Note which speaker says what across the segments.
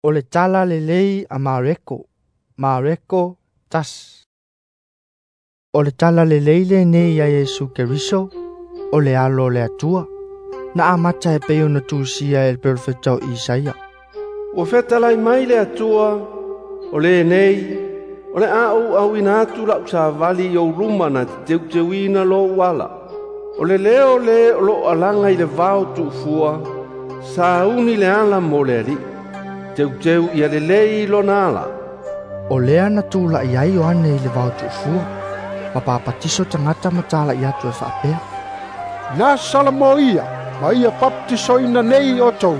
Speaker 1: O le Tala Lelei a Mareko. Mareko 1. O le Tala Lelei lenei ia Iesu Keriso, o le alo o le Atua. Na amata e pei ona tusia e le perofeta o Isaia.
Speaker 2: Ua fetalai mai le Atua, o lenei, o le a ou auina atu la'u savali i ou luma na te teuteuina lou ala. O le leo le o lo'o alaga i le vao tu'ufua, sauni le ala mo le Alii. Teuteu ia lelei lona ala.
Speaker 1: O lea na tula'i ai Ioane i le vao tu'ufua, ma papatiso tagata ma tala'i atu e faapea:
Speaker 3: Na Salamo ia, ma ia papatisoina nei outou,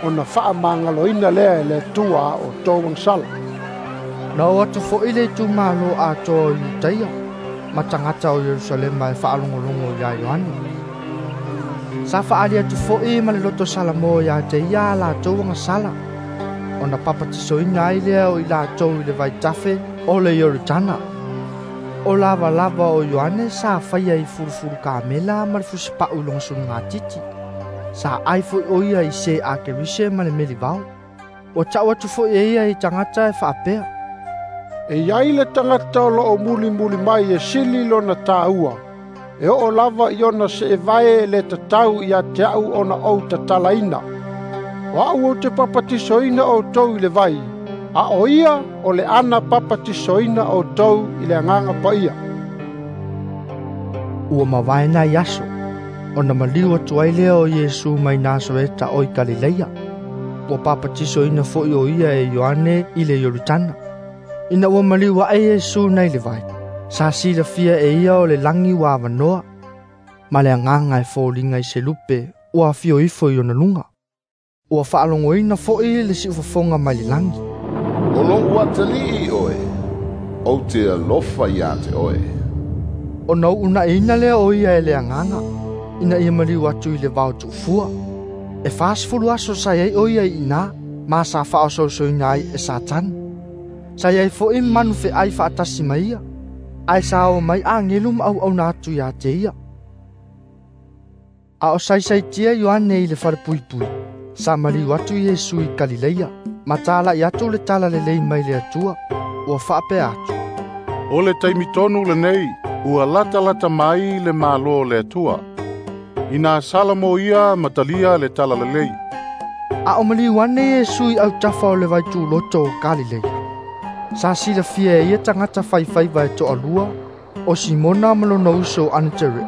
Speaker 3: ona faamagaloina lea e le Atua a outou agasala.
Speaker 1: Na oo atu fo'i le itumalo atoa o Iutaia ma tagata o Ierusalema e faalogologo iā Ioane. Sa fa'aali atu fo'i ma le loto Salamo iā te ia a latou agasala, ona papatisoina ai lea o i latou i le vaitafe o le Ioritana. O lavalava o Ioane sa faia i fulufulu kamela ma le fusipa'u i lona sulugatiti. Sa ai fo'i o ia i se a Kerise ma le melivao. Ua ta'u atu fo'i e ia i tagata e fa'apea:
Speaker 3: E iai le tagata o lo'o mulimuli mai e sili lona tāua, e oo lava i ona se'evae e le tatau ia te a'u ona ou tatalaina. O a'u ou te papatisoina outou i le vai, a o ia o le ana papatisoina outou i le Agaga Paia.
Speaker 1: Ua mavae nai aso, ona maliu atu ai lea o Iesu mai Nasareta o i Kalileia. Ua papatisoina fo'i o ia e Ioane i le Ioritana. Ina ua maliu a'e Iesu nai le vai, sa silafia e ia o le lagi ua avanoa, ma le agaga e foliga i se lupe ua afio ifo i ona luga. Ua fa'alogoina fo'i le si'ufofoga mai le lagi:
Speaker 4: O lo'u atalii oe, ou te alofa iā te oe.
Speaker 1: Ona u'una'iina lea o ia e le agaga, ina ia maliu atu i le vao tu'ufua. E 40 aso sa iai o ia i inā, ma sa fa'aososoina ai e Satani. Sa iai fo'i manu fe'ai fa'atasi ma ia, ae sa oo mai agelu ma au'auna atu iā te ia. A o saisaitia Ioane i le falepuipui, sa maliu atu Iesu i Kalileia, ma tala'i atu le Tala Lelei mai le Atua, ua fa'apea atu:
Speaker 5: O le taimi tonu lenei, ua latalata mai le Malo o le Atua. Ina Salamo ia ma talia le Tala Lelei.
Speaker 1: A o maliu ane Iesu i autafa o le vaituloto o Kalileia, sa silafia e ia tagata faifaiva e to'alua, o Simona ma lona uso o Anaterea,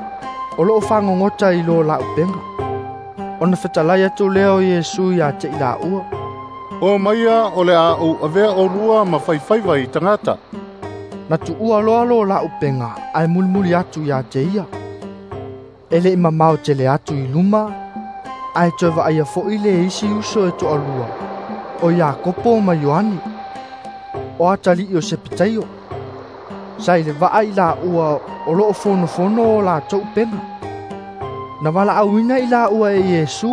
Speaker 1: o lo'o fagogota i lo la'upega. Ona fetalai atu lea o Iesu iā te i la'ua:
Speaker 5: O maia o le a ou avea olua ma faifaiva i tagata.
Speaker 1: Na tu'ua loa lo la'upega ae mulimuli atu iā te ia. E le'i mamao tele atu i luma, ae toe va'aia fo'i le isi uso e to'alua, o Iakopo ma Ioane, o atali'i o Sepetaio. Sa i le va'a i la'ua o lo'o fonofono o latou upega. Na vala'auina i la'ua e Iesu,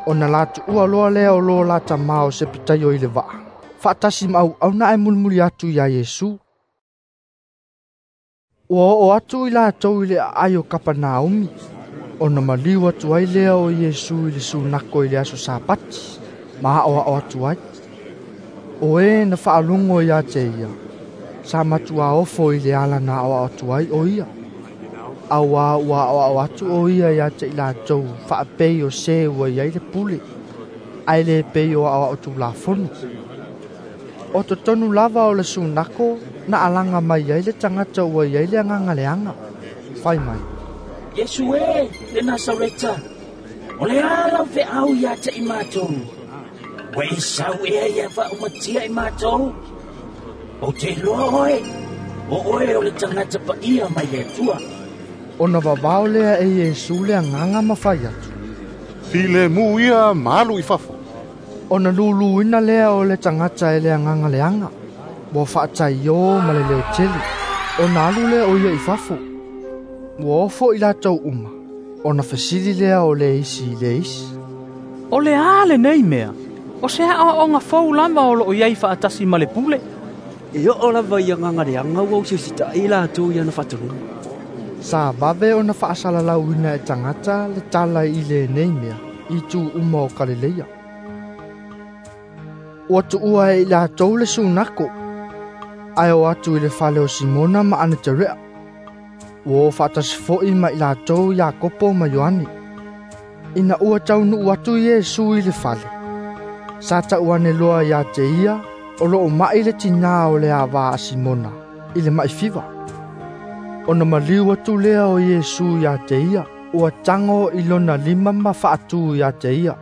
Speaker 1: ona la tu'ua loa lea o lo la tamā o Sepetaio i le va'a, fa'atasi ma au'auna ae mulimuli atu iā Iesu. Ua oo atu i latou i le aai o Kapanaumi, ona maliu atu ai lea o Iesu i le sunako i le aso Sapati, ma a'oa'o atu ai. O e na fa'alogo iā te ia, sa matuā ofo i le ala na a'oa'o atu ai o ia, auā ua a'oa'o atu o ia iā te i latou fa'apei o se ua i ai le pule, ae lē pei o a'oa'o tulafono. O totonu lava o le sunako na alaga mai ai le tagata ua i ai le agaga leaga, fai mai:
Speaker 6: Iesu e, le Nasareta, o le a lau fe'au iā te i matou? Ua e sau ea ia fa'aumatia i matou? Ou te iloa oe, o oe o le tagata pa'ia mai le Atua.
Speaker 1: Ona vavao lea e Iesu le agaga ma fai atu:
Speaker 5: Filemu ia ma alu i fafo.
Speaker 1: Ona luluina lea o le tagata e le agaga leaga, ua fa'ataiō ma le leotele, ona alu lea o ia i fafo. Ua ofo i latou uma, ona fesili lea o le isi i le isi:
Speaker 7: O le a lenei mea? O se a'oa'oga fou lava o lo'o i ai fa'atasi ma le pule.
Speaker 8: E oo lava i agaga leaga ua usiusita'i latou i ana fa'atonuga.
Speaker 1: Sa vave ona fa'asalalauina e tagata le tala i lenei mea i itu uma o Kalileia. Ua tuua e i latou le sunako, ae o atu i le fale o Simona ma Aneterea. Ua o faatasi fo'i ma i latou Iakopo ma Ioane. Ina ua taunuu atu Iesu i le fale, sa tau ane loa ia te ia o loo ma'i le tinā o le avā a Simona i le ma'i fiva. Ona maliu atu lea o Iesu ia te ia, ua tago i lona lima ma faatū ia te ia,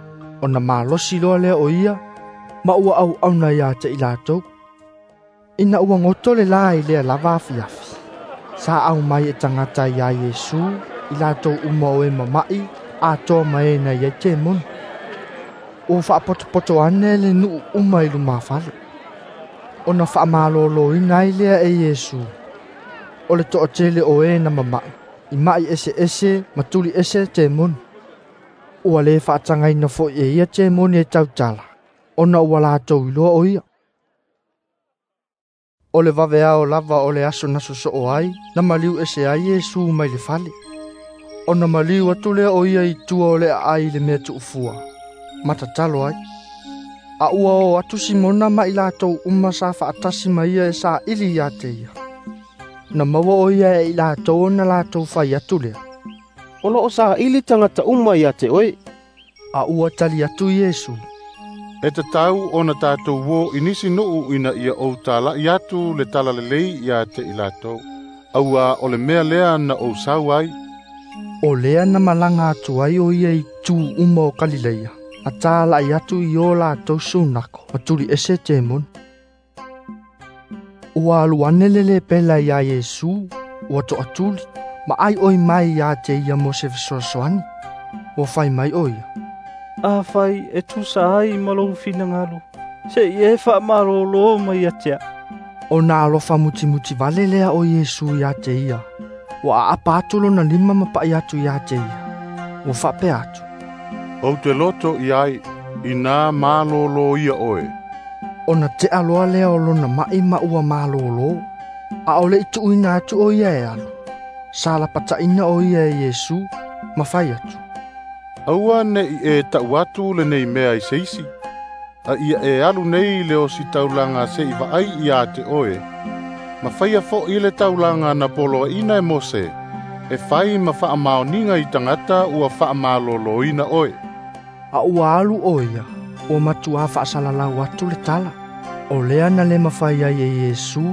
Speaker 1: ona malosi loa lea o ia, ma ua auauna ia te i latou. Ina ua goto le la i lea lava afiafi, sa aumai e tagata iā Iesu i latou uma o e mama'i atoa ma e na iai temoni. Ua faapotopoto ane le nuu uma i lumafale. Ona faamalōlōina ai lea e Iesu, o le toatele o e na mama'i, i ma'i eseese ma tuli ese temoni. Ua lē faatagaina fo'i e ia temoni e tautala, ona ua latou iloa o ia. O le vaveao lava o le aso na sosoo ai, na maliu ese ai Iesu mai le fale. Ona maliu atu lea o ia i tua o le aai i le mea tuufua, ma tatalo ai. A ua o atu Simona ma i latou uma sa faatasi ma ia e saili ia te ia. Na maua o ia e i latou ona latou fai atu lea,
Speaker 2: O loo saili tagata uma ia te oe.
Speaker 1: A ua tali atu Iesu,
Speaker 5: E tatau ona tatou o i nisi nuu ina ia ou tala'i atu le talalelei ia te i latou. Auā o le mea lea na ou sau ai.
Speaker 1: O lea na malaga atu ai o ia i itu uma o Kalileia, a tāla'i atu i o latou sunako ma tuli ese temoni. Ua alu ane le lepela iā Iesu, ua toatuli, ma aioi mai ia te ia mo se fesoasoani. Ua fai mai o ia,
Speaker 7: Afai e tusa ai ma lou finagalo, se'i e faamalōlō mai ia te a'u.
Speaker 1: Ona alofa mutimuti vale lea o Iesu ia te ia, ua aapa atu lona lima ma pa'i atu ia te ia. Ua faapea atu,
Speaker 5: Ou te loto i ai, inā malōlō ia oe.
Speaker 1: Ona tea loa lea o lona ma'i ma ua malōlō, a o le'i tuuina atu o ia e alu. Sa lapataʻina o ia e Iesu, ma fai atu,
Speaker 5: Aua ne'i e ta'u atu lenei mea i se isi. A ia e alu nei i le ositaulaga se'i vaai iā te oe, ma faia fo'i le taulaga na poloaʻina e Mose, e fai ma faamaoniga i tagata ua faamalōlōina oe.
Speaker 1: A ua alu o ia, ua matuā faasalalau atu le tala. O lea na le mafai ai e Iesu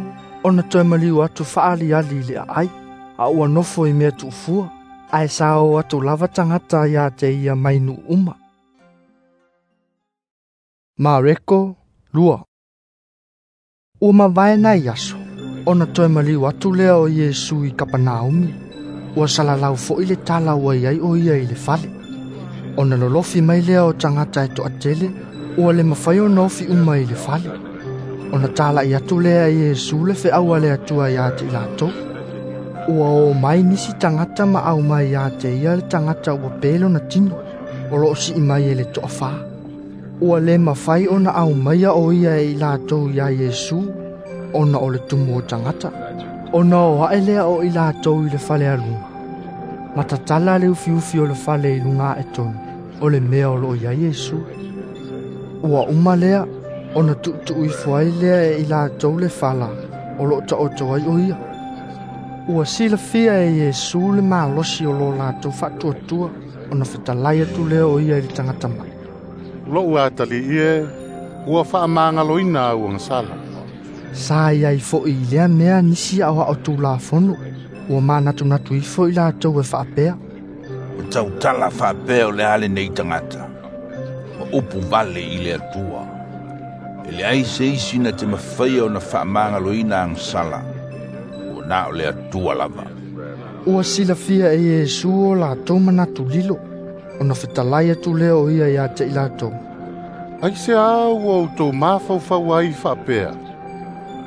Speaker 1: ona toe maliu atu faaaliali i le aai, a ua nofo i mea tuufua, ae sa o atu lava tagata ia te ia mai nuu uma. Mareko 2. Ua mavae nai aso, ona toe maliu atu lea o Iesu i Kapanaumi. Ua salalau fo'i le tala ua iai o ia i le fale. Ona lolofi mai lea o tagata e toatele, ua le mafai ona ofi uma i le fale. Ona tala'i atu lea e Iesu le feau a le Atua ia te i latou. Ua o mai nisi tagata ma aumai ia te ia le tagata ua pe lona tino, o loo sii mai e le toafā. Ua le mafai ona aumaia o ia e i latou iā Iesu, ona o le tumu o tagata. Ona o ae lea o i latou i le fale aluga. Ma tatala le ufiufi o le fale i luga ae tonu, o le mea o loo iai Iesu. Ua uma lea, ona tuutuu ifo ai lea e i latou le fala, o loo taoto ai o ia. Ua silafia e Iesu le malosi o lo latou faatuatua, ona fetalai atu lea o ia i le tagata ma'i.
Speaker 5: Lo'u atali'i e, ua faamagaloina au agasala.
Speaker 1: Sa iai fo'i i lea mea nisi aoao tulafono, ua manatunatu ifo i latou e faapea,
Speaker 9: Ua tautala faapea o le a lenei tagata, ma upu vale i le Atua. E leai se isi na te mafaia ona faamagaloina agasala, ua na o le Atua lava.
Speaker 1: Ua silafia e Iesu o latou manatu lilo, ona fetalai atu lea o ia ia te i latou,
Speaker 5: Aiseā ua outou mafaufau ai faapea,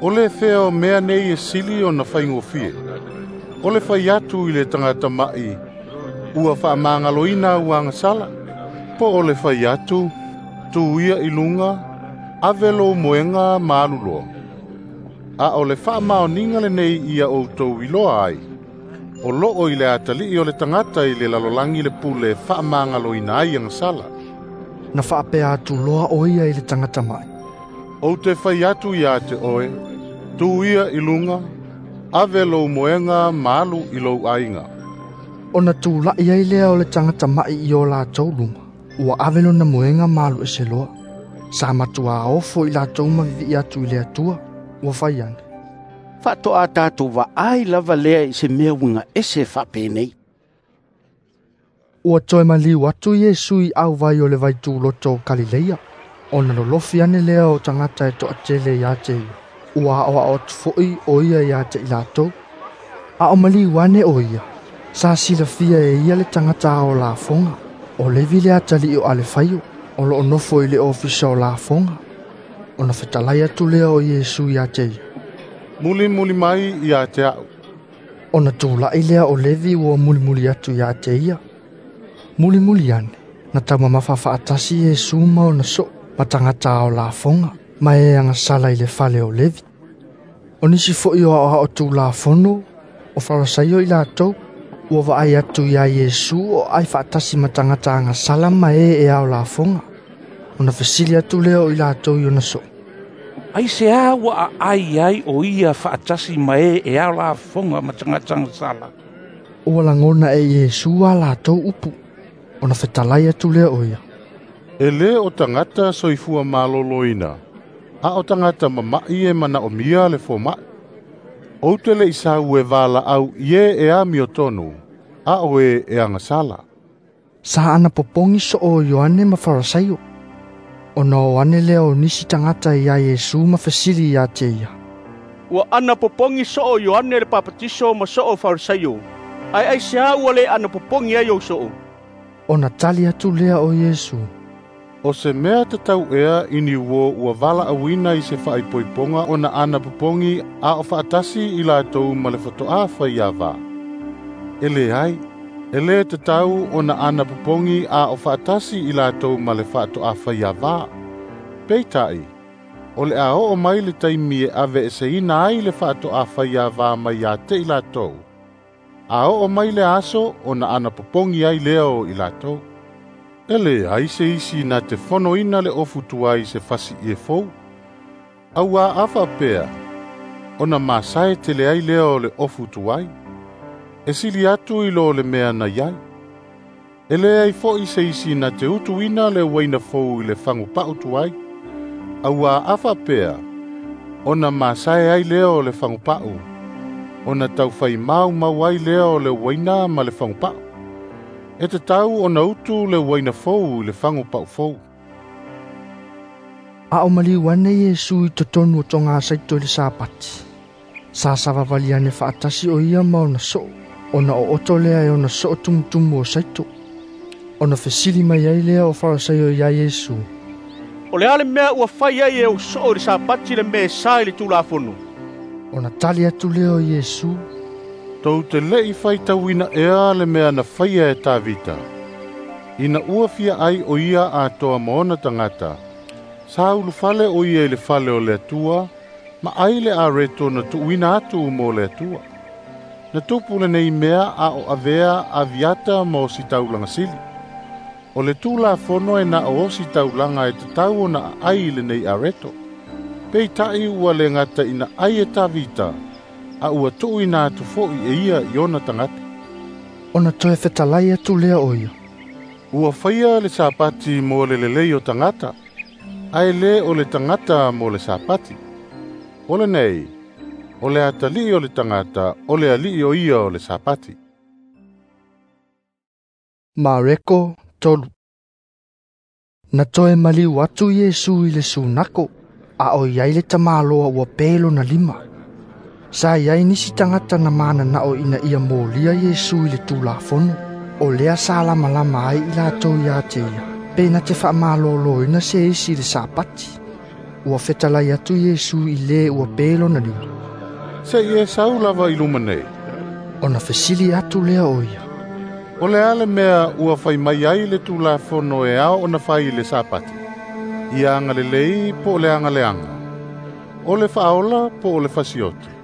Speaker 5: O le fea o mea nei e sili ona faigofie, o le fai atu i le tagata ma'i, ua faamagaloina au agasala, po o le fai atu, tū ia i luga, ave lou moega ma alu loa. A o le faamaoniga lenei ia outou iloa ai, o loo i le atalii o le tagata i le lalolagi le pule faamagaloina ai agasala.
Speaker 1: Na faapea atu loa o ia i le tagata ma'i,
Speaker 5: Ou te fai atu ia te oe, tu ia i luga, ave lou moega ma alu i lou aiga.
Speaker 1: Ona tula'i ai lea o le tagata ma'i i o latou luma, ua ave lona moega ma alu ese loa. Sa matuā ofo i latou ma vivi'i atu i le Atua, ua fai ane.
Speaker 10: Faatoa tatou vaai lava lea i se mea uiga ese faapenei.
Speaker 1: Ua toe maliu atu Iesu i auvai o le vaituloto o Kalileia, ona lolofi ane lea o tagata e toatele ia te ia. Ua aoao atu fo'i o ia ia te i latou. A o maliu ane o ia, sa silafia e ia le tagata ao lafoga, o Levi le atalii o Alefaio, o loo nofo i le ofisa o lafoga. Ona fetalai atu lea o Iesu ia te ia.
Speaker 5: Mulimuli mai ia te a'u.
Speaker 1: Ona tula'i lea o Levi ua mulimuli atu ia te ia. Mulimuli ane, na taumamafa faatasi Iesu ma ona soo, ma tagata ao lafoga, ma e agasala i le fale o Levi. O nisi fo'i o aoao tulafono, o Farisaio i latou, ua vaai atu iā Iesu o ai faatasi ma tagata agasala ma e e ao lafoga. Ona fesili atu lea o i latou i ona soo.
Speaker 11: Aisea ua aai ai o ia faatasi ma e e ao lafoga ma tagata agasala?
Speaker 1: Ua lagona e Iesu a latou upu. Ona fetalai atu lea o ia.
Speaker 5: E lē o tagata soifua malōlōina, a o tagata mama'i e manaomia le foma'i. Ou te le'i sau e valaau i e e amiotonu, a o e e agasala.
Speaker 1: Sa ana popogi soo o Ioane ma Farisaio. Ona o ane lea o nisi tagata iā Iesu ma fesili ia te ia.
Speaker 12: Ua ana popogi soo Ioane le papatiso ma soo Farisaio. Ae aisea ua le ana popogi ai ou soo?
Speaker 1: Ona tali atu lea o Iesu.
Speaker 5: O se mea tatau ea i ni uo ua valaauina i se faaipoipoga ona ana popogi a o faatasi i latou ma le fatoā faiavā. E leai, e lē tatau ona ana popogi a o faatasi i latou ma le faatoā faiavā. Peitai, o le a oo mai le taimi e ave eseina ai le faatoā faiavā mai ia te i latou. A oo mai le aso ona ana popogi ai lea o i latou. E leai se isi na te fonoina le ofu tuai se fasi ie fou. Auā a faapea, ona masae tele ai lea o le ofu tuai. E sili atu i lo le mea na iai. E leai fo'i se isi na te utuina le uaina fou i le fagupa'u tuai. Auā a faapea, ona masae ai lea o le fagupa'u, ona taufai maumau ai lea o le uaina ma le fagupa'u. E tatau ona utu le uaina fou i le fagupa'u fou.
Speaker 1: A o maliu ane Iesu i totonu o togasaito i le Sapati. Sa savavali ane faatasi o ia ma ona soo, ona ooto lea e ona soo tumutumu o saito. Ona fesili mai ai lea o Farisaio iā Iesu.
Speaker 12: O le a le mea ua fai ai e ou soo i le Sapati le mea e sa i le Tulafono?
Speaker 1: Ona tali atu lea o Iesu.
Speaker 5: Tou te le'i faitauina ea le mea na faia e Tavita. Ina ua fia ai o ia atoa ma ona tagata, sa ulufale o ia i le fale o le Atua, ma ai le areto na tuuina atu mo le Atua. Na tupu lenei mea a o avea Aviata ma ositaulaga sili. O le Tulafono e na o ositaulaga e tatau ona aai i lenei areto. Peitai ua le gata ina ai e Tavita, a ua tuuina atu fo'i e ia i ona tagata.
Speaker 1: Ona toe fetalai atu lea o ia.
Speaker 5: Ua faia le Sapati mo le lelei o tagata, ae lē o le tagata mo le Sapati. O lenei, o le atalii o le tagata, o le alii o ia o le Sapati.
Speaker 1: Mareko 3. Na toe maliu atu Iesu i le sunako, a o iai le tamāloa ua pe lona lima. Sa iai nisi tagata na mananao ina ia molia Iesu i le Tulafono, o lea sa lamalama ai i latou ia te ia, pe na te faamalōlōina se isi i le Sapati. Ua fetalai atu Iesu i lē ua pe lona lima.
Speaker 5: Se'i e sau lava i luma nei.
Speaker 1: Ona fesili atu lea o ia.
Speaker 5: O le a le mea ua fai mai ai le Tulafono e ao ona fai i le Sapati? Ia agalelei po o le agaleaga. O le faaola po o le fasioti.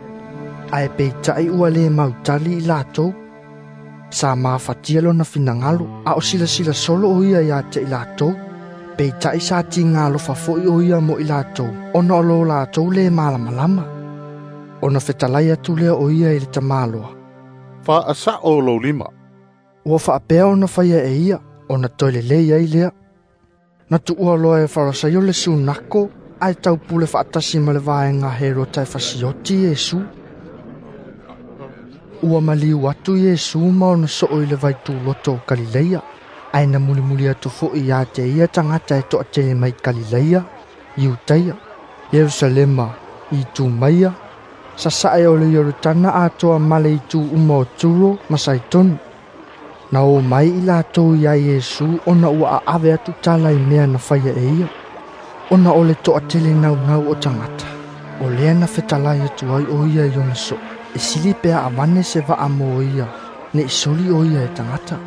Speaker 1: Ae peitai ua lē mautali i latou. Sa mafatia lona finagalo, a o silasila solo o ia ia te i latou. Peitai sa tiga alofa fo'i o ia mo i latou, ona o lo latou le malamalama. Ona fetalai atu lea o ia i le tamaloa.
Speaker 5: Faasa'o lou lima.
Speaker 1: Ua faapea ona faia e ia, ona toe lelei ai lea. Na tuua loa e Farasaio le sunako, ae taupule faatasi ma le vaega Herota e fasioti Iesu. Ua maliu atu Iesu ma ona soo i le vaituloto o Kalileia, ae na mulimuli atu fo'i ia te ia tagata e to'atele mai Kalileia, Iutaia, Ierusalema, Itumaia, sasa'e o le Ioritana atoa ma le itu uma o Turo ma Saitoni. Na o mai i latou iā Iesu ona ua a'ave atu tala i mea na faia e ia. Ona o le to'atele naunau o tagata, o lea na fetalai atu ai o ia i ona so'o, e sili pe avane se va'a mo ia, ne'i soli o ia e tagata.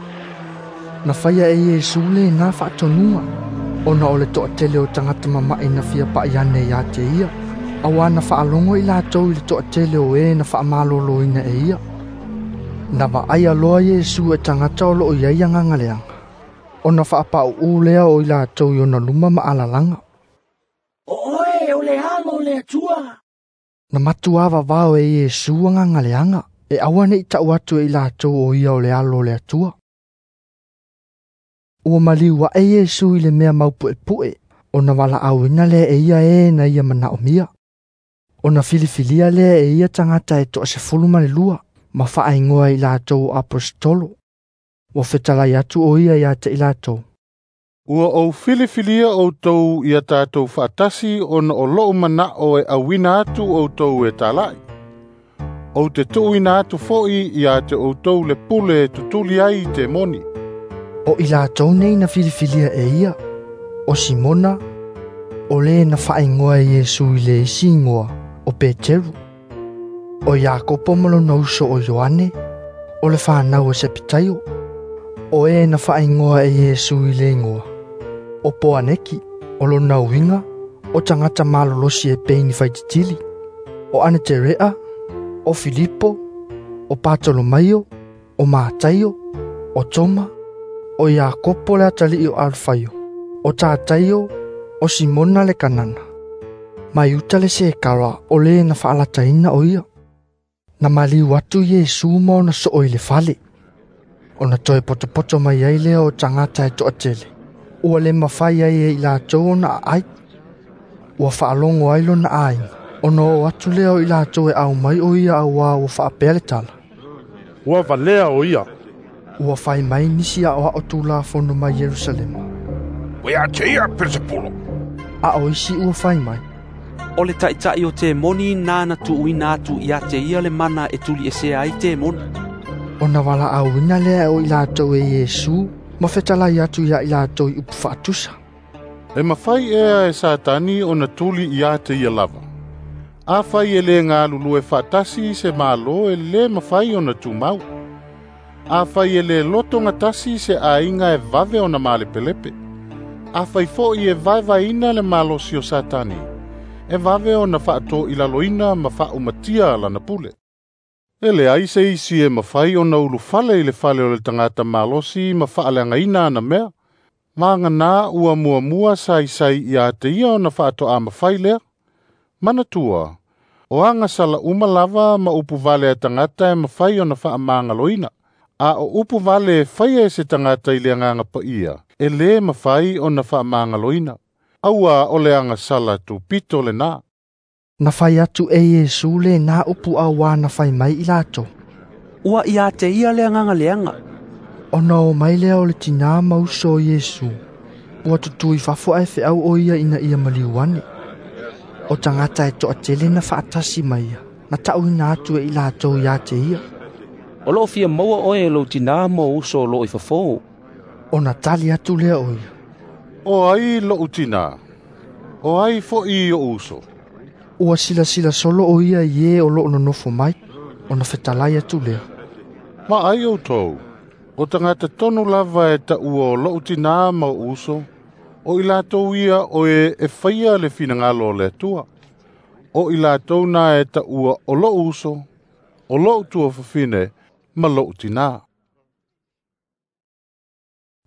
Speaker 1: Na faia e Iesu lenā faatonuga, ona o le to'atele o tagata mama'i na fia pa'i ane iā te ia, auā na faalogo i latou i le to'atele o e na faamalōlōina e ia. Na vaaia loa Iesu e tagata o loo i ai agaga leaga, ona faapau'ū lea o i latou i ona luma ma alalaga.
Speaker 6: O oe o le alo o le Atua.
Speaker 1: Na matuā vavao e Iesu agaga leaga, e aua ne'i ta'u atu e i latou o ia o le alo o le Atua. Ua maliu a'e Iesu i le mea maupu'epu'e, ona valaauina lea e ia e na ia manaomia. Ona filifilia lea e ia tagata e 12, ma faaigoa i latou o aposetolo. Ua fetalai atu o ia ia te i latou.
Speaker 5: Ua ou filifilia outou ia tatou faatasi ona o lo'u mana'o e auina atu outou e tala'i. Ou te tuuina atu fo'i ia te outou le pule e tutuli ai i temoni.
Speaker 1: O i latou nei na filifilia e ia, o Simona, o le na faaigoa e Iesu i le isi igoa, o Peteru. O Iakopo ma lona uso o Ioane, o le fanau e Sepitaio, o e na faaigoa e Iesu i le igoa, o Poaneki, o lona uiga, o tagata malolosi e pei ni faititili, o Aneterea, o Filipo, o Patolomaio, o Mataio, o Toma, o Iakopo le atalii o Alfaio, o Tataio, o Simona le Kanana, ma Iuta le Sekara o le na faalataina o ia. Na maliu atu Iesu ma ona soo i le fale. Ona toe potopoto mai ai lea o tagata e to'atele. Ua le mafai ai e i latou ona aai. Ua faalogo ai lona aiga, ona o atu lea o i latou e aumai o ia auā ua faapea le tala.
Speaker 13: Ua valea o ia.
Speaker 1: Ua fai mai nisi a'oa'o tulafono mai Ierusalema.
Speaker 9: Ua ia te ia Pelesepulo.
Speaker 1: A o isi ua fai mai.
Speaker 8: O le ta'ita'i o temoni nāna tuuina atu ia te ia le mana e tuli'esea ai temoni.
Speaker 1: Ona valaauina lea o i latou e Iesu, ma fetalai atu ia i latou i upu faatusa.
Speaker 5: E mafai ea e Satani ona tuli ia te ia lava. Afai e le galulue faatasi se malo e lē mafai ona tumau. Afai e le loto gatasi se aiga e vave ona malepelepe. Afai fo'i e vaevaeina le malosi o Satani, e vave ona faatoilaloina ma faaumatia lana pule. E leai se isi e mafai ona ulufale i le fale o le tagata malosi ma faaleagaina ana mea. Maganā ua muamua saisai ia te ia ona faato'a mafai lea. Manatua, o agasala uma lava ma upu vale a tagata e mafai ona faamagaloina. A o upu vale e faia e se tagata i le agaga paia, e lē mafai ona faamagaloina. Auā o le agasala tupito lenā.
Speaker 1: Na fai atu e Iesu lenā upu auā na fai mai i latou.
Speaker 8: Ua ia te ia le agaga leaga.
Speaker 1: Ona o mai lea o le tinā ma uso o Iesu, ua tutū i fafo ae feau o ia ina ia maliu ane. O tagata e to'atele na faatasi mai ia, na ta'uina atu e i latou ia te ia.
Speaker 14: O loo fia maua oe e lou tinā ma ou uso o loo i fafō.
Speaker 1: Ona tali atu lea o ia.
Speaker 5: O ai lo'u tinā, o ai fo'i o'u uso.
Speaker 1: Ua silasila solo o ia i e o loo nonofo mai, ona fetalai atu lea.
Speaker 5: Ma ai outou, o tagata tonu lava e ta'ua o lo'u tinā ma o'u uso, o i latou ia o e e faia le finagalo o le Atua. O i latou na e ta'ua o lo'u uso, o lo'u tuafafine ma lo'u tinā.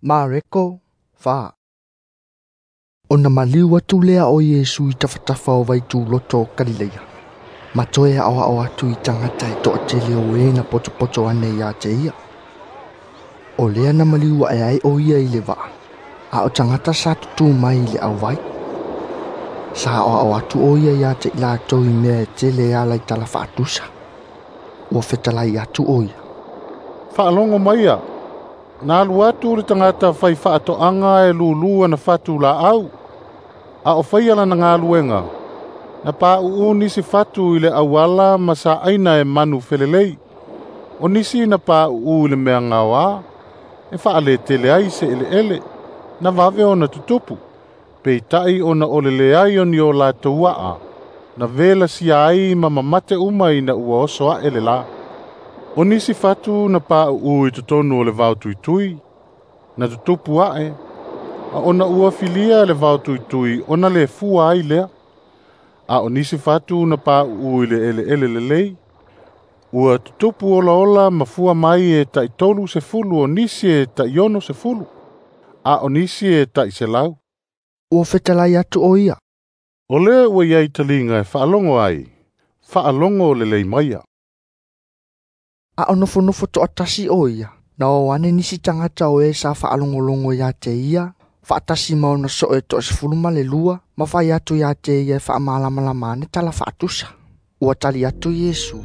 Speaker 1: Mareko 4. Ona maliu atu lea o Iesu i tafatafa o vaituloto o Kalileia. Ma toe aoao atu i tagata e toatele o e na potopoto ane ia te ia. O lea na maliu ae ai o ia i le vaa, a o tagata sa tutū mai i le auvai. Sa aoao atu o ia ia te i latou i mea e tele e ala i tala faatusa. Ua fetalai atu o ia.
Speaker 5: Faalogo maia, na alu atu le tagata fai faatoaga e lūlū ana fatu laau. A o faia lana galuega, na pauu nisi fatu i le auala ma saaina e manu felelei. O nisi na pauu i le mea gaoā, e faaletele ai se eleele, na vave ona tutupu. Peitai ona o le leai o ni o latou aa, na velasia ai ma mamate uma ina ua oso ae le la. O nisi fatu na pauu i totonu o le vao tuitui, na tutupu ae, a ona ua filia le vao tuitui ona le fua ai lea. A o nisi fatu na pauu i le eleele lelei, ua tutupu olaola ma fua mai e tai 30 o nisi e tai 60, a o nisi e tai 100.
Speaker 1: Ua fetalai atu o ia.
Speaker 5: O le ua iai taliga e faalogo ai, faalogo lelei maia.
Speaker 1: A o nofonofo toatasi o ia, na o ane nisi tagata o e sa faalogologo ia te ia, faatasi ma ona soo e 12, ma fai atu ia te ia e faamalamalama ane tala faatusa. Ua tali atu Iesu.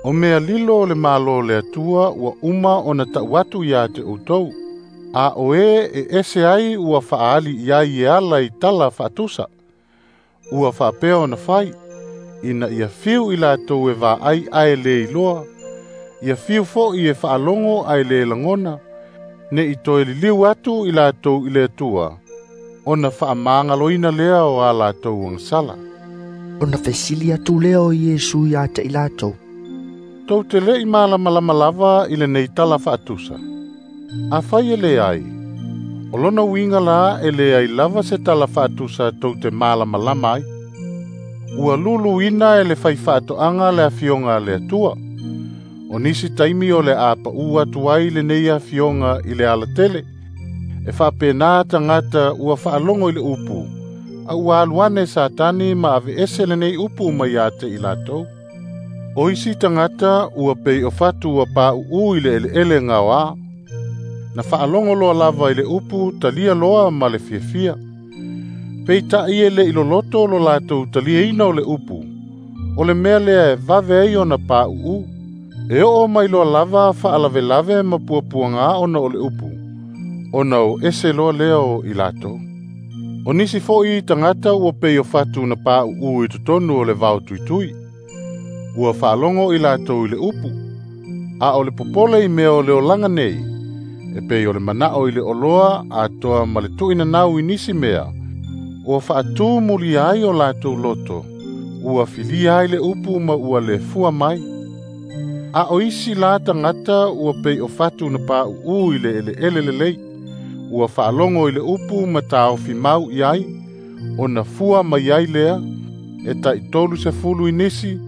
Speaker 5: O mea lilo o le malo le Atua ua uma ona tau atu ia te outou. A o e e ese ai ua faaali i ai e ala i tala faatusa. Ua faapea ona fai, ina ia fiu i latou e vaai ae le iloa, ia fiu foi e faalogo ae le lagona, ne i toe liliu atu i latou i le Atua, ona faamagaloina lea o a latou agasala.
Speaker 1: Ona fesili atu lea o Iesu ia te i latou.
Speaker 5: Tou te le i malamalama lava i lenei tala faatusa. A fai e leai, o lona uiga la e leai lava se tala faatusa tou te malamalama ai. Ua luluina e le fai faatoaga le afioga a le Atua. O nisi taimi o le a pau atu ai lenei afioga i le alatele, e faapena tagata ua faalogo i le upu, a ua alu ane Satani ma aveese lenei upu mai ia te i latou. O isi tagata ua pei o fatu ua pauu i le eleele gaoā, na faalogo loa lava i le upu talia loa ma le fiafia. Peitai e le i loloto lo latou taliaina o le upu, o le mea lea e vave ai ona pauu. E oo mai loa lava faalavelave ma puapuaga ona o le upu, ona o ese loa lea o i latou. O nisi foi tagata ua pei o fatu na pauu i totonu o le vao tuitui. Ua faalogo i latou i le upu, a o le popole i mea o le olaga nei, e pei o le manao i le oloa atoa ma le tuuinanau i nisi mea, ua faatū mulia ai o latou loto, ua filia ai le upu ma ua le fua mai. A o isi la tagata ua pei o fatu na pauu i le eleele lelei, ua faalogo i le upu ma taofi mau i ai, ona fua mai ai lea, e tai 30 i nisi,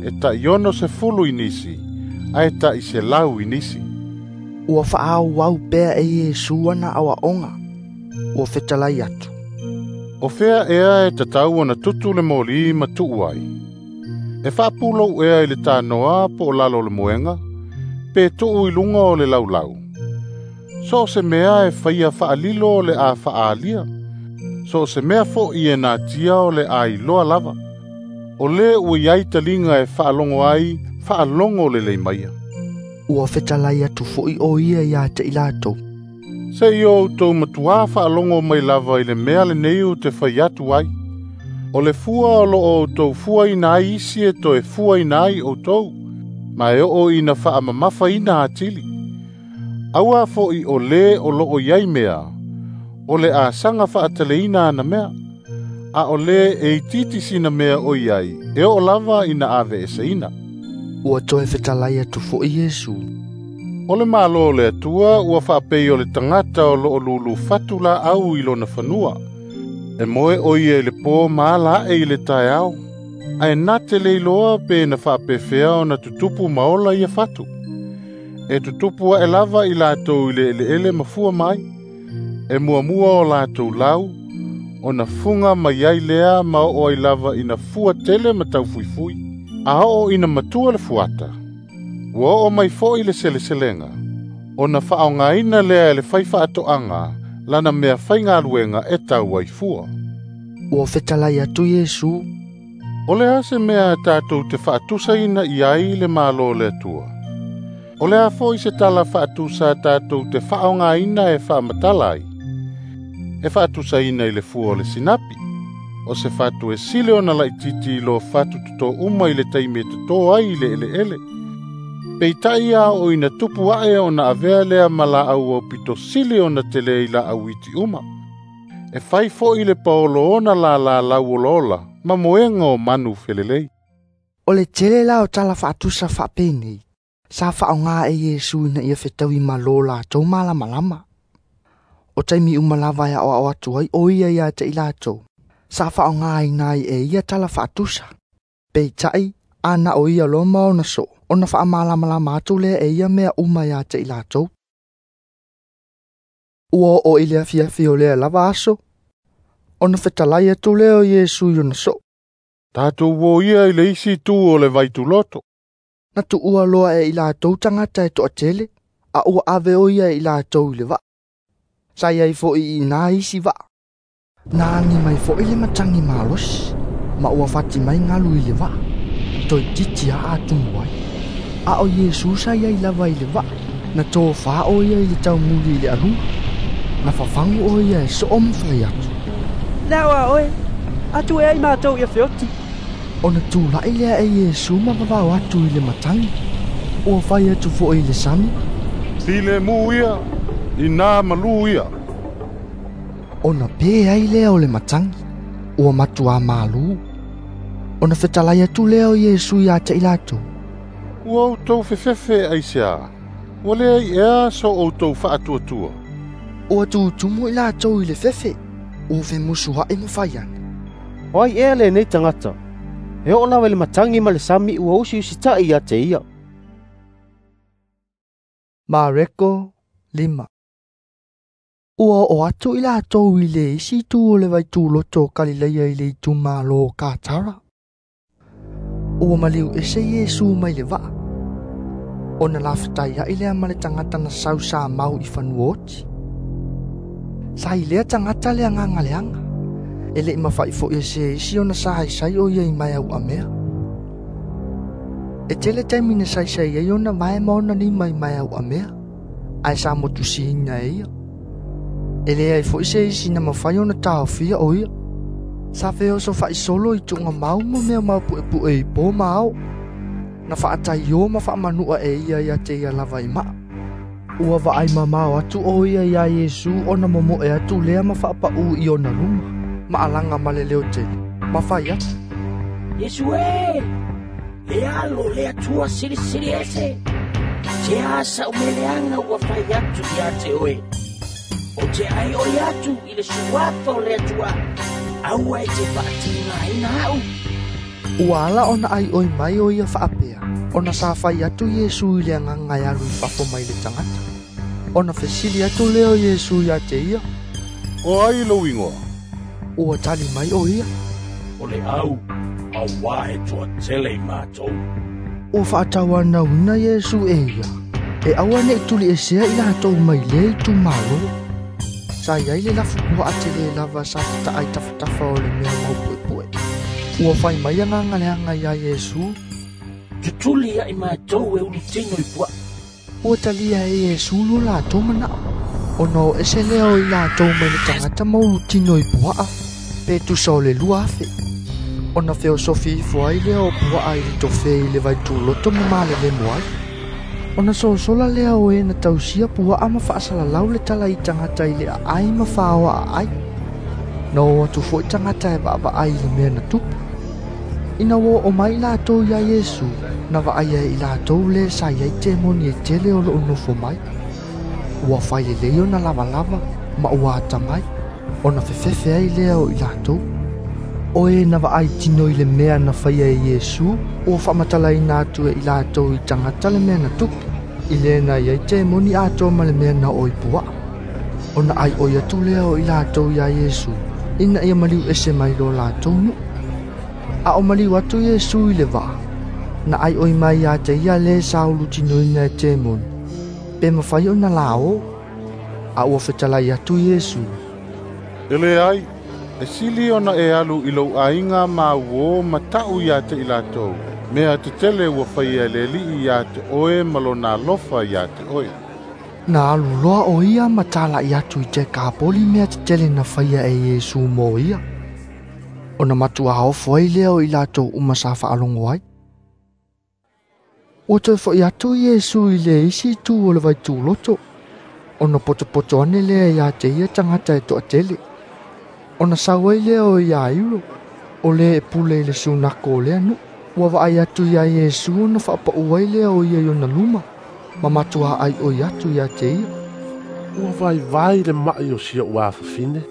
Speaker 5: e tai 60 i nisi, ae tai 100 i nisi.
Speaker 1: Ua faaauau pea e Iesu ana aoaoga. Ua fetalai atu.
Speaker 5: O fea ea e tatau ona tutu le moli ma tuu ai. E faapulou ea i le tanoa po o lalo o le moega, pe tuu i luga o le laulau. So o se mea e faia faalilo o le a faaalia, so o se mea foi e natia o le a iloa lava. O le ua iai taliga e faalogo ai, faalogo lelei maia.
Speaker 1: Ua fetalai atu foi o ia ia te i latou.
Speaker 5: Se i o outou matuā faalogo mai lava i le mea lenei ou te fai atu ai. O le fua o loo outou fuaina ai isi e toe fuaina ai outou, ma e oo ina faamamafaina atili. Aua foi o le o loo iai mea, o le a saga faataleina ana mea, a o le e itiiti sina mea o iai, e oo lava ina aveeseina.
Speaker 1: Ua toe fetalai atu foi Iesu.
Speaker 5: O le malo o le Atua ua faapei o le tagata o loo lulu fatu laau i lona fanua. E moe o ia i le pō ma ala ae i le taeao, ae na te le iloa pe na faapefea ona tutupu ma ola ia fatu. E tutupu ae lava i latou i le eleele ma fua mai. E muamua o latou lau, Ona fuga mai ai lea ma oo ai lava ina fua tele ma taufuifui, a oo ina matua le fuata. Ua oo mai fo'i le seleselega, ona fa'aogaina lea e le faifaatoaga lana mea faigaluega e tau ai fua.
Speaker 1: Ua fetalai atu Iesu,
Speaker 5: O le a se mea tatou te fa'atusaina i ai le Malo o le Atua? O le a fo'i se tala fa'atusa tatou te fa'aogaina e fa'amatala ai? E fa'atusaina i le fua o le sinapi, o se fatu e sili ona laitiiti i lo fatu totō uma i le taimi e totō ai i le eleele. Peitai a oo ina tupu a'e ona avea lea ma laau aupito sili ona tele i laau iti uma. E fai fo'i le paolo ona lālā lauolaola ma moega o manu felelei.
Speaker 1: O le tele la o tala fa'atusa fa'apenei, sa fa'aogā e Iesu ina ia fetaui malo latou malamalama. O taimi uma lava e a'oa'o atu ai o ia ia te i latou, sa fa'aogāina ai e ia tala fa'atusa. Peita'i, ana o ia loa ma ona so'o, ona fa'amalamalama atu lea e ia mea uma ia te i latou. Ua oo i le afiafi o lea lava aso, ona fetalai atu lea o Iesu i ona so'o.
Speaker 5: Tatou o ia i le isi itu o le vaituloto.
Speaker 1: Na tu'ua loa e i latou tagata e to'atele, a ua ave o ia e i latou i le va'a. Sa iai fo'i i inā isi va'a. Na agi mai fo'i le matagi malosi, ma ua fati mai galu i le va'a, toeitiiti a'a atumu ai. A o Iesu sa iai lava i le va'a, na tofā o ia i le taumuli i le aluga. Na fafagu o ia e so'o ma fai atu.
Speaker 7: Le a'o a oe, atu ea i matou ia feoti.
Speaker 1: Ona tula'i lea e Iesu ma vavao atu i le matagi. Ua fai atu fo'i i le sami.
Speaker 5: Filemu ia, inā malū ia.
Speaker 1: Ona pē ai lea o le matagi, ua matuā malū. Ona fetalai atu lea o Iesu iā te i latou.
Speaker 5: Ua outou fefefe aiseā, ua leai ea so outou fa'atuatua.
Speaker 1: Ua tutumu i latou i le fefe, ua femusua'i ma fai ane.
Speaker 15: O ai ea lenei tagata, e oo lava i le matagi ma le sami ua usiusita'i ia te ia.
Speaker 1: Mareko 5. Ua oo atu i latou i le isi itu o le vaituloto o Kalileia i le itumālō o Katara. Ua maliu ese Iesu mai le va'a. Ona lafetaia'i lea ma le tagata na sau sa mau i fanua oti. Sa i lea tagata le agaga leaga, e le'i mafa'i fo'i e se isi ona sahaisai o ia i mae au'amea. E tele taimi na saisai ai ona vae ma ona lima i mae au'amea, ae sa motusiina e ia. E leai fo'i se isi na mafai ona taofia o ia. Sa feoso fa'isolo i tu'ugamau ma mea maupu'epu'e i pō ma ao. Na fa'ataiō ma fa'amanu'a e ia ia te ia lava i ma'a. Ua va'ai mamao atu o ia iā Iesu ona momo'e atu lea ma fa'apa'ū i ona luma, ma alaga ma le leo tele, ma fai atu.
Speaker 6: Iesu e, le Alo o le Atua Silisili Ese, se a sa'u mea leaga ua fai atu ia te oe. Ou te a'ai'oi atu i le suafa o le Atua, aua e te fa'atigāina a'u.
Speaker 1: Ua ala ona a'ai'oi mai o ia fa'apea, ona sa fai atu Iesu i le agaga e alu i fafo mai le tagata. Ona fesili atu lea o Iesu iā te ia.
Speaker 5: O ai lou igoa?
Speaker 1: Ua tali mai o ia.
Speaker 6: O le au, auā e toatele i matou.
Speaker 1: Ua fa'atauanauina Iesu e ia, e aua ne'i tuli'esea i latou mai lea itumālō. Sa iai le lafu pua'a tele lava sa tata'a i tafatafa o le mea maupu'epu'e. Ua fai mai agaga leaga iā Iesu.
Speaker 6: Tutuli a'i matou e ulutino i pua'a.
Speaker 1: Ua talia e Iesu lo latou mana'o, ona o ese lea o i latou mai le tagata ma ulutino i pua'a, pe tusa o le 2,000. Ona feosofi ifo ai lea o pua'a i le tofē i le vaituloto ma malelemo ai. Ona sosola lea o e na tausia pua'a ma fa'asalalau le tala i tagata i le a'ai ma fāoa a'ai. Na o atu fo'i tagata e va'ava'ai i le mea na tupu. Ina ua oo mai latou iā Iesu, na va'aia e i latou le sa iai temoni e tele o lo'o nofo mai. Ua fai lelei ona lavalava ma ua atamai, ona fefefe ai lea o i latou. O e na va'ai tino i le mea na faia e Iesu, ua fa'amatalaina atu e i latou i tagata le mea na tupu, i le na iai temoni atoa ma le mea na oo i pua'a. Ona a'ai'oi atu lea o i latou iā Iesu, ina ia maliu ese mai lo latou nu'u. A o maliu atu Iesu i le va'a, na ʻaiʻoi mai iā te ia lē sa ulutinoina e temoni, pe mafai ona laō. A ua fetalai atu Iesu,
Speaker 5: E leai, e sili ona e alu i lou aiga ma uō ma ta'u iā te i latou, mea tetele ua faia e le Alii iā te oe ma lona alofa iā te oe.
Speaker 1: Na alu loa o ia ma tala'i atu i Tekapoli mea tetele na faia e Iesu mo ia. Ona matuā ofo ai lea o i latou uma sa faalogo ai. Ua toe fo'i atu Iesu i le isi itu o le vaituloto, ona potopoto ane lea iā te ia tagata e to'atele. Ona sau ai lea o Iairo, o lē e pule i le sunako o lea nu'u. Ua vaai atu iā Iesu ona fa'apa'u ai lea o ia i ona luma, ma matuā ʻaiʻoi atu iā te ia.
Speaker 13: Ua vaivai le ma'i o si o'u afafine.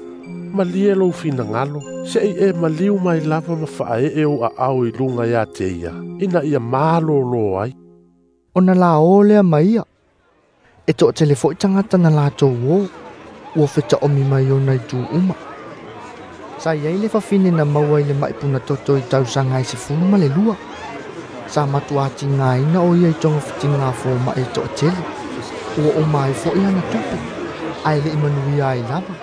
Speaker 13: Malie lou finagalo, se'i e maliu mai lava ma fa'ae'e ou a'ao i luga iā te ia, ina ia malōlō ai.
Speaker 1: Ona laō lea ma ia. E to'atele fo'i tagata na latou ō, ua feta'omi mai ona itu uma. Sa iai le fafine na maua i le ma'i punatoto i tausaga e 12. Sa matuā tigāina o ia i togafitigā foma'i e to'atele. Ua uma ai fo'i ana tupe, ae le'i manuia ai lava.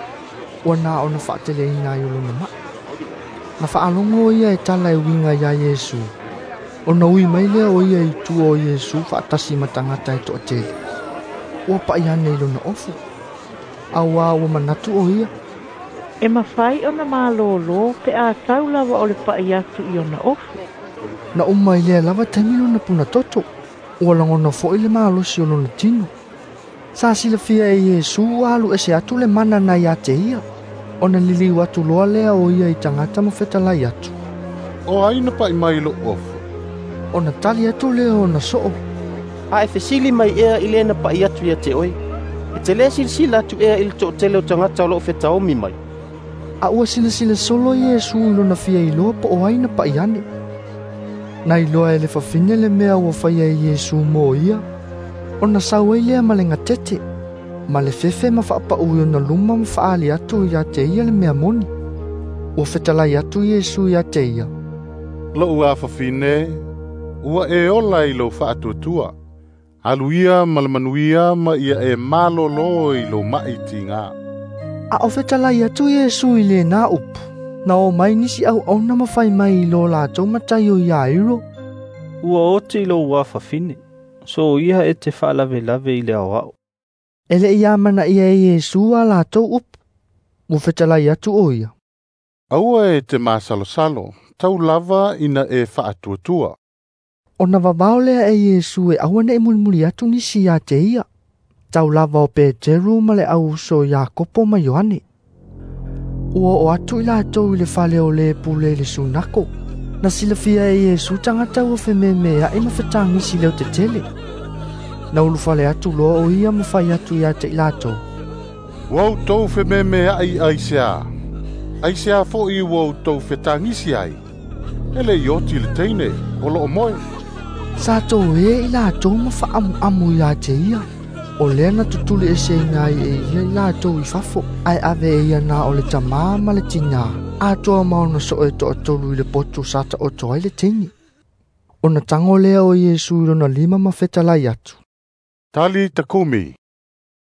Speaker 1: Ua na ona fa'ateleina ai o lona ma'i. Na fa'alogo ia e tala e uiga iā Iesu. Ona ui mai lea o ia i tua o Iesu fa'atasi ma tagata e to'atele. Ua pa'i ane i lona ofu. Auā ua manatu o ia.
Speaker 16: E mafai ona malōlō pe a tau lava o le pa'i atu i ona ofu.
Speaker 1: Na uma i lea lava taimi lona punatoto. Ua lagona fo'i le malosi o lona tino. Sa silafia e Iesu ua alu ese atu le mana na iā te ia. Ona liliu atu loa lea o ia i tagata ma fetalai atu.
Speaker 5: O ai na pa'i mai i lo'u ofu?
Speaker 1: Ona tali atu lea ona so'o.
Speaker 15: A e fesili mai ea i lē na pa'i atu ia te oe. E te lē silasila atu ea i le to'atele o tagata o lo'o fetaomi mai.
Speaker 1: A ua silasila solo Iesu i lona fia iloa po o ai na pa'i ane. Na iloa e le fafine le mea ua faia e Iesu mo ia. Ona sau ai lea ma le gatete, ma le fefe ma fa'apa'u i ona luma ma fa'aali atu iā te ia le mea moni. Ua fetalai atu Iesu iā te ia.
Speaker 5: Lo'u afafine, ua e ola i lou fa'atuatua. Alu ia ma le manuia ma ia e malōlō i lou ma'i tigā.
Speaker 1: A o fetalai atu Iesu i lenā upu, na o mai nisi auauna ma fai mai i lo latou matai o Iairo.
Speaker 7: Ua oti i lou afafine, so ia e te fa'alavelave i le aoa'o.
Speaker 1: E le'i amanaia e Iesu a latou upu, ua fetalai atu o ia.
Speaker 5: Aua e te masalosalo, tau lava ina e fa'atuatua.
Speaker 1: Ona vavao lea e Iesu e aua ne'i mulimuli atu nisi iā te ia. Tau lava o Peteru ma le au uso Iakopo ma Ioane. Ua oo atu i latou i le fale o lē pule i le sunako. Na silafia e Iesu tagata ua fememea'i ma fetagisi leotetele. Na ulufale atu loa o ia ma fai atu iā te i latou.
Speaker 5: Ua outou fememea'i aiseā. Aiseā fo'i ua outou fetagisi ai. E le'i oti le teine, o lo'o moe.
Speaker 1: Sa toē i latou ma fa'amu'amu iā te ia. O lea na tutuli eseina ai e ia i latou i fafo, ae ave e ia na o le tamā ma le tinā, atoa ma ona so'o e to'atolu i le potu sa ta'oto ai le teine. Ona tago lea o Iesu i lona lima ma fetalai atu.
Speaker 5: Tali takumi.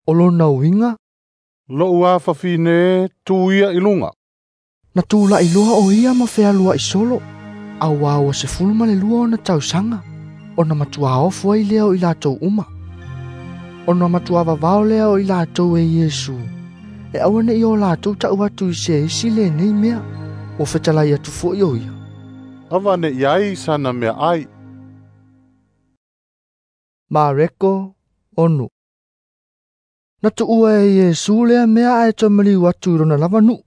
Speaker 1: O lona uiga.
Speaker 5: Lo'u afafine, tu ia i luga.
Speaker 1: Na tula'i loa o ia ma fealua'i solo, auā ua 12 ona tausaga, ona matuā ofo ai lea o i latou uma. Ona matuā vavao lea o i latou e Iesu, e aua ne'i o latou ta'u atu i se isi lenei mea, ua fetalai atu fo'i o ia.
Speaker 5: Ava ne'i ai sana mea ai.
Speaker 1: Mareko 6. Na tu'ua e Iesu lea mea ae toe maliu atu i lona lava nu'u.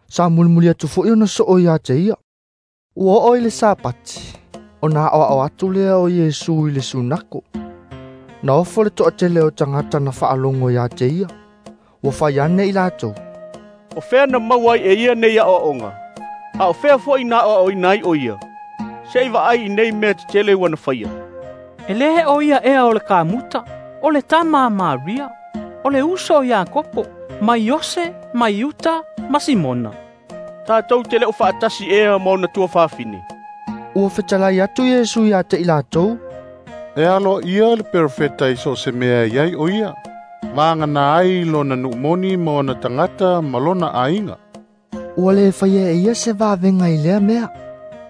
Speaker 1: Sa mulimuli atu fo'i ona so'o iā te ia. Ua oo i le Sapati, ona a'oa'o atu lea o Iesu i le sunako. Na ofo le to'atele o tagata na fa'alogo iā te ia. Ua fai ane i latou.
Speaker 12: O fea na maua ai e ia nei a'oa'oga, a o fea fo'i na a'oa'oina ai o ia. Se'i va'ai i nei mea tetele ua na faia.
Speaker 17: E lē o ia ea o le kamuta, o le tama a Maria, o le uso o Iakopo, ma Iose, ma Iuta, ma Simona.
Speaker 12: Tatou te le o faatasi ea ma ona tuafafine?"
Speaker 1: Ua fetalai atu Iesu ia te i latou,
Speaker 5: "E aloaia le perofeta i so o se mea e i ai o ia, vagana ai lona nuu moni ma ona tagata ma lona aiga."
Speaker 1: Ua le faia e ia se vavega i lea mea,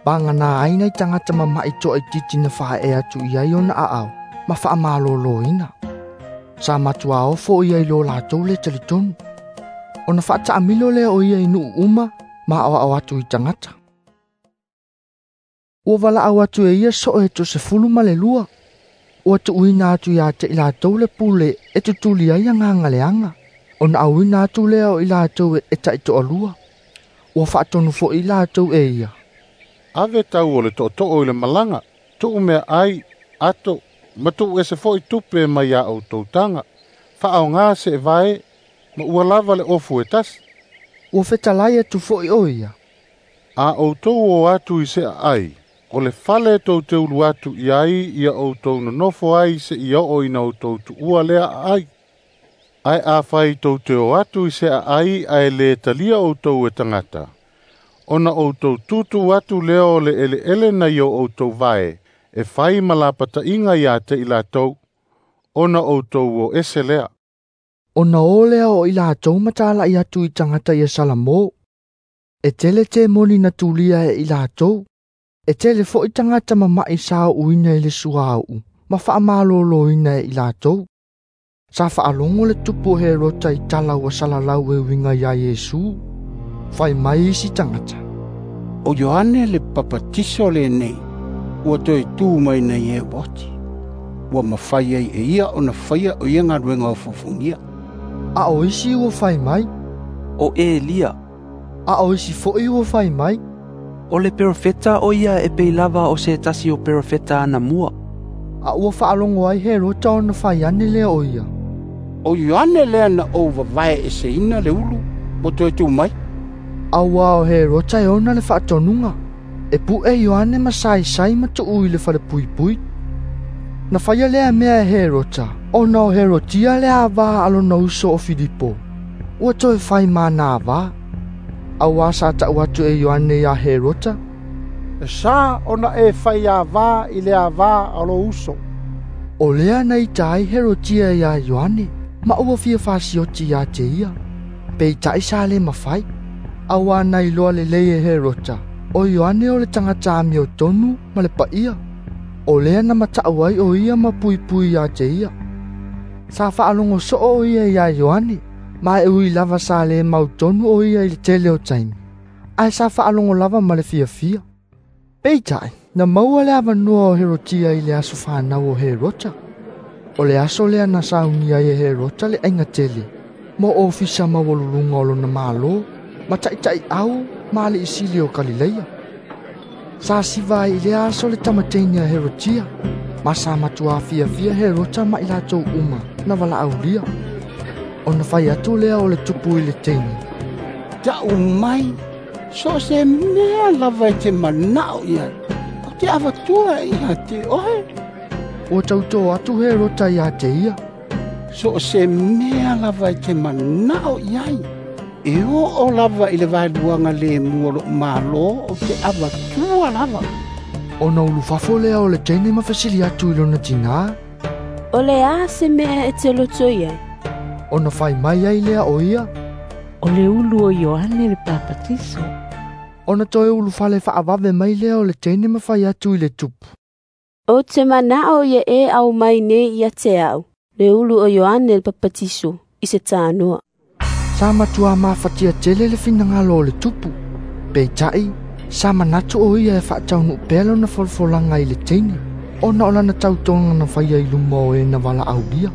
Speaker 1: vagana ai nai tagata mama'i toaitiiti na faaee atu i ai ona aao ma faamalōlōina. Sa matuā ofo ia i lo latou le talitonu. Ona faataamilo lea o ia i nuu uma ma aoao atu i tagata. Ua valaau atu e ia soo e 12. Ua tuuina atu ia te i latou le pule e tutuli ai agaga leaga. Ona auina atu lea o i latou e taitoalua. Ua faatonu foi i latou e ia,
Speaker 5: "Ave tau o le tootoo i le malaga, tuu mea ai, ato, ma tuu ese foi tupe mai ia outou taga, faaoga se vae, ma ua lava le ofu e tasi."
Speaker 1: Ua fetalai atu foi o ia,
Speaker 5: "A outou o atu i se aai, o le fale tou te ulu atu i ai ia outou nonofo ai seia oo ina outou tuua lea aai. Ae afai tou te o atu i se aai ae le talia outou e tagata, ona outou tutu atu lea o le eleele nai o outou vae e fai ma lapataiga ia te i latou, ona outou o ese lea."
Speaker 1: Ona o lea o i latou ma talai atu i tagata ia Salamo. E tele temoni na tulia e i latou. E tele foi tagata mama'i sa uuina i le suauu ma faamalōlōina e i latou. Sa faalogo le tupu o Herota i tala ua salalau e uiga iā Iesu. Fai mai isi tagata,
Speaker 10: "O Ioane le Papatiso lenei, ua toe tu mai nei e oti. Ua mafai ai e ia ona faia o ia galuega ofoofogia."
Speaker 1: A o isi ua fai mai,
Speaker 8: "O Elia."
Speaker 1: A o isi foi ua fai mai,
Speaker 8: "O le perofeta o ia e pei lava o se tasi o perofeta anamua."
Speaker 1: A ua faalogo ai Herota ona fai ane lea o ia,
Speaker 10: "O Ioane lea na ou vavae eseina le ulu, ua toe tu mai."
Speaker 1: Auā o Herota e ona le faatonuga, e pu'e Ioane ma saisai ma tuu i le falepuipui. Na faia lea mea e Herota, ona o Herotia le avā a lona uso o Filipo. Ua toe fai ma avā. Auā sa ta'u atu e Ioane iā Herota,
Speaker 3: "E sa ona e fai avā i le avā a lou uso."
Speaker 1: O lea na ita ai Herotia iā Ioane, ma ua fia fasioti ia te ia. Peita'i sa le mafai. Auā na iloa lelei e Herota, o Ioane o le tagata amiotonu ma le paia. O lea na mata'u ai o ia ma puipui ia te ia. Sa faalogo soo o ia iā Ioane, ma e ui lava sa le mautonu o ia i le tele o taimi. Ae sa faalogo lava ma le fiafia. Peitai, na maua le avanoa o Herotia i le aso fanau o Herota. O le aso lea na saunia ai e Herota le aiga tele, mo ofisa maualuluga o lona malo, ma taʻitaʻi au ma alii sili o Kalileia. Sa siva ai i lea aso le tamateine a Herotia, ma sa matuā fiafia Herota ma i latou uma na valaaulia. Ona fai atu lea o le tupu i le teine,
Speaker 10: "Ta'u mai, so o se mea lava e te mana'o i ai, ou te avatua ia te oe."
Speaker 1: Ua tautō atu Herota ia te ia,
Speaker 10: "So o se mea lava e te mana'o i ai, e oo lava i le vaeluaga lemu o lo'u mālō ou te avatua lava."
Speaker 1: Ona ulufafo lea o le teine ma fesili atu i lona tinā,
Speaker 18: "O le a se mea e te loto i ai?"
Speaker 1: Ona fai mai ai lea o ia,
Speaker 16: "O le ulu o Ioane le Papatiso."
Speaker 1: Ona toe ulufale faavave mai lea o le teine ma fai atu i le tupu,
Speaker 18: "Ou te mana'o ia e aumai nei ia te a'u, le ulu o Ioane le Papatiso, i se tanoa."
Speaker 1: Sa matuā mafatia tele le finagalo o le tupu. Peita'i, sa manatu o ia e faataunuu pea lona folafolaga i le teine, ona o lana tautoga na faia i luma o e na valaaulia.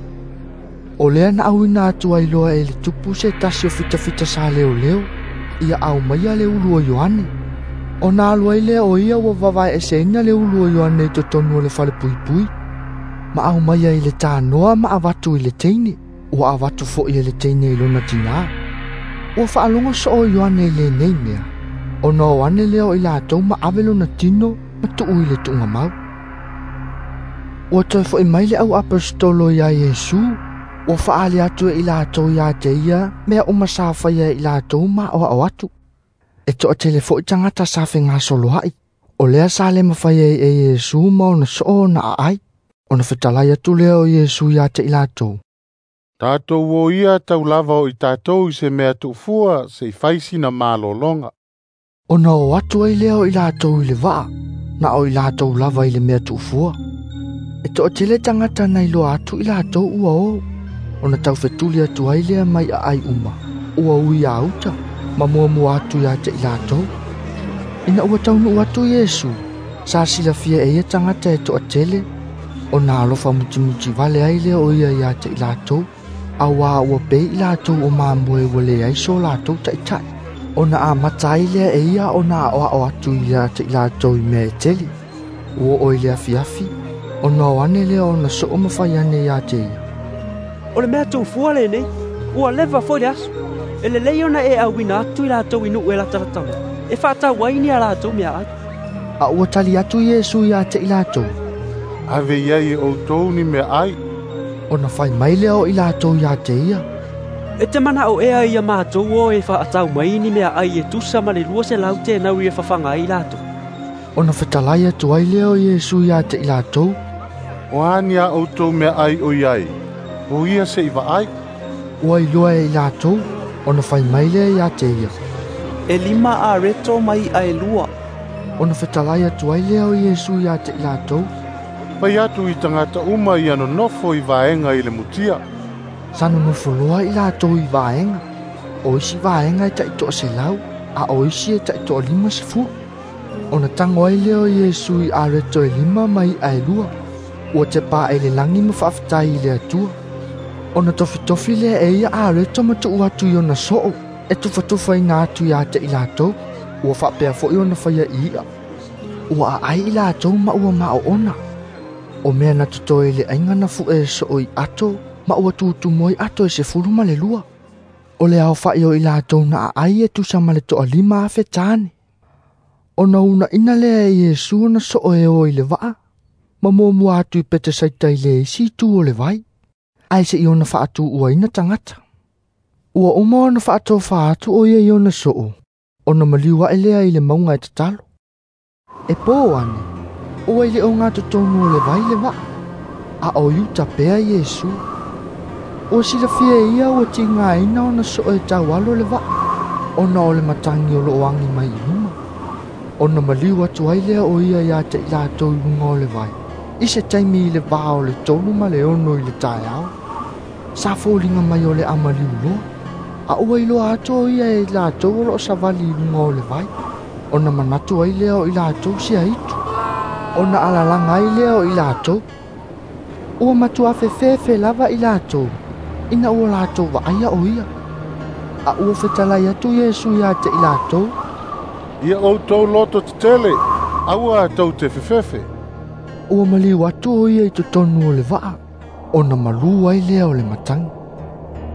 Speaker 1: O lea na auina atu ai loa e le tupu se tasi o fitafita sa leoleo, ia aumaia le ulu o Ioane. Ona alu ai lea o ia ua vavaeeseina le ulu o Ioane i totonu o le falepuipui. Ma aumaia i le tanoa ma avatu i le teine. Ua avatu foi e le teine i lona tinā. Ua faalogo soo Ioane i lenei mea, ona o ane lea o i latou ma ave lona tino ma tuu i le tuugamau. Ua toe foi mai le au aposetolo iā Iesu, ua faaali atu e i latou ia te ia mea uma sa faia e i latou ma aoao atu. E toʻatele foʻi tagata sa fegasoloaʻi, o lea sa le mafai ai e Iesu ma ona soo ona aai. Ona fetalai atu lea o Iesu iā te i latou.
Speaker 5: Tatou o ia taulava o i tatou i se mea tuufua se i fai sina malologa.
Speaker 1: Ona o atu ai lea o i latou i le vaa, na o i latou lava i le mea tuufua. E toʻatele tagata na iloa atu i latou ua o, ona taufetuli atu ai lea mai aai uma, ua ui a uta, ma muamua atu iā te i latou. Ina ua taunuu atu Iesu, sa silafia e ia tagata e toʻatele, ona alofa mutimuti vale ai lea o ia iā te i latou, auā ua pei i latou o mamoe ua leai so latou taʻitaʻi. Ona amata ai lea e ia ona aʻoaʻo atu ia te i latou i mea e tele. Ua oo i le afiafi, ona o ane lea ona soo ma fai ane iā te ia.
Speaker 17: O le mea tuufua lenei, ua leva foi le aso. E lelei ona e auina atu i latou i nuu e latalata mai, e faatau ai ni a latou meaai.
Speaker 1: A ua tali atu Iesu iā te i latou.
Speaker 5: Ave i ai e outou ni meaai.
Speaker 1: Ona fai mai lea o i latou iā te ia.
Speaker 17: E te manaʻo ea ia matou o e faatau mai ni meaai e tusa ma le 200 tenauri e fafaga ai latou.
Speaker 1: Ona fetalai atu ai lea o Iesu iā te i latou.
Speaker 5: O a ni a outou meaai o i ai, o ia se i vaai.
Speaker 1: Ua iloa e i latou, ona fai mai lea iā te ia.
Speaker 8: E 5 areto ma iʻa e 2.
Speaker 1: Ona fetalai atu ai lea o Iesu iā te i latou.
Speaker 5: Fai atu i tagata uma ia nonofo i vaega i le mutia.
Speaker 1: Sa nonofo loa i latou i vaega. O isi vaega e 100, a o isi e 150. Ona tago ai lea o Iesu i areto e 5 ma iʻa e 2. Ua tepaʻa i le lagi ma faafetai i le Atua. Ona tofitofi lea e ia areto ma tuu atu i ona soo, e tufatufaina atu iā te i latou, ua faapea foʻi ona faia i iʻa. Ua aai i latou ma ua maoona. O mea na totoe i le aiga na fuʻe e soo i ato, ma ua tutumu ai ato e 12. O le aofaʻi o i latou na aai e tusa ma le 5,000 tane. Ona uunaʻina lea e Iesu ona soo e o i le vaa, ma muamua atu i Petesaita i le isi itu o le vai, ae seʻi ona faatuuaina tagata. Ua uma ona faatofa atu o ia i ona soo, ona maliu aʻe lea i le mauga e tatalo. E pō ane, ua i le ogatotonu o le vai le vaa, a o i uta pea Iesu. Ua silafia e ia ua tigaina ona soo e taualo le vaa, ona o le matagi o loo agi mai i luma. Ona maliu atu ai lea o ia iā te i latou i luga o le vai, i se taimi i le vā o le 3 ma le 6 i le taeao. Sa foliga mai o le amaliu loa, a ua iloa atu o ia e i latou o loo savali i luga o le vai. Ona manatu ai lea o i latou se aitu. Ona alalaga ai lea o i latou. Ua matua fefefe lava i latou, ina ua latou vaaia o ia. A ua fetalai atu Iesu iā te i latou.
Speaker 5: Ia outou loto tetele, aua tou te fefefe.
Speaker 1: Ua maliu atu o ia i totonu o le vaa, ona malū ai lea o le matagi.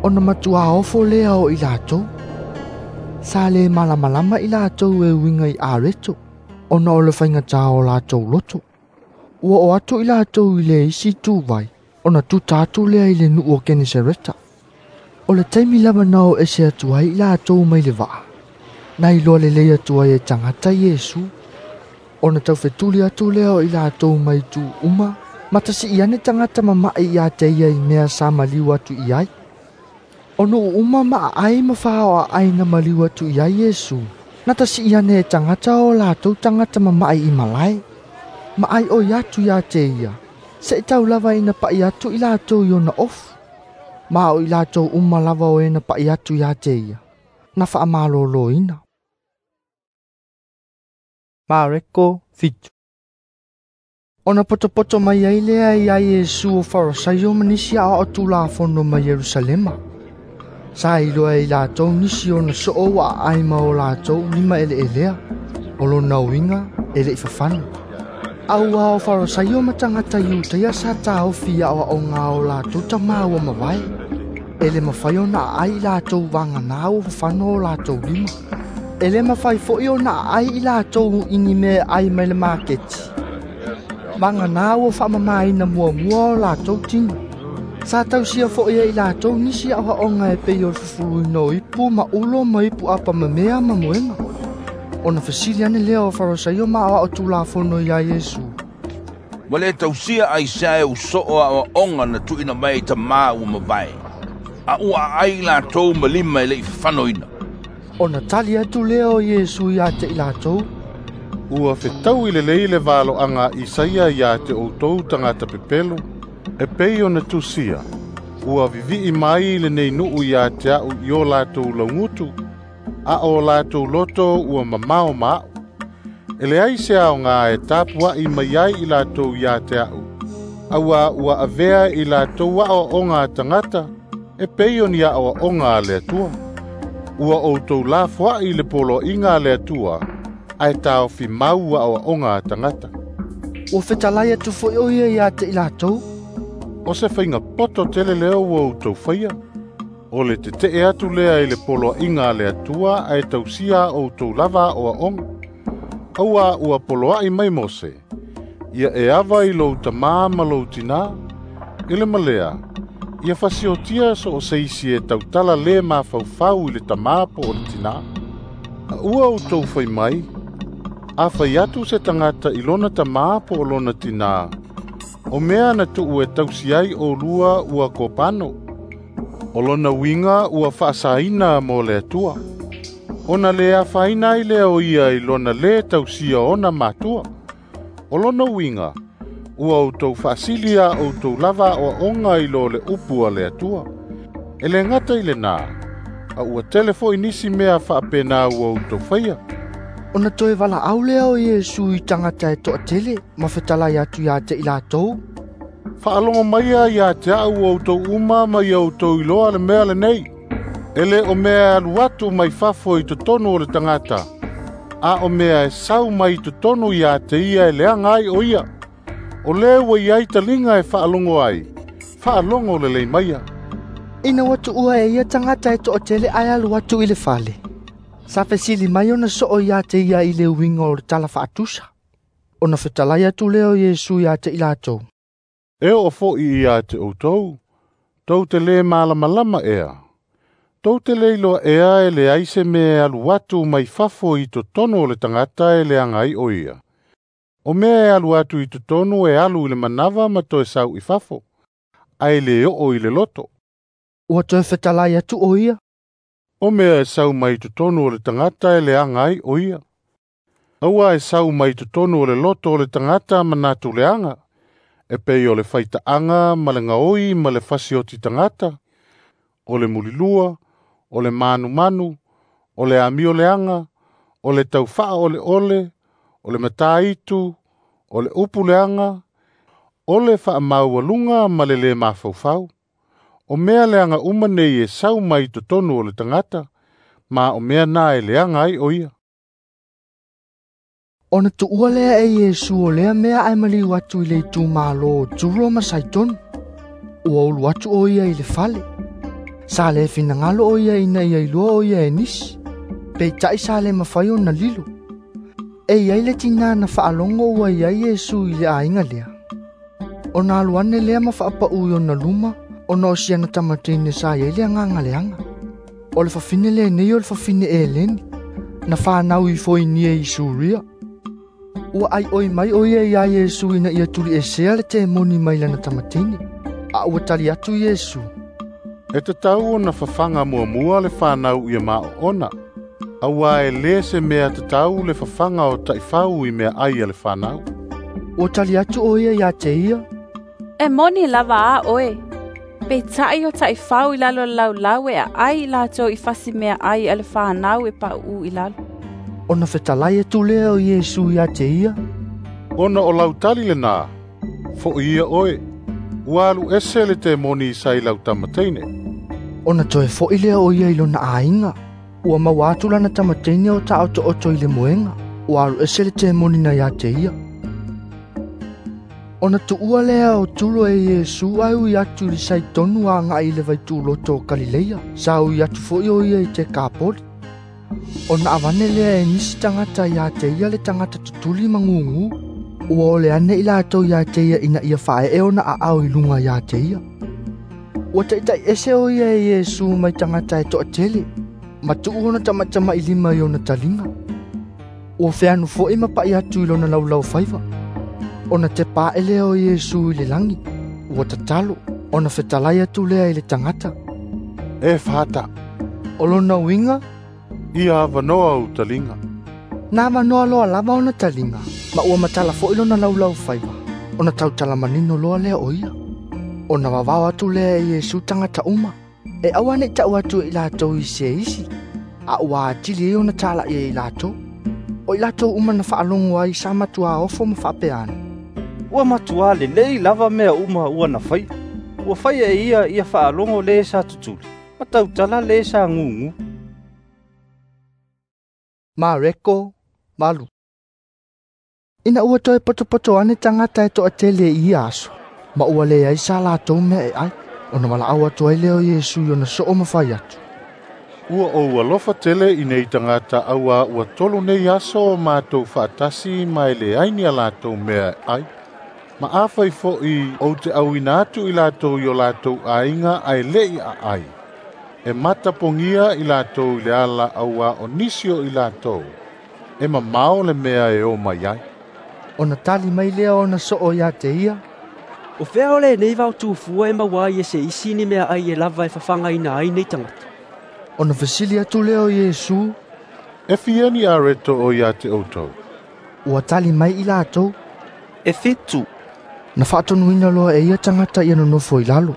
Speaker 1: Ona matua ofo lea o i latou. Sa le malamalama i latou e uiga i areto, ona o le faigatā o latou loto. Ua o atu i latou i le isi ituvai, ona tuta atu lea i le nuu o Kenesareta. O le taimi lava na o ese atu ai i latou mai le vaa, na iloa lelei atu ai e tagata Iesu. Ona taufetuli atu lea o i latou mai itu uma, ma tasiʻi ane tagata mamaʻi iā te ia i mea sa maliu atu i ai. O nuu uma ma aai ma faoaʻai na maliu atu i ai Iesu, na tasiʻi ane e tagata o latou tagata mamaʻi i malae. Ma ai oi atu iā te ia, seʻi tau lava ina paʻi atu i latou i ona ofu. Ma o i latou uma lava o e na paʻi atu iā te ia, na faamalōlōina. Mareko 7. Ona potopoto mai ai lea iā Iesu o Farasaio ma nisi aoao tulafono mai Ierusalema. Sa iloa e i latou nisi ona soo ua aai ma o latou lima eleelea, o lona uiga e leʻi fafano. Auā o Farasaio ma tagata Iutaia sa taofi i aoaoga o latou tamā ua mavae. E le mafai ona aai i latou vaganā ua fafano o latou lima. E le mafai foʻi ona aai i latou i ni mea ai mai le maketi. Vaganā ua faamamāina muamua o latou tino. Sa tausia foʻi e i latou nisi aoaoga e pei o le fufuluina o ipu ma ulo ma ipu apamamea ma moega. Ona fesili ane lea o Farisaio ma aoao Tulafono iā Iesu,
Speaker 9: Ua lē tausia aisea e usoo aʻoaʻoga na tuuina mai i tamā ua mavae, a ua aʻai i latou ma lima e leʻi fafanoina.
Speaker 1: Ona tali atu lea o Iesu iā te i latou,
Speaker 5: Ua fetaui lelei le valoaga a Isaia iā te outou tagata pepelo, e pei ona tusia, ua vivi'i mai lenei nuu iā te a'u i o latou laugutu, a o latou loto ua mamao ma a'u. E leai se aogā e tapua'i mai ai i latou iā te a'u, auā ua avea i latou aʻoaʻoga a tagata, e pei o ni aʻoaʻoga a le Atua. Ua outou lafoaʻi le poloaʻiga a le Atua, ae taofi mau aʻoaʻoga a tagata.
Speaker 1: Ua fetalai atu fo'i o ia iā te i latou,
Speaker 5: O se faiga poto tele lea ua outou faia, o le teteʻe atu lea i le poloaʻiga a le Atua ae tausia a outou lava aʻoaʻoga. Auā ua poloaʻi mai Mose, ia e ava i lou tamā ma lou tinā, i le malea, ia fasiotia so o se isi e tautala lē mafaufau i le tamā po o le tinā. A ua outou fai mai, a fai atu se tagata i lona tamā po o lona tinā, o mea na tuu e tausi ai olua ua kopano. O lona uiga ua faasaina mo le Atua. Ona le afaina ai lea o ia i lona lē tausia ona matua. O lona uiga, ua outou faasili a outou lava aʻoaʻoga i lo le upu a le Atua. E lē gata i lenā, a ua tele foʻi nisi mea faapenā ua outou faia.
Speaker 1: Ona toe valaau lea o Iesu i tagata e toʻatele ma fetalai atu iā te i latou,
Speaker 5: Faalogo maia iā te a'u outou uma ma ia outou iloa le mea lenei. E lē o mea e alu atu mai fafo i totonu o le tagata, a o mea e sau mai i totonu iā te ia e leaga ai o ia. O lē ua iai taliga e faalogo ai, faalogo lelei maia.
Speaker 1: Ina ua tuua e ia tagata e toʻatele ae alu atu i le fale, sa fesili mai ona soo iā te ia i le uiga o le tala faatusa. Ona fetalai atu lea o Iesu iā te i latou,
Speaker 5: E oo foʻi iā te outou, tou te lē malamalama ea. Tou te le iloa ea e leai se mea e alu atu mai fafo i totonu o le tagata e leaga ai o ia. O mea e alu atu i totonu e alu i le manava ma toe sau i fafo, ae lē oo i le loto.
Speaker 1: Ua toe fetalai atu o ia,
Speaker 5: O mea e sau mai totonu o le tagata e leaga ai o ia. Auā e sau mai totonu o le loto o le tagata manatu leaga, e pei o le faitaʻaga ma le gaoi ma le fasioti tagata, o le mulilua, o le manumanu, o le amio leaga, o le taufaaoleole, o le matāitu, o le upu leaga, o le faamaualuga ma le lē mafaufau. O mea leaga uma nei e sau mai totonu o le tagata, ma o mea na e leaga ai o ia.
Speaker 1: Ona tuua lea e Iesu o lea mea ae maliu atu i le itumālō o Turo ma Saitoni. Ua ulu atu o ia i le fale. Sa le finagalo o ia ina ia iloa o ia e nisi, peitaʻi sa le mafai ona lilo. E iai le tinā na faalogo ua iai Iesu i le aiga lea. Ona alu ane lea ma faapaʻu i ona luma, ona o siana tamateine sa iai le agaga leaga. O le fafine lenei o le fafine Eleni, na fanau i Foinia i Suria. Ua aioi mai o ia iā Iesu ina ia tuliʻesea le temoni mai lana tamateine. A ua tali atu Iesu,
Speaker 5: E tatau ona fafaga muamua le fanau ia maoona, auā e lē se mea tatau le fafaga o taʻifau i meaʻai a le fanau.
Speaker 1: Ua tali atu o ia iā te ia,
Speaker 19: E moni lava a oe. Peitaʻi o taʻifau i lalo o le laulau e aʻai i latou i fasi meaʻai a le fanau e paʻuʻu i lalo.
Speaker 1: Ona fetalai atu lea o Iesu iā te ia,
Speaker 5: Ona o lau tali lenā, foʻi ia oe, ua alu ese le temoni sa i lau tamateine.
Speaker 1: Ona toe foʻi lea o ia i lona aiga, ua maua atu lana tamateine o taʻotoʻoto i le moega, ua alu ese le temoni na iā te ia. Ona tuua lea o Turo e Iesu ae ui atu i le Saitonu agaʻi i le vaituloto o Kalileia, sa ui atu foʻi o ia i Tekapoli. Ona avane lea e nisi tagata iā te ia le tagata tutuli ma gugū, ua ole ane i latou iā te ia ina ia faaee ona aao i luga iā te ia. Ua taʻitaʻi ese o ia e Iesu mai tagata e toʻatele, ma tuu ona tamatamaʻilima i ona taliga. Ua feanu fo'i ma pa'i atu i lona laulaufaiva. Ona tepa'e lea o Iesu i le lagi, ua tatalo, ona fetalai atu lea i le tagata.
Speaker 5: E fata.
Speaker 1: O lona uiga,
Speaker 5: Ia avanoa ou taliga.
Speaker 1: Na avanoa loa lava ona taliga, ma ua matala fo'i lona laulaufaiva, ona tautala manino loa lea o ia. Ona vavao atu lea e Iesu tagata uma, e aua ne'i ta'u atu e i latou i se isi, a ua atili ai ona tala'ia i latou. O i latou uma na fa'alogo ai sa matuā ofo ma fa'apea ane,
Speaker 7: Ua matuā lelei lava mea uma ua na faia. Ua faia e ia ia fa'alogo lē sa tutuli, ma tautala lē sa gugū.
Speaker 1: Mareko 8. Ina ua toe potopoto ane tagata e to'atele i ia aso, ma ua leai sa latou mea e ai, ona valaau atu ai lea o Iesu i ona soo ma fai atu.
Speaker 5: Ua ou alofa tele i nei tagata auā ua 3 nei aso o matou fa'atasi ma e leai ni a latou mea e ai. Ma afai fo'i ou te auina atu i latou i o latou aiga ae le'i a'ai. E matapogia i latou i le ala auā o nisi o i latou, e mamao le mea e o mai ai.
Speaker 1: Ona tali mai lea ona soo ia te ia,
Speaker 17: O fea o lenei vaotufua e maua ai e se isi ni mea ai e lava e fafagaina ai nei tagata.
Speaker 1: Ona fesili atu lea o Iesu,
Speaker 5: E fia ni areto o ia te outou?
Speaker 1: Ua tali mai i latou,
Speaker 8: E 7.
Speaker 1: Na fa'atonuina loa e ia tagata ia nonofo i lalo.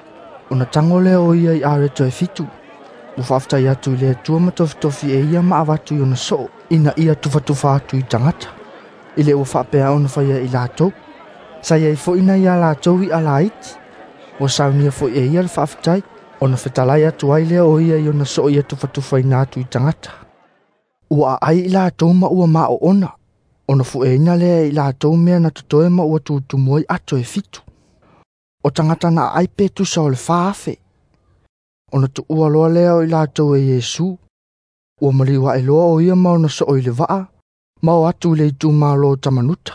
Speaker 1: Ona tago lea o ia i areto e 7. Ua fa'afetai atu i le Atua ma tofitofi e ia ma avatu i ona soo, ina ia tufatufa atu i tagata. I le ua fa'apea ona faia i latou. Sa iai fo'i nai a latou i'a laiti. Ua saunia fo'i e ia le fa'afetai, ona fetalai atu ai lea o ia i ona soo ia tufatufaina atu i tagata. Ua a'ai i latou ma ua ma'o'ona, ona fu'eina lea e i latou mea na totoe ma ua tutumu ai ato e 7. O tagata na a'ai pe tusa o le 4,000. Ona tu'ua loa lea o i latou e Iesu. Ua maliu a'e loa o ia ma ona soo i le va'a, ma o atu i le itumālō Tamanuta.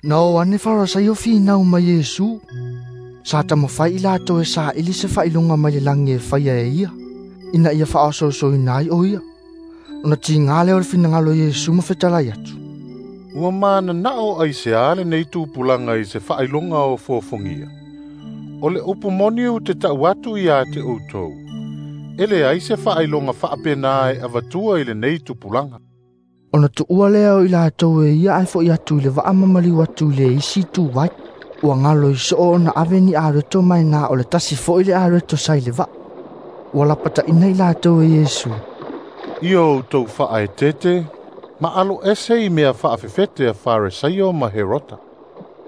Speaker 1: Na o ane Farasaio finau mai Iesu. Sa tamafai i latou e sa'ili se fa'ailoga mai le lagi e faia e ia, ina ia fa'aososoina ai o ia. Ona tigā lea o le finagalo Iesu ma fetalai atu.
Speaker 5: Ua manana'o aiseā lenei tupulaga i se fa'ailoga o fofogia. O le upu moni ou te ta'u atu iā te outou. E leai se fa'ailoga fa'apenā e avatua i lenei tupulaga.
Speaker 1: Ona tu'ua lea o i latou e ia ae fo'i atu i le va'a ma maliu atu i le isi ituvai. Ua galo i soo ona ave ni areto mai na o le tasi fo'i le areto sa i le va'a. Ua lapata'ina i latou e Iesu.
Speaker 5: Ia outou fa'aetete, ma alo ese i mea fa'afefete a Faresaio ma Herota.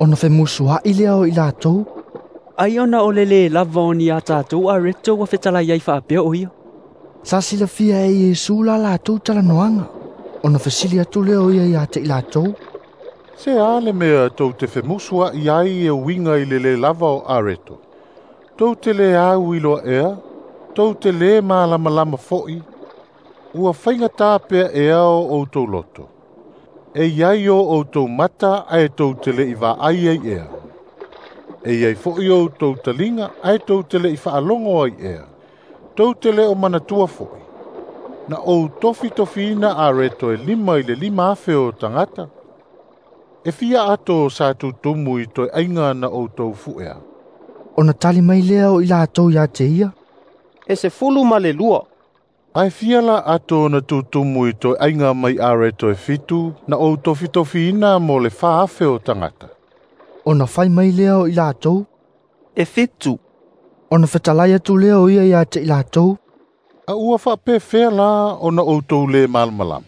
Speaker 1: Ona femusua'i lea o i latou,
Speaker 17: Ai ona o le lē lava o ni a tatou areto ua fetalai ai fa'apea o ia.
Speaker 1: Sa silafia e Iesu la latou talanoaga. Ona fesili atu lea o ia iā te i latou,
Speaker 5: Se a le mea tou te femusua'i ai e uiga i le lē lava o areto. Tou te lē au iloa ea, tou te lē malamalama fo'i, ua faigatā pea ea o outou loto. E iai o outou mata ae tou te le'i va'ai ai ea. E iai fo'i outou taliga ae tou te le'i fa'alogo ai ea. Tou te lē o manatua fo'i. Na ou tofitofiina areto e 5 i le 5,000 o tagata. E fia ato sa tutumu i toe aiga na outou fu'ea.
Speaker 1: Ona tali mai lea o i latou iā te ia,
Speaker 15: E 12.
Speaker 5: Ae fia la ato na tutumu i toe aiga mai areto e 7 na ou tofitofiina mo le 4,000 o tagata.
Speaker 1: Ona fai mai lea o i latou,
Speaker 8: E 7.
Speaker 1: Ona fetalai atu lea o ia iā te i latou,
Speaker 5: A ua fa'apefea la ona outou lē malamalama.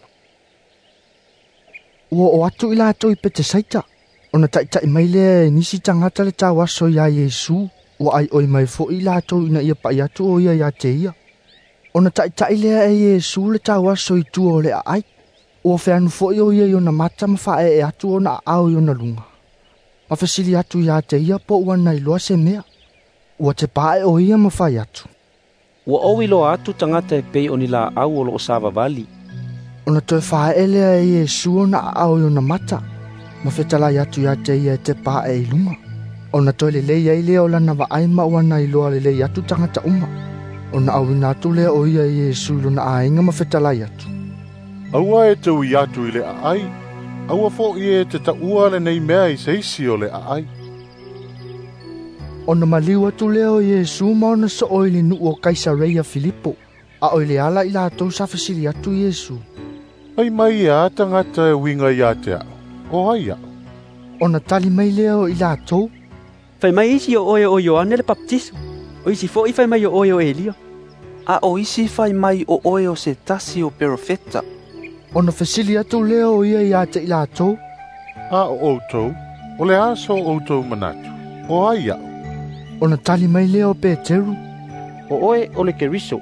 Speaker 1: Ua o atu i latou i Petesaita. Ona ta'ita'i mai lea e nisi tagata le tauaso iā Iesu, ua ai'oi mai fo'i latou ina ia pa'i atu o ia iā te ia. Ona ta'ita'i lea e Iesu le tauaso i tua o le a'ai. Ua feanu fo'i o ia i ona mata ma fa'ae'e atu ona a'ao i ona luga. Ma fesili atu iā te ia po ua na iloa se mea. Ua tepa'e o ia ma fai atu.
Speaker 14: Ua ou iloa atu tagata e pei o ni la'au o lo'o savavali.
Speaker 1: Ona toe fa'ae'e lea e Iesu ona a'ao i ona mata, ma fetalai atu iā te ia e tepa'e i luga. Ona toe lelei ai lea o lana va'ai ma ua na iloa lelei atu tagata uma. Ona auina atu lea o ia i Iesu i lona aiga ma fetalai atu.
Speaker 5: Aua e te ui atu i le aai, aua fo'i e te taua lenei mea i se isi o le aai.
Speaker 1: Ona maliu atu lea o Iesu ma ona soo i le nuu o Kaisareia Filipo, a o i le ala i latou sa fesili atu Iesu.
Speaker 5: Fai mai e a tagata e uiga ia te a'u, o ai a'u?
Speaker 1: Ona tali mai lea o i latou.
Speaker 17: Fai mai isi o oe o Ioane le Papatiso, o isi fo'i fai mai o oe o Elia.
Speaker 8: A o isi fai mai o oe o se tasi o perofeta.
Speaker 1: Ona fesili atu lea o ia ia te i latou.
Speaker 5: A o outou, o le a so outou manatu, o ai a'u?
Speaker 1: Ona tali mai lea o Peteru.
Speaker 15: O oe o le Keriso.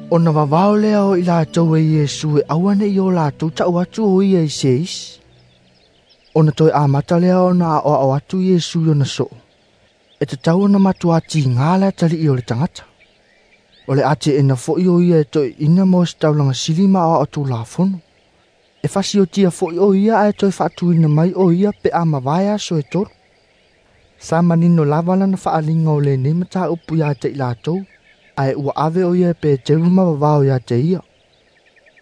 Speaker 1: Ona vavao lea o i latou e Iesu e aua nei o latou ta'u atu o ia i se isi. Ona toe amata lea ona aoao atu Iesu i ona soo. E tatau ona matuā tigā le atalii o le tagata. O le ateena fo'i o ia e toe'ina mo se taulaga sili ma aoao tulafono. E fasiotia fo'i o ia ae toe faatuina mai o ia pe a mavae aso e tolu. Sa manino lava lana faaaliga o lenei mataupu ia te i latou, ae ua ave o ia e Peteru ma vavao ia te ia.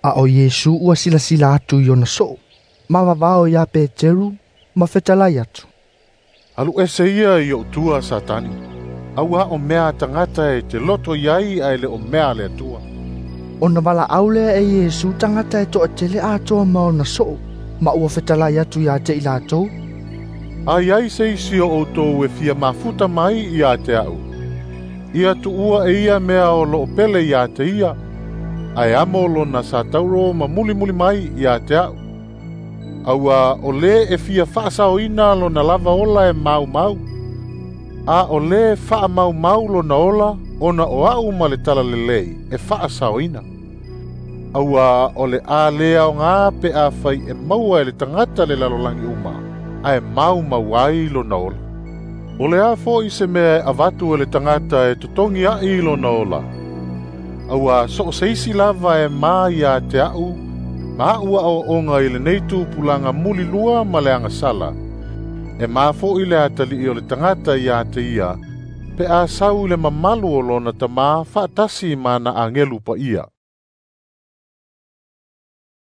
Speaker 1: A o Iesu ua silasila atu i ona soo, ma vavao ia Peteru ma fetalai atu.
Speaker 5: Alu ese ia i o'u tua Satani, auā o mea a tagata e te loto iai ae le o mea a le Atua.
Speaker 1: Ona valaau lea e Iesu tagata e toatele atoa ma ona soo, ma ua fetalai atu ia te i latou.
Speaker 5: A iai se isi o outou e fia mafuta mai ia te a'u, ia tuua e ia mea o loo pele ia te ia, ae amo lona satauro ma mulimuli mai ia te a'u. Auā o lē e fia faasaoina lona lava ola e maumau, a o lē faamaumau lona ola ona o a'u ma le talalelei e faasaoina. Auā o le a lē aogā pe a fai e maua e le tagata le lalolagi uma, ae maumau ai lona ola. O le a fo'i se mea e avatu e le tagata e totogi a'i lona ola. Auā so o se isi lava e ma ia te a'u, ma a'u aoaoga i lenei tupulaga mulilua ma le agasala, e ma fo'i le atalii o le tagata ia te ia, pe a sau i le mamalu o lona tamā faatasi ma ana agelu paia.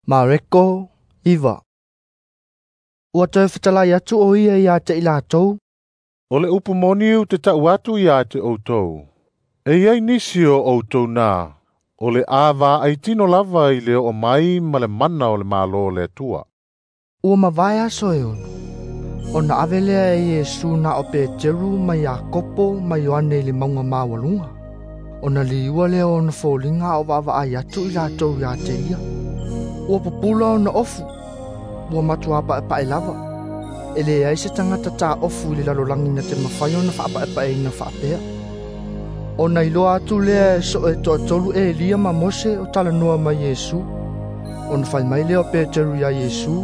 Speaker 1: Mareko 9. Ua toe fetalai atu o ia ia te i latou.
Speaker 5: O le upu moni ou te ta'u atu ia te outou. E iai nisi o outou na, o le a vaaitino lava i le oo mai ma le mana o le Malo o le Atua.
Speaker 1: Ua mavae aso e ono. Ona ave lea e Iesu na o Peteru ma Iakopo ma Ioane i le mauga maualuga. Ona liua lea o ona foliga a o vaavaai atu i latou ia te ia. Ua pupula ona ofu, ua matuā paepae lava. E leai se tagata taofu i le lalolagi na te mafai ona faapaepaeina faapea. Ona iloa atu lea e soo e toatolu Elia ma Mose o talanoa ma Iesu. Ona fai mai lea o Peteru iā Iesu.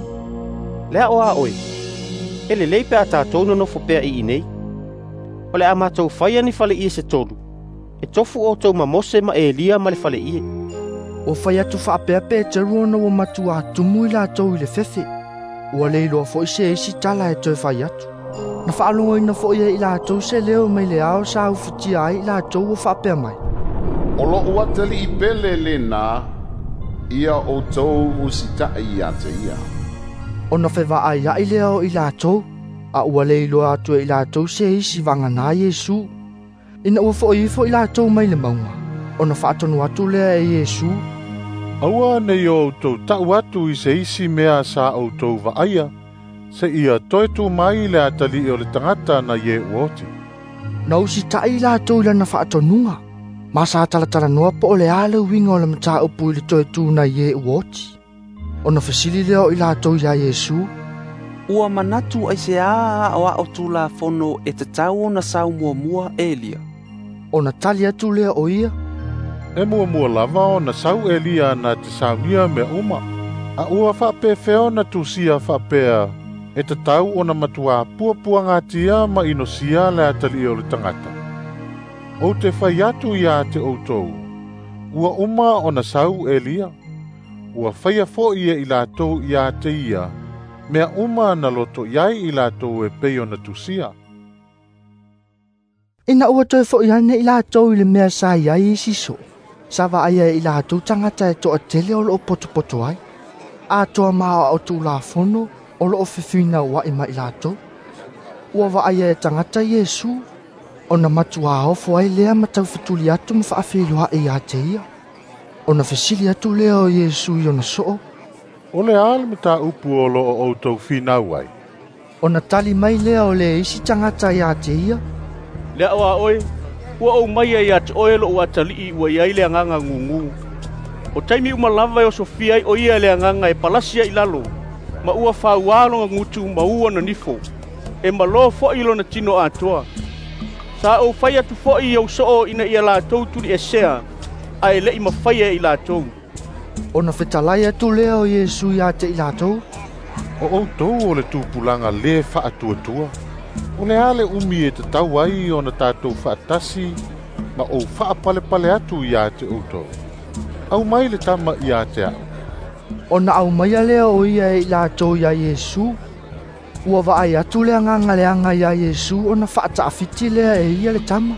Speaker 15: Le a o a oe, e lelei pe a tatou nonofo pea i inei. O le a matou faia ni faleie se tolu, e tofu outou ma Mose ma Elia ma le faleie.
Speaker 1: Ua fai atu faapea Peteru ona ua matuā tumu i latou i le fefe. Ua le iloa fo'i se isi tala e toe fai atu. Na faalogoina fo'i e i latou se leo mai le ao sa ufutia ai i latou ua faapea mai.
Speaker 4: O lo'u atalii pele lenā, ia outou usita'i ia te ia.
Speaker 1: Ona fevaaia'i lea o i latou, a ua le iloa atu e i latou se isi vaganā Iesu. Ina ua fo'i ifo i latou mai le mauga, ona faatonu atu lea e Iesu.
Speaker 5: Aua nei o outou ta'u atu i se isi mea sa outou vaaia, seia toe tū mai le atalii o le tagata na ie ua oti.
Speaker 1: Na usita'i i latou i lana faatonuga, ma sa talatalanoa po o le a le uiga o le mataupu i le toe tū na ie ua oti. Ona fesili lea o i latou iā Iesu.
Speaker 8: Ua manatu aiseā aoao tulafono e tatau ona sau muamua Elia.
Speaker 1: Ona tali atu lea o ia.
Speaker 5: E muamua lava ona sau Elia na te saunia mea uma. A ua faapefea ona tusia faapea, e tatau ona matuā puapuagatia ma inosia le atalii o le tagata. Ou te fai atu ia te outou, ua uma ona sau Elia. Ua faia fo'i e i latou ia te ia, mea uma na loto iai i latou e pei ona tusia.
Speaker 1: Ina ua toe fo'i ane i latou i le mea sa iai isi soo, sa vaaia e i latou tagata e toatele o loo potopoto ai. atoa ma aoao tulafono o loo fefinauai ma i latou. Ua vaaia e tagata Iesu, ona matuā ofo ai lea ma taufetuli atu ma faafeiloai ia te ia. Ona fesili atu lea o Iesu i ona soo,
Speaker 5: O le a le mataupu o loo outou finau ai?
Speaker 1: Ona tali mai lea o le isi tagata ia te ia,
Speaker 12: Le ao a oe, ua ou maia ia te oe lou atalii ua iai le agaga gugu. O taimi uma lava e osofia ai o ia le agaga e palasi ai i lalo, ma ua fauā lona gutu ma ua nanifo, e malo fo'i lona tino atoa. Sa ou fai atu fo'i i ou soo ina ia latou tuliesea, ae le'i mafaia e i latou.
Speaker 1: Ona fetalai atu lea o Iesu ia te i latou,
Speaker 5: O outou o le tupulaga lē faatuatua. O le a le umi e tatau ai ona tatou faatasi ma ou faapalepale atu ia te outou. Aumai le tama ia te a'u.
Speaker 1: Ona aumaia lea o ia e i latou iā Iesu. Ua vaai atu le agaga leaga iā Iesu ona faataafiti lea e ia le tama.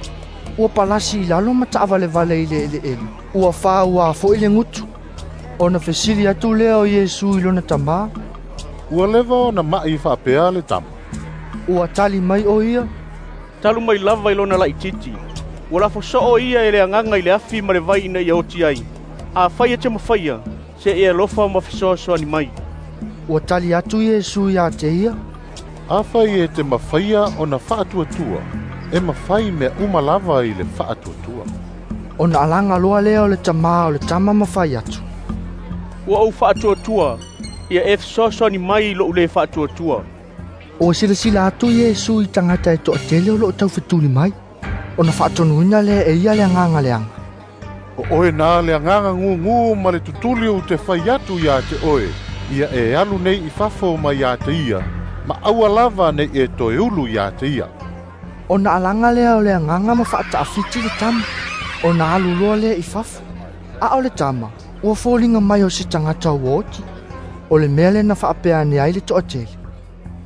Speaker 1: Ua palasi i lalo ma taavalevale i le eleele. Ua fāuā fo'i le gutu. Ona fesili atu lea o Iesu i lona tamā,
Speaker 5: Ua leva ona ma'i faapea le tama?
Speaker 1: Ua tali mai o ia,
Speaker 12: Talu mai lava i lona laitiiti. Ua lafo soo ia e le agaga i le afi ma le vai ina ia oti ai. Afai e te mafaia, se e alofa ma fesoasoani mai.
Speaker 1: Ua tali atu Iesu ia te ia,
Speaker 5: Afai e te mafaia ona faatuatua, e mafai mea uma lava i le faatuatua.
Speaker 1: Ona alaga loa lea o le tamā o le tama ma fai atu,
Speaker 12: Ua ou faatuatua, ia e fesoasoani mai i lou le faatuatua.
Speaker 1: Ua silasila atu Iesu i tagata e toatele o loo taufetuli mai. Ona faatonuina lea e ia le agaga leaga.
Speaker 5: O oe na le agaga gugu ma le tutuli ou te fai atu ia te oe, ia e alu nei i fafo mai ia te ia, ma aua lava nei e toe ulu ia te ia.
Speaker 1: Ona alaga lea o le agaga ma faataafiti le tama. Ona alu loa lea i fafo. A o le tama, ua foliga mai o se tagata ua oti. O le mea lea na faapea ane ai le toatele,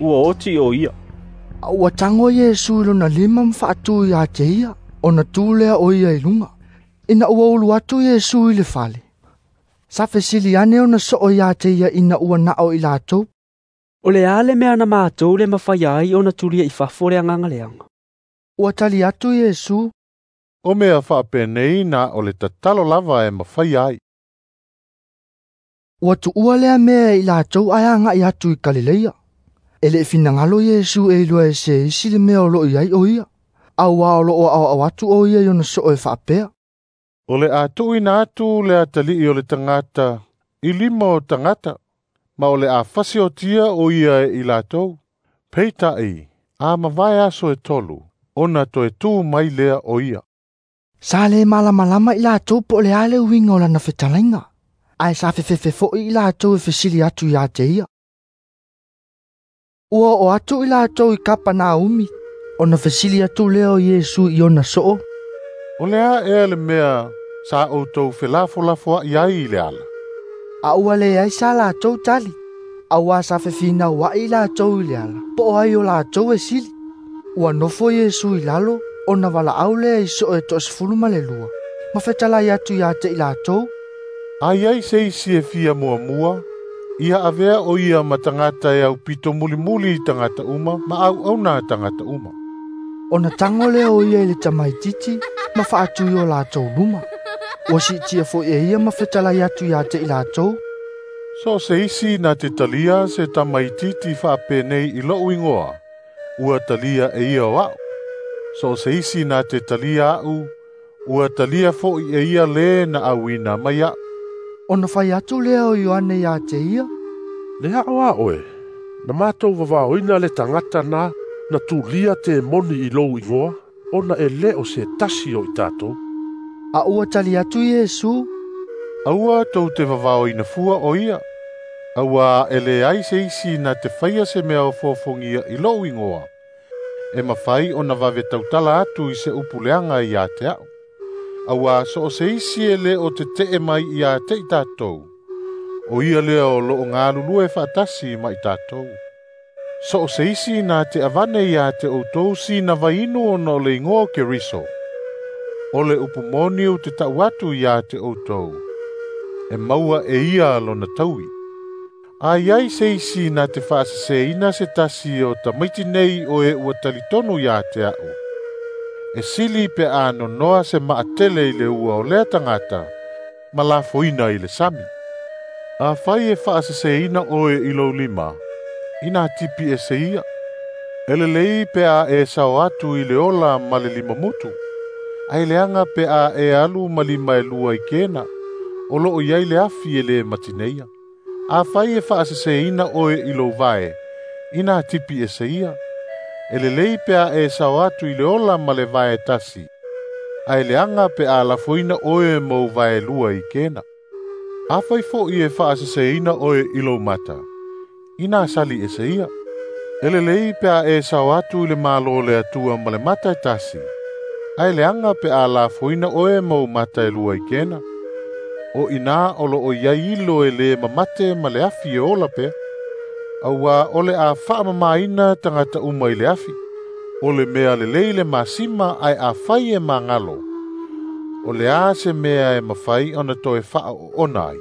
Speaker 14: Ua oti o ia.
Speaker 1: A ua tago Iesu i lona lima ma faatū ia te ia, ona tu lea o ia i luga. Ina ua ulu atu Iesu i le fale, sa fesili ane ona soo ia te ia ina ua nao i latou,
Speaker 17: O le a le mea na matou le mafaia ai ona tulia i fafo le agaga leaga?
Speaker 1: Ua tali atu Iesu,
Speaker 5: O mea faapenei na o le tatalo lava e mafaia ai.
Speaker 1: Ua tuua lea mea i latou ae agai atu i Kalileia. E le finagalo Iesu e iloa e se isi le mea o loo i ai o ia, auā o loo aoao atu o ia i ona soo e faapea,
Speaker 5: O le a tuuina atu le atalii o le tagata i lima o tagata, ma o le a fasiotia o ia e i latou. Peitai, a mavae aso e 3, ona toe tu mai lea o ia.
Speaker 1: Sa le malamalama i latou po o le a le uiga o lana fetalaiga, ae sa fefefe fo'i i latou e fesili atu ia te ia. Ua oo atu i latou i Kapanaumi, ona fesili atu lea o Iesu i ona soo,
Speaker 5: O le a ea le mea sa outou felafolafoa'i ai i le ala?
Speaker 1: A ua leai sa latou tali, auā sa fefinaua'i i latou i le ala, po o ai o latou e sili. Ua nofo Iesu i lalo, ona valaau lea i soo e 12, ma fetalai atu ia te i latou,
Speaker 5: A iai se isi e fia muamua, ia avea o ia ma tagata e aupito mulimuli i tagata uma ma auauna a tagata uma.
Speaker 1: Ona tago lea o ia i le tamaititi ma faatu i o latou luma. Ua siitia fo'i e ia ma fetalai atu ia te i latou,
Speaker 5: So se isi na te talia se tamaititi faapenei i lou igoa, ua talia e ia o a'u. So se isi na te talia a'u, ua talia fo'i e ia lē na auina mai a'u.
Speaker 1: Ona fai atu lea o Ioane ia te ia,
Speaker 13: Le ao a oe, na mātou vavaoina le tagata na, na tulia te moni i lou igoa, ona e le o se tasi o i tātou.
Speaker 1: A ua tali atu Iesu,
Speaker 5: Aua tou te vavaoina fua o ia, auā e leai se isi na te faia se mea o fofogia i lou igoa, e mafai ona vave tautala atu i se upu leaga ia te a'u. Auā so o se isi e lē o tete'e mai ia te i tatou, o ia lea o loo galulue faatasi ma i tatou. So o se isi na te avane ia te outou sina vainu ona o le igoa o Keriso, o le upu moni ou te ta'u atu ia te outou, e maua e ia lona taui. A iai se isi na te faaseseina se tasi o tamaiti nei o e ua talitonu ia te a'u, e sili pe a nonoa se maatele i le ua o lea tagata ma lafoina i le sami. Afai e faaseseina oe i lou lima, ina tipi ese ia. E lelei pe a e sao atu i le ola ma le limamutu, ae leaga pe a e alu ma lima e lua i kena, o loo iai le afi e le matineia. Afai e faaseseina oe i lou vae, ina tipi ese ia. E lelei pe a e sao atu i le ola ma le vae tasi, ae leaga pe a lafoina oe ma ou vae lua i kena. Afai fo'i e faaseseina oe i lou mata, ina sali ese ia. E lelei pe a e sao atu i le malo o le Atua ma le mata e tasi, ae leaga pe a lafoina oe ma ou mata e lua i kena. O ina o loo iai ilo e le mamate ma le afi e ola pea. Auā o le a faamamaina tagata uma i le afi. O le mea lelei le masima ae afai e magalo, o le a se mea e mafai ona toe faaoona ai.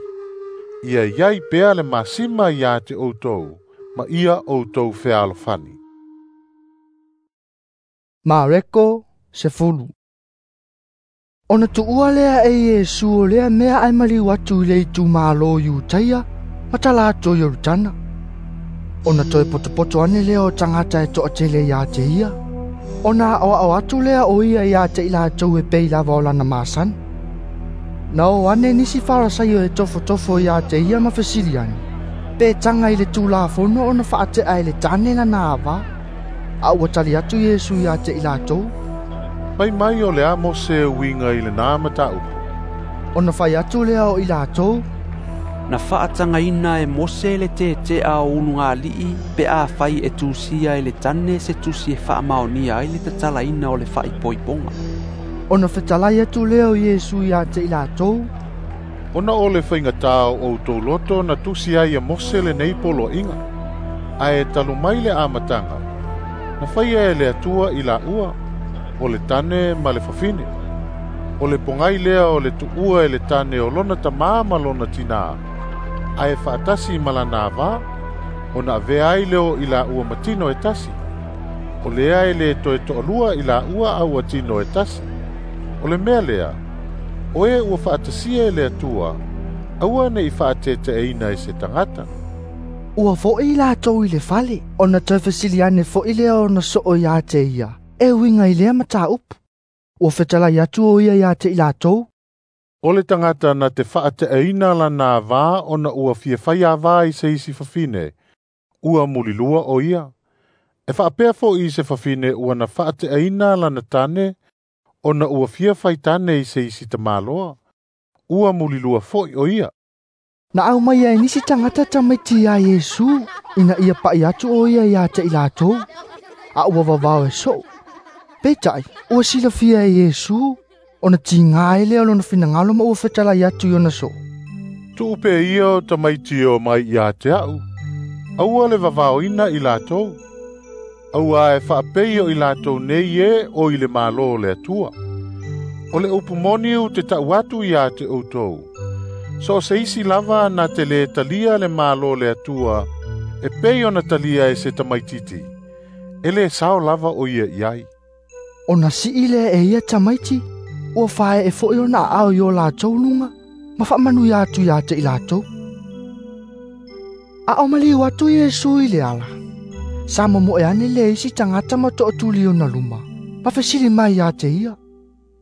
Speaker 5: Ia iai pea le masima ia te outou, ma ia outou fealofani.
Speaker 1: Mareko 10. Ona tuua lea e Iesu o lea mea ae maliu atu i le itumalo Iutaia ma tala atu o Ioritana. Ona toe potopoto ane lea o tagata e toatele ia te ia. Ona aoao atu lea o ia ia te i latou e pei lava o lana masani. Na o ane nisi Farasaio e tofotofo ia te ia ma fesili ane, pe taga i le tulafono ona faatea e le tane lana avā. A ua tali atu Iesu ia te i latou,
Speaker 5: Mai mai o le a Mose uiga i lenā mataupu.
Speaker 1: Ona fai atu lea o i latou,
Speaker 8: Na faatagaina e Mose le tetea o ulugalii pe afai e tusia e le tane se tusi e faamaonia ai le tatalaina o le faaipoipoga.
Speaker 1: Ona fetalai atu lea o Iesu ia te i latou,
Speaker 5: Ona o le faigatā o outou loto na tusi ai e Mose lenei poloaiga, ae talu mai le amataga, na faia e le Atua i laua, o le tane ma le fafine. O le pogai lea o le tuua e le tane o lona tamā ma lona tinā, ae faatasi ma lana avā, ona avea ai lea o i laua ma tino e tasi. O lea e le toe toalua i laua a ua tino e tasi. O le mea lea, o e ua faatasia e le Atua, aua nei faateteeina e se tagata.
Speaker 1: Ua fo'i latou i le fale, ona toe fesili ane fo'i lea ona soo ia te ia, e uiga i lea mataupu. Ua fetalai atu o ia ia te i latou,
Speaker 5: O le tagata na te faateaina lana avā ona ua fia fai avā i se isi fafine, ua mulilua o ia. E faapea fo'i se fafine ua na faateaina lana tane ona ua fia fai tane i se isi tamāloa, ua mulilua fo'i o ia.
Speaker 1: Na aumaia e nisi tagata tamaiti ia Iesu, ina ia pa'i atu o ia ia te i latou, a ua vavao e soo. Peitai, ua silafia e Iesu, ona tiga ai lea o lona finagalo ma ua fetalai atu i ona soo.
Speaker 5: Tuu pea ia o tamaiti o mai ia te a'u, aua le vavaoina i latou, auā e faapei o i latou nei e o i le malo o le Atua. O le upu moni ou te ta'u atu ia te outou, so o se isi lava na te lē talia le malo o le Atua e pei ona talia e se tamaititi, e lē sao lava o ia i ai.
Speaker 1: Ona sii lea e ia tamaiti, ua fae e fo'i ona aao i o latou luga, ma faamanuia atu ia te i latou. A o maliu atu Iesu i le ala, sa momoe ane le isi tagata ma tootuli ona luma, ma fesili mai ia te ia,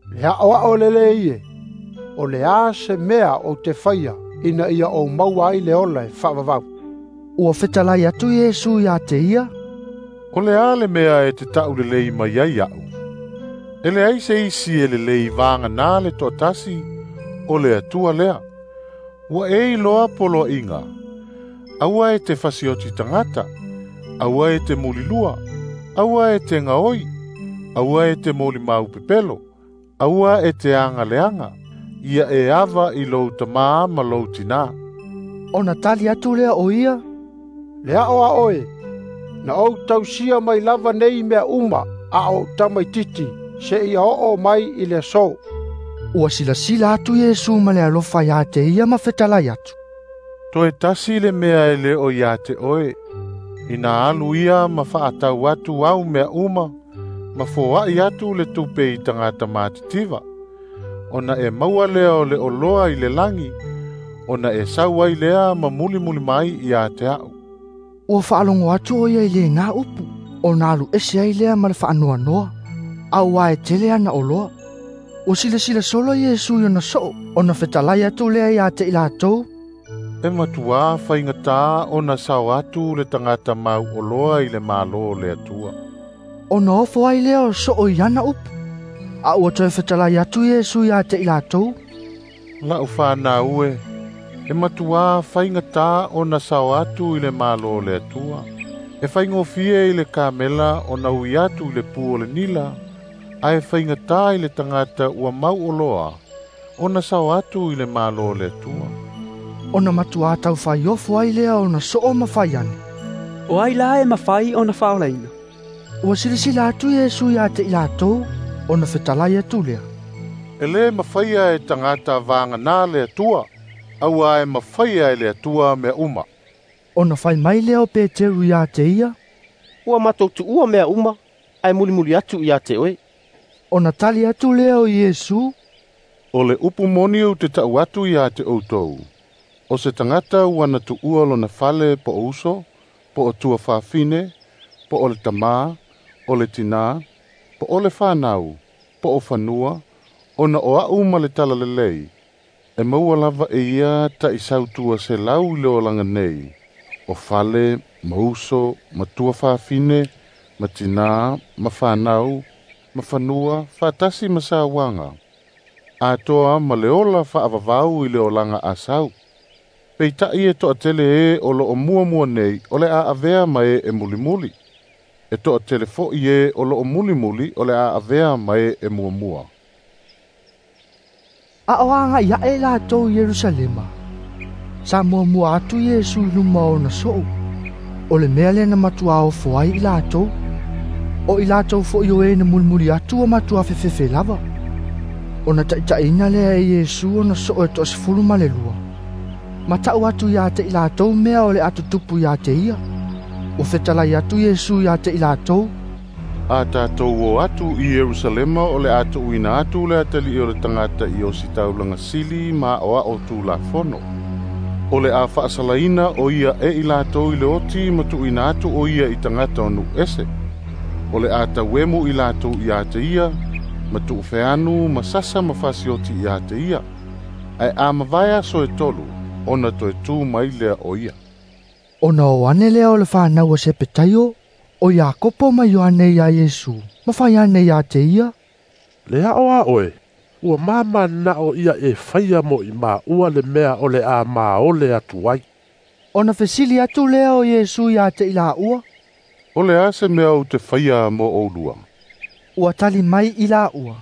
Speaker 3: Le aoao lelei e, o le a se mea o te faia ina ia ou maua ai le ola e faavavau.
Speaker 1: Ua fetalai atu Iesu ia te ia,
Speaker 5: O le a le mea e te ta'u lelei mai ai a'u. E leai se isi e lelei vaganā le toatasi, o le Atua lea. Ua e iloa poloaiga, aua e te fasioti tagata, aua e te mulilua, aua e te gaoi, aua e te molimau pepelo, aua e te agaleaga, ia e ava i lou tamā ma lou tinā.
Speaker 1: Ona tali atu lea o ia,
Speaker 3: Le aoao e, na ou tausia mai lava nei mea uma a o tamaititi, se ia oo mai i le aso.
Speaker 1: Ua silasila atu Iesu ma le alofa ia te ia ma fetalai atu.
Speaker 5: Toe tasi le mea e le o ia te oe, ina alu ia ma faatau atu au mea uma, ma foai atu le tupe i tagata matitiva. Ona e maua lea o le oloa i le lagi, ona e sau ai lea ma mulimuli mai ia te a'u.
Speaker 1: Ua faalogo atu o ia i lena upu, ona alu ese ai lea ma le faanoanoa, auā e tele ana oloa. Ua silasila solo Iesu i ona soo, ona fetalai atu lea ia te i latou.
Speaker 5: E matuā faigatā ona sao atu le tagata mau oloa i le Malo o le Atua.
Speaker 1: Ona ofo ai lea o soo i ana upu, a ua toe fetalai atu Iesu ia te i latou.
Speaker 5: La'u fanau e, e matuā faigatā ona sao atu i le Malo o le Atua. E faigofie i le kamela ona ui atu i le pu o le nila, ae faigatā i le tagata ua mau oloa ona sao atu i le Malo o le Atua.
Speaker 1: Ona matuā taufaaiofo ai lea ona soo ma fai ane.
Speaker 17: O ai la e mafai ona faaolaina.
Speaker 1: Ua silasila atu Iesu ia te i latou, ona fetalai atu lea.
Speaker 5: E lē mafaia e tagata vaganā le Atua, auā e mafaia e le Atua mea uma.
Speaker 1: Ona fai mai lea o Peteru ia te ia.
Speaker 15: Ua matou tuua mea uma, ae mulimuli atu ia te oe.
Speaker 1: Ona tali atu lea o Iesu.
Speaker 5: O le upu moni ou te ta'u atu ia te outou. O se tagata ua na tuua lona fale po o uso, po o tuafafine, po o le tamā, o le tinā, po o le fanau, po o fanua, ona o a'u ma le talalelei, e maua lava e ia ta'isau tua selau i le olaga nei, o fale, ma uso, ma tuafafine, ma tinā, ma fanau, ma fanua, faatasi ma sauaga, atoa ma le ola faavavau i le olaga asau. Peita'i e to'atele ē o lo'o muamua nei o le a avea ma e e mulimuli. E to'atele fo'i ē o lo'o mulimuli o le a avea ma e e muamua.
Speaker 1: A o agai aʻe latou i Ierusalema, sa muamua atu Iesu i luma o ona soo. O le mea lea na matuā ofo ai i latou. O i latou fo'i o e na mulimuli atu ua matuā fefefe lava. Ona taʻitaʻiina lea e Iesu ona soo e 12. Ma ta'u atu ia te i latou mea o le atutupu ia te ia. Ua fetalai atu Iesu ia te i latou.
Speaker 5: A tatou o atu i Ierusalema o le a tuuina atu le atalii o le tagata i ositaulaga sili ma aoao tulafono. O le a faasalaina o ia e i latou i le oti ma tuuina atu o ia i tagata o nuu ese. O le a tauemu i latou ia te ia, ma tuufeanu ma sasa ma fasioti ia te ia. Ae a mavae aso e tolu, ona toe tū mai lea o ia.
Speaker 1: Ona o ane lea o le fanau a Sepetaio, o Iakopo ma Ioane ia Iesu, ma fai ane ia te ia.
Speaker 13: Le a'o a oe, ua mamana'o ia e faia mo i maua le mea o le a maole atu ai.
Speaker 1: Ona fesili atu lea o Iesu ia te i laua.
Speaker 5: O le a se mea ou te faia mo oulua.
Speaker 1: Ua tali mai i laua.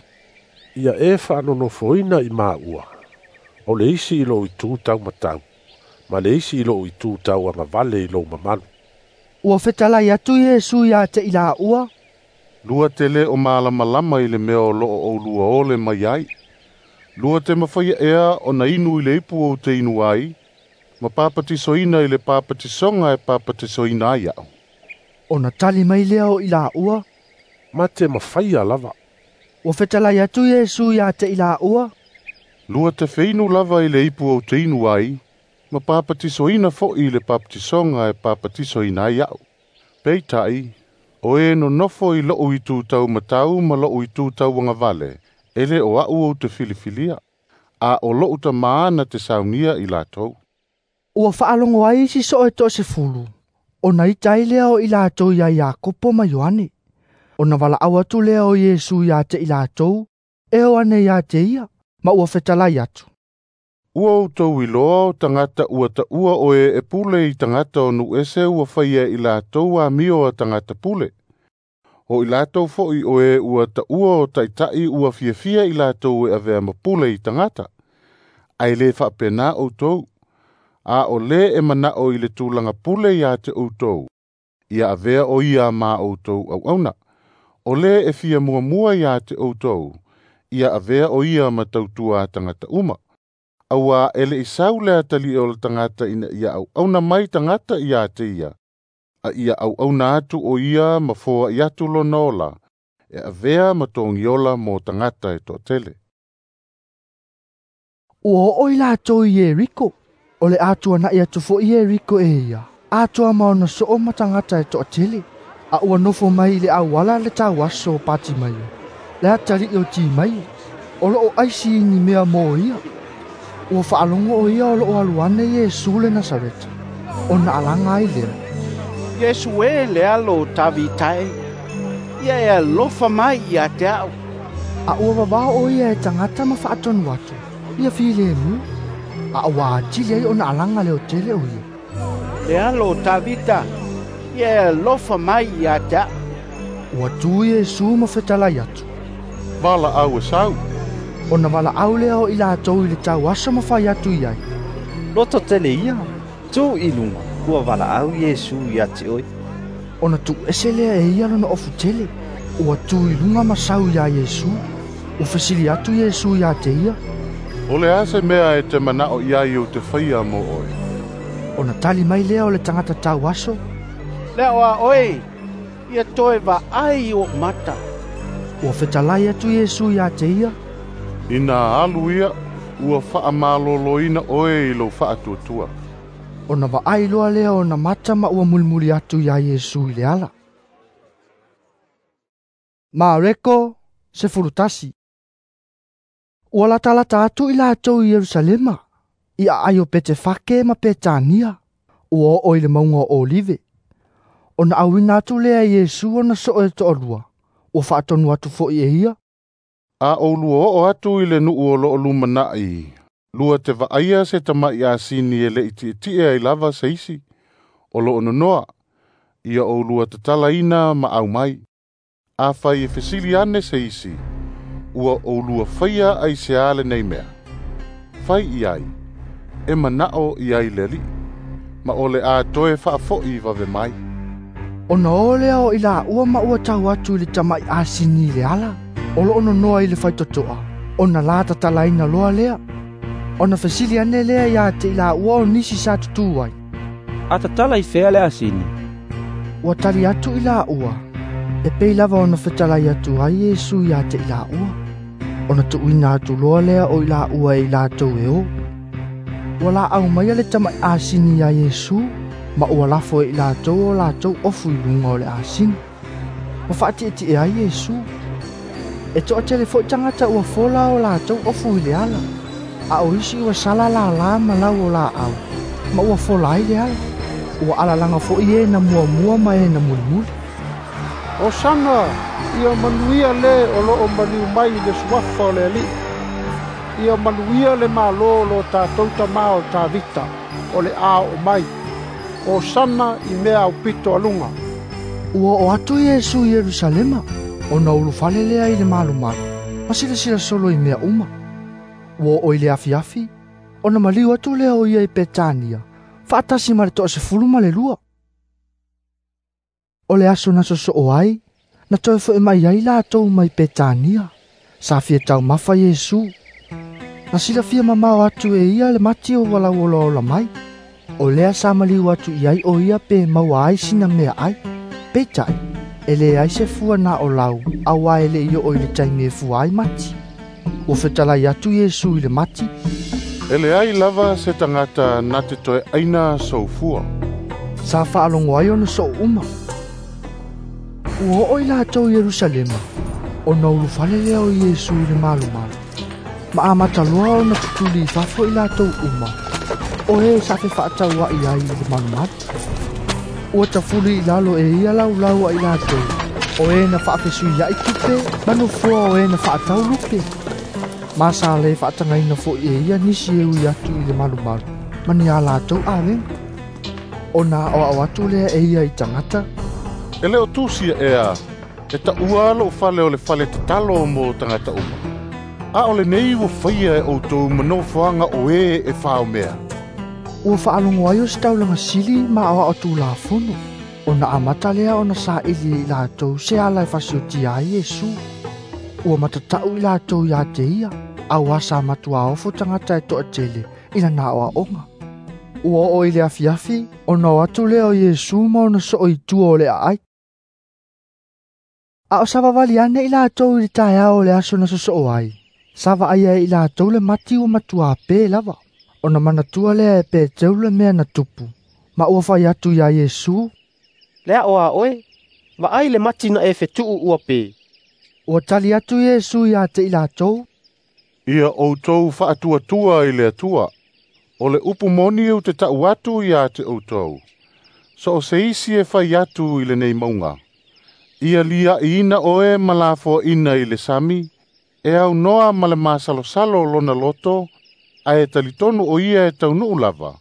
Speaker 13: Ia e faanonofoina i maua. O le isi i lou itu taumatau, ma le isi i lou itu tauagavale i lou mamalu.
Speaker 1: Ua fetalai atu Iesu ia te i laua.
Speaker 5: Lua te le o malamalama i le mea o loo oulua ole mai ai. Lua te mafaia ea ona inu i le ipu ou te inu ai, ma papatisoina i le papatisoga e papatisoina ai a'u.
Speaker 1: Ona tali mai lea o i laua.
Speaker 13: Ma te mafaia lava.
Speaker 1: Ua fetalai atu Iesu ia te i laua.
Speaker 5: Lua te feinu lava i le ipu ou te inu ai, ma papatisoina fo'i i le papatisoga e papatisoina ai a'u. Peita'i, o e nonofo i lo'u itu taumatau ma lo'u itu tauagavale, e lē o a'u ou te filifilia, a o lo'u tamā na te saunia i latou.
Speaker 1: Ua faalogo ai isi soo e 10, ona ita ai lea o i latou ia Iakopo ma Ioane. Ona valaau atu lea o Iesu ia te i latou, e o ane ia te ia, ma ua fetalai atu.
Speaker 5: Ua outou iloa o tagata ua taʻua oe e pule i tagata o nuu ese ua faia i latou amio a tagata pule. O i latou fo'i oe ua taʻua o taʻitaʻi ua fiafia i latou e avea ma pule i tagata. Ae lē faapenā outou. A o lē e mana'o i le tulaga pule iā te outou, ia avea o ia ma outou auauna. O lē e fia muamua iā te outou, ia avea o ia ma tautua a tagata uma. Auā e le'i sau le atali'i o le tagata ina ia auauna mai tagata ia te ia, a ia auauna atu o ia ma foa'i atu lona ola, e avea ma togiola mo tagata e to'atele.
Speaker 1: Ua oo i latou i Ieriko. O le atuana'i atu fo'i Ieriko e ia, atoa ma ona soo ma tagata e to'atele. A ua nofo mai i le auala le tauaso o Patimaio, le atali'i o Timaio, o loo aisi i ni mea mo ia. Ua faalogo o ia o loo alu ane Iesu le Nasareta, ona alaga ai lea.
Speaker 20: Iesu e le alo o Tavita e, ia e alofa mai ia te a'u.
Speaker 1: A ua vavao o ia e tagata ma faatonu atu, ia filemu, a ua atili ai ona alaga leotele o ia.
Speaker 20: Le alo o Tavita, ia e alofa mai ia te a'u.
Speaker 1: Ua tu Iesu ma fetalai atu.
Speaker 5: Valaau e sau.
Speaker 1: Ona valaau lea o i latou i le tauaso ma fai atu i ai.
Speaker 7: Loto tele ia, tu i luga, ua valaau Iesu ia te oe.
Speaker 1: Ona tuuese lea e ia lona ofu tele, ua tu i luga ma sau iā Iesu. Ua fesili atu Iesu iā te ia.
Speaker 5: O le a se mea e te mana'o i ai ou te faia mo oe?
Speaker 1: Ona tali mai lea o le tagata tauaso.
Speaker 20: Le a'o a oe, ia toe vaai i o'u mata.
Speaker 1: Ua fetalai atu Iesu iā te ia.
Speaker 5: Ina alu ia, ua faamaloloina oe i lou faatuatua.
Speaker 1: Ona vaai loa lea ona mata ma ua mulimuli atu iā Iesu i le ala. Mareko 11. Ua latalata atu i latou i Ierusalema, i aai o Petefake ma Petania, ua oo i le mauga o Olive. Ona auina atu lea e Iesu ona soo e to'alua, ua faatonu atu fo'i e ia.
Speaker 5: A ʻoulua oo atu i le nuu o loo lumana'i, lua te vaaia se tama'i asini e le'i ti'eti'e ai lava se isi, o loo nonoa, ia ʻoulua tatalaina ma aumai. Afai e fesili ane se isi, ua ʻoulua faia aiseā lenei mea. Fai i ai, e mana'o i ai le Ali'i, ma o le a toe faafo'i vave mai.
Speaker 1: Ona o lea o i laua ma ua tau atu i le tama'i asini i le ala, o loo nonoa i le faitoto'a, ona la tatalaina loa lea. Ona fesili ane lea ia te i laua o nisi sa tutū ai.
Speaker 14: A tatala i fea le asini?
Speaker 1: Ua tali atu i laua, e pei lava ona fetalai atu ai Iesu ia te i laua. Ona tuuina atu loa lea o i laua e i latou e o. Ua laau maia le tama'i asini ia Iesu, ma ua lafo e i latou o latou ofu i luga o le asini. Ma faatietie ai Iesu. E to'atele fo'i tagata ua fola o latou ofu i le ala, a o isi ua sala lalā ma lau o laau, ma ua fola ai le ala. Ua alalaga fo'i e na muamua ma e na mulimuli.
Speaker 3: Osana, ia manuia le o loo maliu mai i le suafa o le Ali'i. Ia manuia le Malo o lo tatou tamā o Tavita, o le a oo mai. Osana i mea aupito aluga.
Speaker 1: Ua oo atu Iesu i Ierusalema, ona ulufale lea i le malumalu, ma silasila solo i mea uma. Ua oo i le afiafi, ona maliu atu lea o ia i Petania, faatasi ma le 12. O le aso na sosoo ai, na toe fo'i mai ai latou mai Petania. Sa fia taumafa Iesu. Na silafia mamao atu e ia le mati o ua lauolaola mai. O lea sa maliu atu i ai o ia pe maua ai sina mea ai. Peitai, e leai se fua na o lau, auā e le'i oo i le taimi e fua ai mati. Ua fetalai atu Iesu i le mati.
Speaker 5: E leai lava se tagata na te toe aina sou fua.
Speaker 1: Sa faalogo ai ona soo uma. Ua oo i latou i Ierusalema, ona ulufale lea o Iesu i le malumalu. Ma amata loa ona tutuli i fafo i latou uma, o e sa fefaataua'i ai i le malumalu. Ua tafuli i lalo e ia laulau a i latou, o e na faafesuia'i tupe ma nofoa o e na faatau lupe. Ma sa le faatagaina fo'i e ia nisi e ui atu i le malumalu, ma ni a latou avega. Ona aoao atu lea e ia i tagata.
Speaker 5: E le o tusia ea, e taʻua lo'u fale o le fale tatalo mo tagata uma. A o lenei ua faia e ʻoutou ma nofoaga o e e faomea.
Speaker 1: Ua faalogo ai o se taulaga sili ma aoao tulafono, ona amata lea ona saili e i latou se ala e fasiotia ai Iesu. Ua matata'u i latou iā te ia, Auā sa matuā ofo tagata e toʻatele i lana aʻoaʻoga. Ua oo i le afiafi, ona o atu lea o Iesu ma ona soo i tua o le aai. A o savavali ane i latou i le taeao o le aso na sosoo ai, sa vaaia e i latou le mati ua matuā pē lava. Ona manatua lea e Peteru le mea na tupu, ma ua fai atu iā Iesu,
Speaker 15: Le aʻo a oe, vaai le mati na e fetuʻu ua pē.
Speaker 1: Ua tali atu Iesu iā te i latou,
Speaker 5: Ia outou faatuatua i le Atua. O le upu moni ou te ta'u atu iā te outou. So o se isi e fai atu i lenei mauga, ia liaʻiina oe ma lafoaʻina i le sami, e aunoa ma le masalosalo lona loto, ae talitonu o ia e taunuu lava,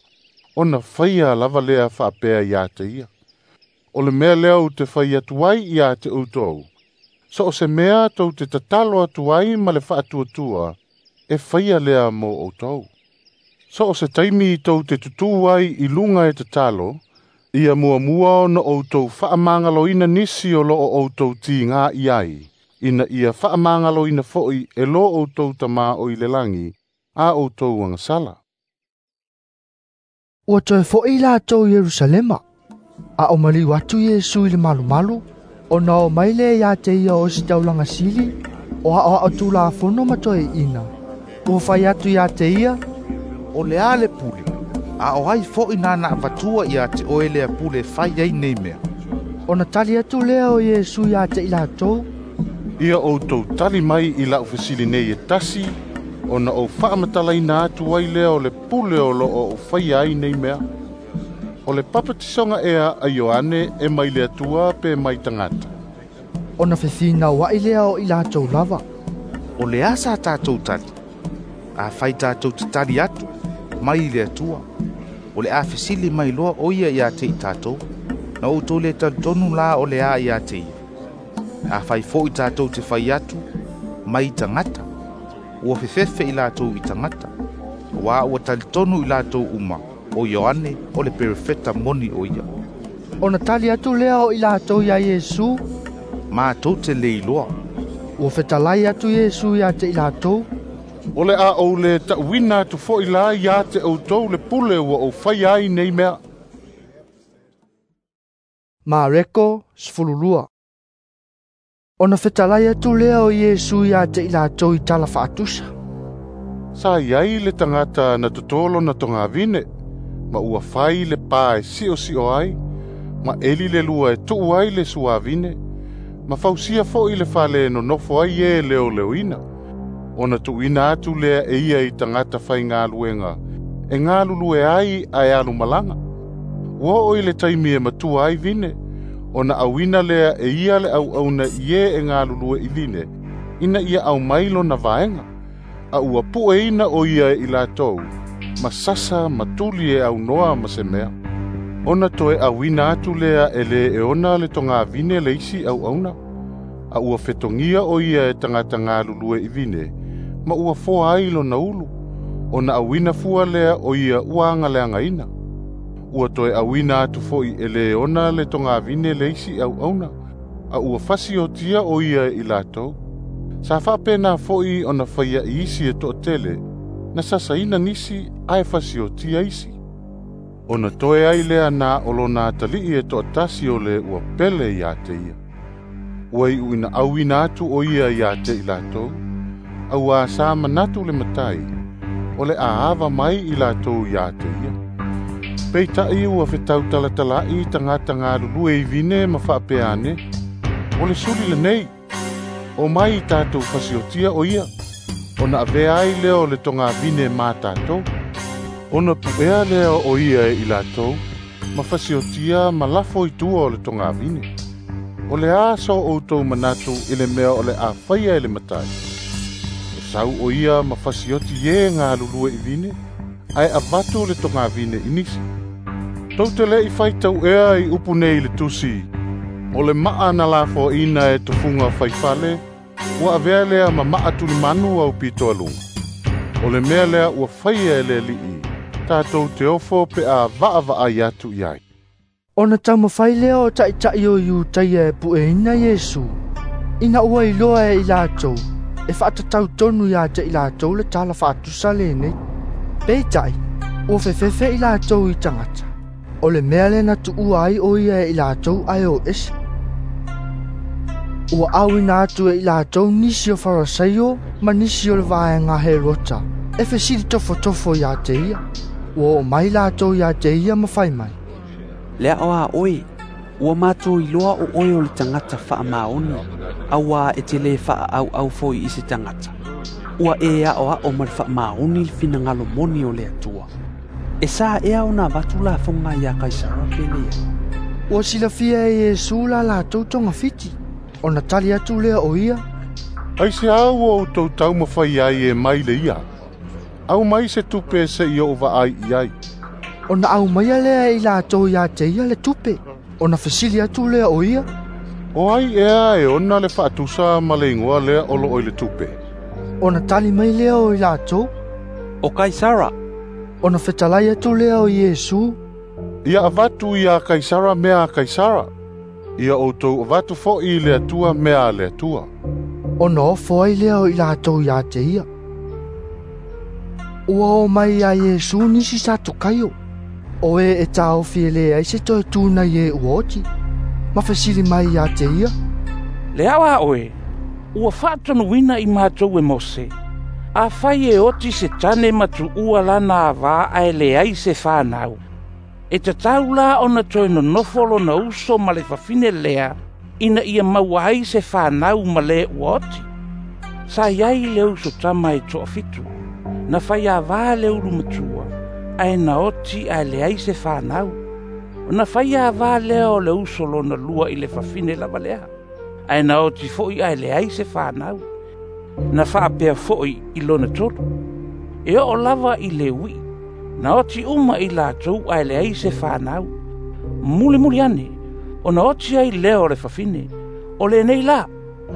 Speaker 5: ona faia lava lea faapea iā te ia. O le mea lea ou te fai atu ai iā te outou, so o se mea tou te tatalo atu ai ma le faatuatua, e faia lea mo outou. So o se taimi tou te tutū ai i luga e tatalo, ia muamua ona outou faamagaloina nisi o loo outou tigā i ai, ina ia faamagaloina foʻi e lo outou Tamā o i le lagi, a outou agasala.
Speaker 1: Ua toe foʻi latou Ierusalema. A o maliu atu Iesu i le malumalu, ona o mai lea iā te ia o ositaulaga sili, o aʻoaʻo tulafono ma toeaʻina. Ua fai atu iā te ia,
Speaker 9: O le a le pule, a o ai foʻi nana avatua iā te oe lea pule e fai ai nei mea.
Speaker 1: Ona tali atu lea o Iesu iā te i latou,
Speaker 5: Ia outou tali mai i la'u fesili nei e tasi, ona ou faamatalaina atu ai lea o le pule o loo ou faia ai nei mea. O le papatisoga ea a Ioane e mai le Atua pe mai tagata?
Speaker 1: Ona fefinauaʻi lea o i latou lava,
Speaker 9: O le a sa tatou tali? Afai tatou te tali atu, mai i le Atua, o le a fesili mai loa o ia iā te i tatou, na outou le talitonu la o le a iā te ia. Afai foʻi tatou te fai atu, mai tagata, ua fefefe i latou i tagata, auā ua talitonu i latou uma, o Ioane o le perofeta moni o ia.
Speaker 1: Ona tali atu lea o i latou iā Iesu,
Speaker 9: Matou te le iloa.
Speaker 1: Ua fetalai atu Iesu iā te i latou,
Speaker 5: O le a ou le ta'uina atu foʻi la iā te outou le pule ua ou faia ai nei mea.
Speaker 1: Mareko 12. Ona fetalai atu lea o Iesu iā te i latou i tala faatusa,
Speaker 5: Sa i ai le tagata na totō lona togavine, ma ua fai le pā e siʻosiʻo ai, ma eli le lua e tuʻu ai le suavine, ma fausia foʻi le fale e nonofo ai e leoleoina. Ona tuuina atu lea e ia i tagata faigaluega, e galulue ai ae alu malaga. Ua oo i le taimi e matua ai vine, ona auina lea e ia le auauna i e e galulue i vine, ina ia aumai lona vaega. A ua pueina o ia e i latou, ma sasa ma tuli e aunoa ma se mea. Ona toe auina atu lea e le e ona le togavine le isi auauna. A ua fetogia o ia e tagata galulue i vine, ma ua foa ai lona ulu. Ona auina fua lea o ia ua agaleagaina. Ua toe auina atu foʻi e le ona le togavine le isi auauna, a ua fasiotia o ia e i latou. Sa faapena foʻi ona faia i isi e toʻatele, na sasaina nisi ae fasiotia isi. Ona toe ai lea na o lona atalii e toʻatasi o le ua pele iā te ia. Ua iʻuina auina atu o ia iā te i latou, auā sa manatu le matai, o le aava mai i latou iā te ia. Peitaʻi ua fetautalatalai tagata galulue i vine ma faapea ane, o le suli lenei, o mai i tatou fasiotia o ia, ona avea ai lea o le togavine ma tatou. Ona puʻea lea o ia e i latou, ma fasiotia ma lafo i tua o le togavine. O le a so outou manatu i le mea o le a faia e le matai? E sau o ia ma fasioti e galulue i vine, ae avatu le togavine i nisi. Tou te leʻi faitau ea i upu nei i le tusi, o le maa na lafoaʻina e tofuga faifale, ua avea lea ma maa tulimanu au pitoaluga. O le mea lea ua faia e le Alii, tatou te ofo pe a vaavaai atu i ai.
Speaker 1: Ona taumafai lea o taʻitaʻi o Iutaia e pueina Iesu, ina ua iloa e i latou, e faatatau tonu ia te i latou le tala faatusa lenei. Peitai, ua fefefe i latou i tagata, o le mea lea na tuua ai o ia e i latou ae o ese. Ua auina atu e i latou nisi o Farasaio ma nisi o le vaega Herota e fesili tofotofo ia te ia. Ua oo mai latou ia te ia ma fai mai,
Speaker 8: Le ao a oe, ua matou iloa o oe o le tagata faamaoni, auā e te lē faaauau foi i se tagata. Ua e aoao ma le faamaoni le finagalo moni o le Atua. E sa ea ona avatu lafoga iā Kaisara pe leai?
Speaker 1: Ua silafia e Iesu la latou togafiti, ona tali atu lea o ia,
Speaker 5: Aiseā ua outou taumafai ai e mai le ia? Aumai se tupe seʻi ou vaai i ai.
Speaker 1: Ona aumaia lea e i latou ia te ia le tupe, ona fesili atu lea o ia,
Speaker 5: O ai ea e ona le faatusa ma le igoa lea o loo i le tupe?
Speaker 1: Ona tali mai lea o i latou,
Speaker 8: O Kaisara.
Speaker 1: Ona fetalai atu lea o Iesu,
Speaker 5: Ia avatu iā Kaisara mea a Kaisara, ia outou avatu foʻi i le Atua mea a le Atua.
Speaker 1: Ona ofo ai lea o i latou ia te ia. Ua oo mai iā Iesu nisi Satukaio, o e e taofi e leai se toe tu nai e ua oti, ma fesili mai ia te ia,
Speaker 11: Le ao a oe, ua faatonuina i matou e Mose, afai e oti se tane ma tuua lana avā ae leai se fanau, e tatau la ona toe nonofo lona uso ma le fafine lea, ina ia maua ai se fanau ma le ua oti. Sa iai le uso tama e toafitu, na faiavā le ulu matua, ae na oti ae leai se fanau. Ona faiavā lea o le uso lona lua i le fafine lava lea, ae na oti foʻi ae leai se fanau. Na faapea foʻi i lona tolu. E oo lava i le uiʻi, na oti uma i latou ae leai se fanau. Mulimuli ane, ona oti ai lea o le fafine, o lenei la,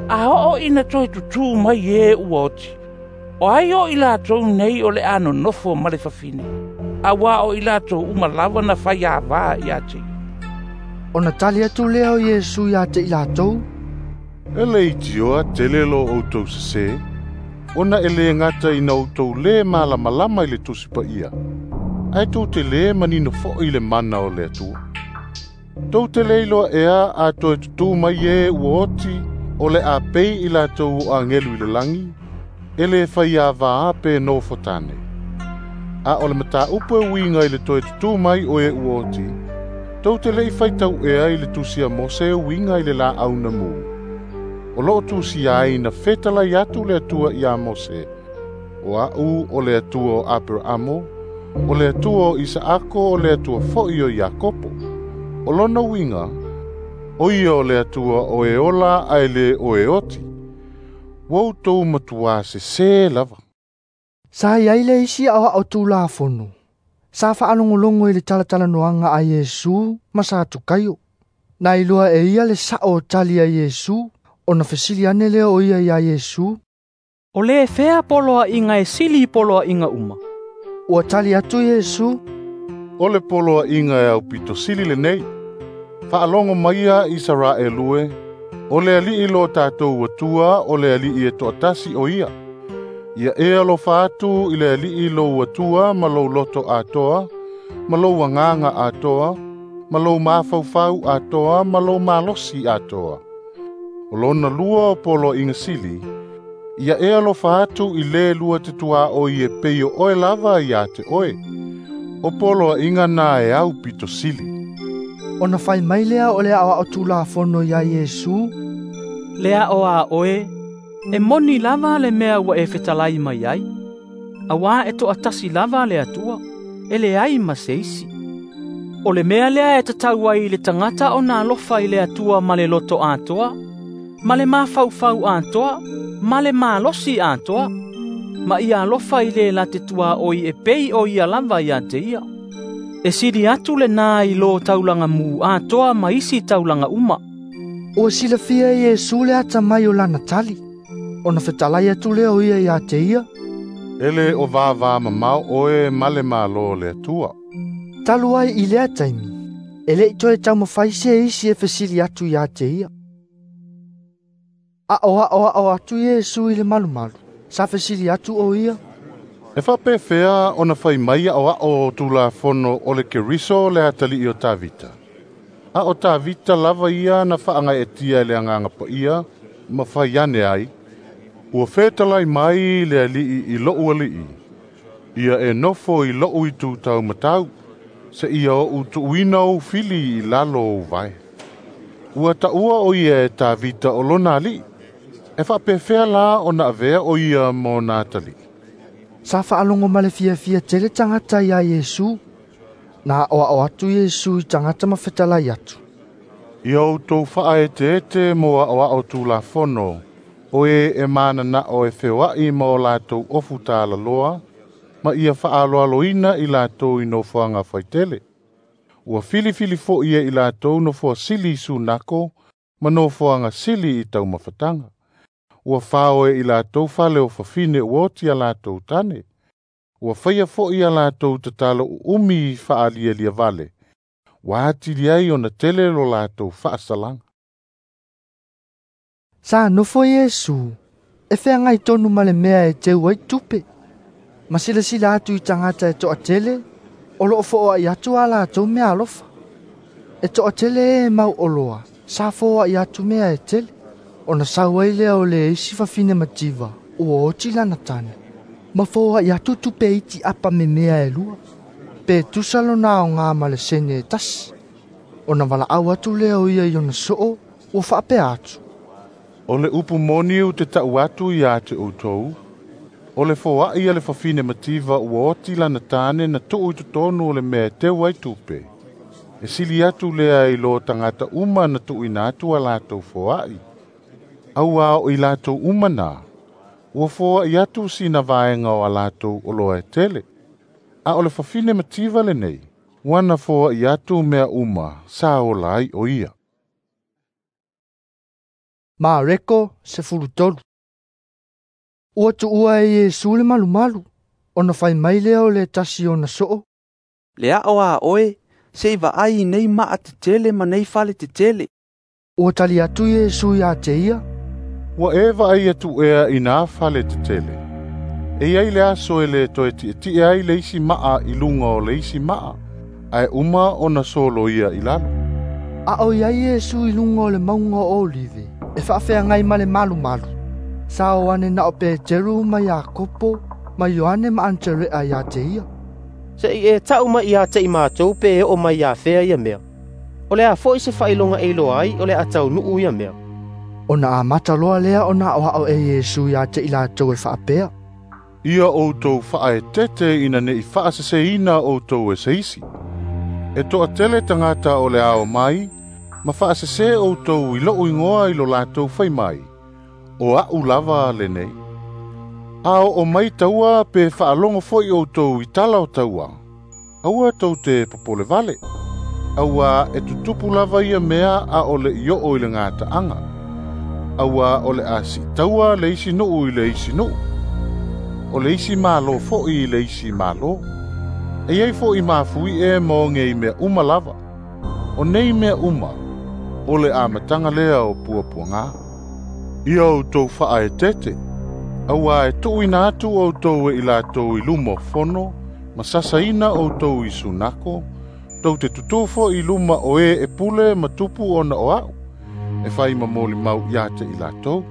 Speaker 11: a oo ina toe tutū mai e ua oti, o ai o i latou nei o le a nonofo ma le fafine, auā o i latou uma lava na faiavā ia te ia.
Speaker 1: Ona tali atu lea o Iesu ia te i latou,
Speaker 5: E leitioa tele lo outou sesē, ona e lē gata ina outou lē malamalama i le Tusi Paia, ae tou te lē manino foʻi i le mana o le Atua. Tou te le iloa ea a toe tutū mai e ua oti, o le a pei i latou o agelu i le lagi, e lē faiavā pe nofo tane. A o le mataupu e uiga i le toe tutū mai o e ua oti, tou te leʻi faitau ea i le tusi a Mose e uiga i le laau na mū. O loo tusia ai na fetalai atu le Atua iā Mose, o aʻu o le Atua o Aperaamo, o le Atua o Isaako, o le Atua foʻi o Iakopo. O lona uiga, o ia o le Atua o e ola ae lē o e oti. Ua outou matuā sesē lava.
Speaker 1: Sa iai le isi aoao tulafono, sa faalogologo i le talatalanoaga a Iesu ma Satukaio. Na iloa e ia le saʻo o tali a Iesu, ona fesili ane lea o ia iā Iesu,
Speaker 17: O le fea poloaiga e sili i poloaiga uma?
Speaker 1: Ua tali atu Iesu,
Speaker 5: O le poloaiga e aupito sili lenei. Faalogo maia Isaraelu e, o le Alii lo tatou Atua, o le Alii e toatasi o ia. Ia e alofa atu i le Alii lou Atua ma lou loto atoa, ma lou agaga atoa, ma lou mafaufau atoa, ma lou malosi atoa. O lona lua o poloaiga sili, ia e alofa atu i lē lua te tuaoi e pei o oe lava ia te oe. O poloaiga na e aupito sili.
Speaker 1: Ona fai mai lea o le aoao tulafono iā Iesu,
Speaker 17: Le ao a oe, e moni lava le mea ua e fetalai mai ai. Auā e toatasi lava le Atua, e leai ma se isi. O le mea lea e tatau ai i le tagata ona alofa i le Atua ma le loto atoa, ma le mafaufau atoa, ma le malosi atoa, ma ia alofa i le la te tuaoi e pei o ia lava ia te ia. E sili atu lenā i lo taulaga mū atoa ma isi taulaga uma.
Speaker 1: Ua silafia e Iesu le atamai o lana tali, ona fetalai atu lea o ia ia te ia,
Speaker 5: E lē o vāvā mamao oe ma le Mālō o le Atua.
Speaker 1: Talu ai i lea taimi, e leʻi toe taumafai se isi e fesili atu ia te ia. Aʻoaʻoaʻo atu Iesu i le malumalu, sa fesili atu o ia.
Speaker 5: E faapefea ona fai mai aʻoaʻo o Tulafono o le Keriso le atalii o Tavita. A o Tavita lava ia na faagaeetia e le Agaga Paia ma fai ane ai, ua fetalai mai le Alii i lo'u Alii, ia e nofo i lo'u itu taumatau, seia oʻu tuuina ou fili i lalo o ou vae. Ua taua o ia e Tavita o lona alii. E faapefea la ona avea o ia ma ona atalii.
Speaker 1: Sa faalogo ma le fiafia tele tagata iā Iesu. Na aʻoaʻo atu Iesu i tagata ma fetalai atu.
Speaker 5: Ia outou faaeteete mo aʻoaʻo Tulafono, o e e mananaʻo e feoaʻi ma o latou ofu talaloa, ma ia faaaloaloina i latou i nofoaga faitele. Ua filifili foʻi e i latou nofoa sili i sunako ma nofoaga sili i taumafataga. Ua fao e i latou fale o fafine ua oti a latou tane. Ua faia foʻi a latou tatalo uumi i faalialia vale. Ua atili ai ona tele lo latou faasalaga.
Speaker 1: Sa nofo Iesu, e feagai tonu ma le mea e teu ai tupe. Ma silasila atu i tagata e toatele, o loo fo'oa'i atu a latou mea alofa. E toatele e mau oloa, sa fo'oa'i atu mea e tele. Ona sau ai lea o le isi fafine mativa, ua oti lana tane. Ma fo'oa'i atu tupe iti apa me mea e lua. Pe tusa lona aogā ma le sene e tasi. Ona valaau atu lea o ia i ona soo, ua faapea atu.
Speaker 5: O le upu moni ou te taʻu atu iā te outou, o le foaʻi a le fafine mativa ua oti lana tane na tuu i totonu o le mea e teu ai tupe. E sili atu lea i lo tagata uma na tuuina atu a latou foaʻi. Auā o i latou uma na, ua foaʻi atu sina vaega o a latou oloa e tele. A o le fafine mativa lenei, ua na foaʻi atu mea uma sa ola ai o ia.
Speaker 1: Mareko 13. Ua tuua e Iesu le malumalu, ona fai mai lea o le tasi ona soo.
Speaker 8: Le aʻo a oe, se i vaai i nei maa tetele ma nei fale tetele.
Speaker 1: Ua tali atu Iesu iā te ia.
Speaker 5: Ua e vaai atu ea i nā fale tetele. E iai le aso e le toe tietie ai le isi maa i luga o le isi maa, ae uma ona soloia i lalo.
Speaker 1: A o iai Iesu i luga o le mauga o Olive, e faafeagai ma le malumalu. Sa o ane na o Peteru ma Iakopo ma Ioane ma Anetere'a iā te ia.
Speaker 15: Seʻi e taʻu mai iā te i matou pe e oo mai iā fea ia mea. O le a foʻi se faailoga e iloa ai o le a taunuu ia mea.
Speaker 1: Ona amata loa lea ona aʻoaʻo e Iesu iā te i latou e faapea.
Speaker 5: Ia outou faaetete ina neʻi faaseseina outou e se isi. E toatele tagata o le ao mai, ma faasese outou i loʻu igoa i lo latou fai mai, o aʻu lava lenei. A oo mai taua pe faalogo foʻi outou i tala o taua. Aua tou te popole vale. Auā e tutupu lava ia mea a o le i oo i le gataaga. Auā o le a siitaua le isi nuu i le isi nuu. O le isi malo foʻi i le isi malo. E iai foʻi mafui e ma oge i mea uma lava. O nei mea uma, o le amataga lea o puapuagā. Ia outou faaetete, auā e tuuina atu outou e i latou i luma o fono, ma sasaina outou i sunako, tou te tutū foʻi i luma o e e pule ma tupu ona o aʻu, e fai ma molimau iā te i latou.